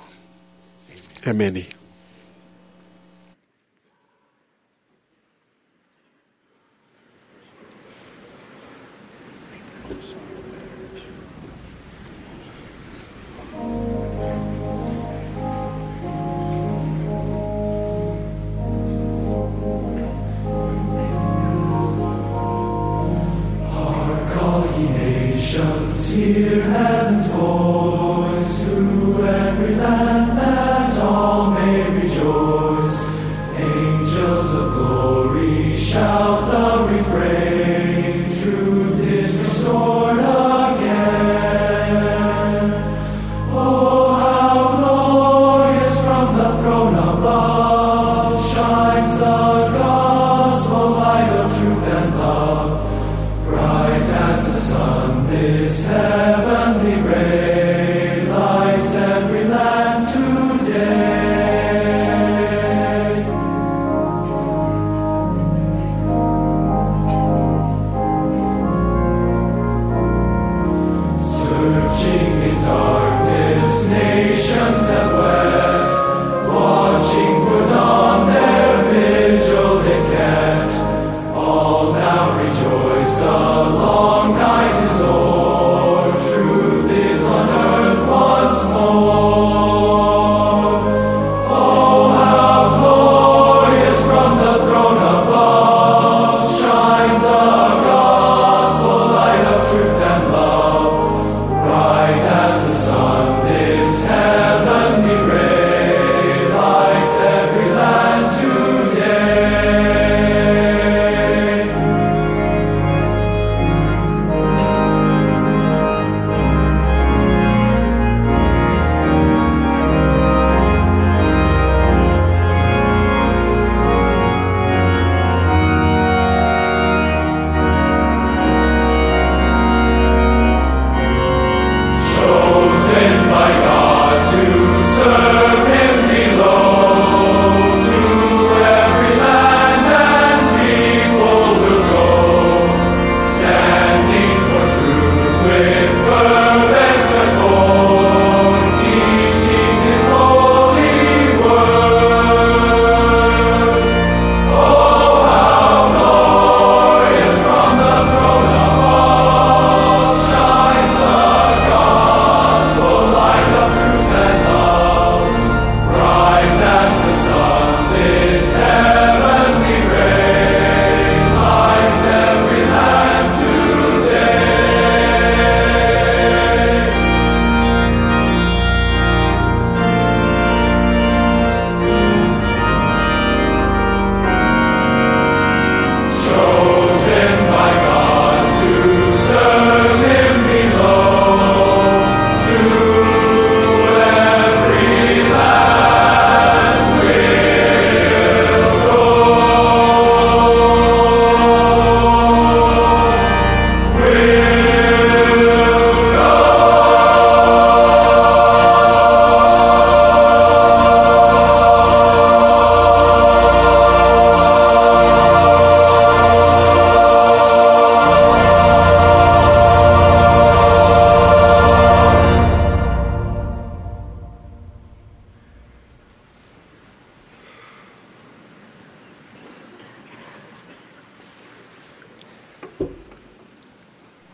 Emeni. Hark, all ye nations, hear heaven's voice, through every land that all may rejoice. Angels of glory shout the refrain, truth is restored again. Oh, how glorious from the throne above shines the gospel light of truth and love. Bright as the sun, this heaven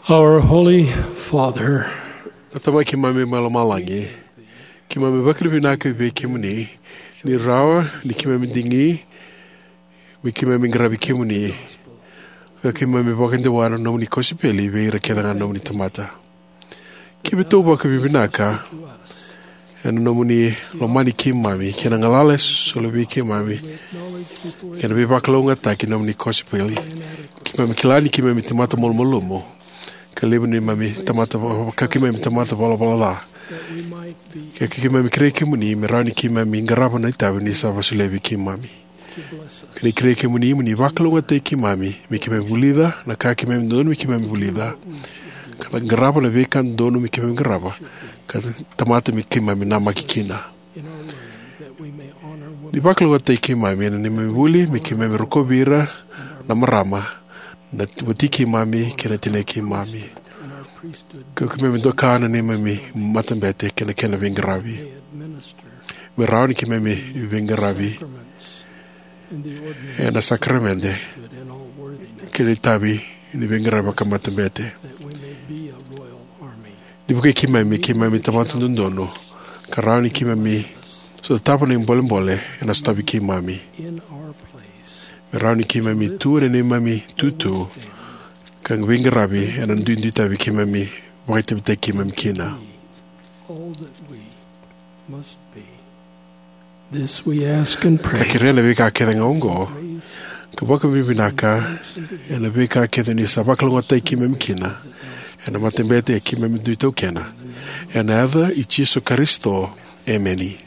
Our Holy Father, a Tamai keimami mai lomalagi, keimami vakavinavinaka vei kemuni ni rawa ni keimami digi me keimami qaravi kemuni, ka keimami vakadewa na nomuni kosipeli vei ira kece ga na nomuni tamata. Keimami vakavinavinaka ena nomuni lomani keimami kei na galala e soli vei keimami, kei na veivakalougatataki ni nomuni kosipeli. Keimami kila ni keimami tamata malumalumu, ka levu ni neimami tamata, ka keimami tamata valavala ca. Ka keimami kerei kemuni me rawa ni keimami qarava na itavi ni sa vakasolia vei keimami. Keimami kerei kemuni mo ni vakalougatataki keimami me keimami vulica na ka keimami dodonu me keimami vulica, ka qarava na veika dodonu me keimami qarava, ka tamata me keimami namaki kina. Ni vakalougatataki keimami ena neimami vuli me keimami rokovi ira na marama, na wati keimami kei na tinai keimami, ka keimami doka na neimami matabete kei na kena veiqaravi. Me rawa ni keimami veiqaravi ena sakaramede kei na itavi ni veiqaravi vakamatabete. Ni vukei keimami me keimami tamata dodonu, ka rawa ni keimami sotava na ibolebole ena sotavi keimami. Me rawa ni keimami tu ena neimami tutu ka veiqaravi ena duidui itavi keimami vakaitavitaki keimami kina. This we ask and pray. Ka kerea na veika kece ga oqo, ka vakavinavinaka ena veika kece ni sa vakalougatataki keimami kina ena matabete keimami dui taukena. Ena yaca i Jisu Karisito, emeni.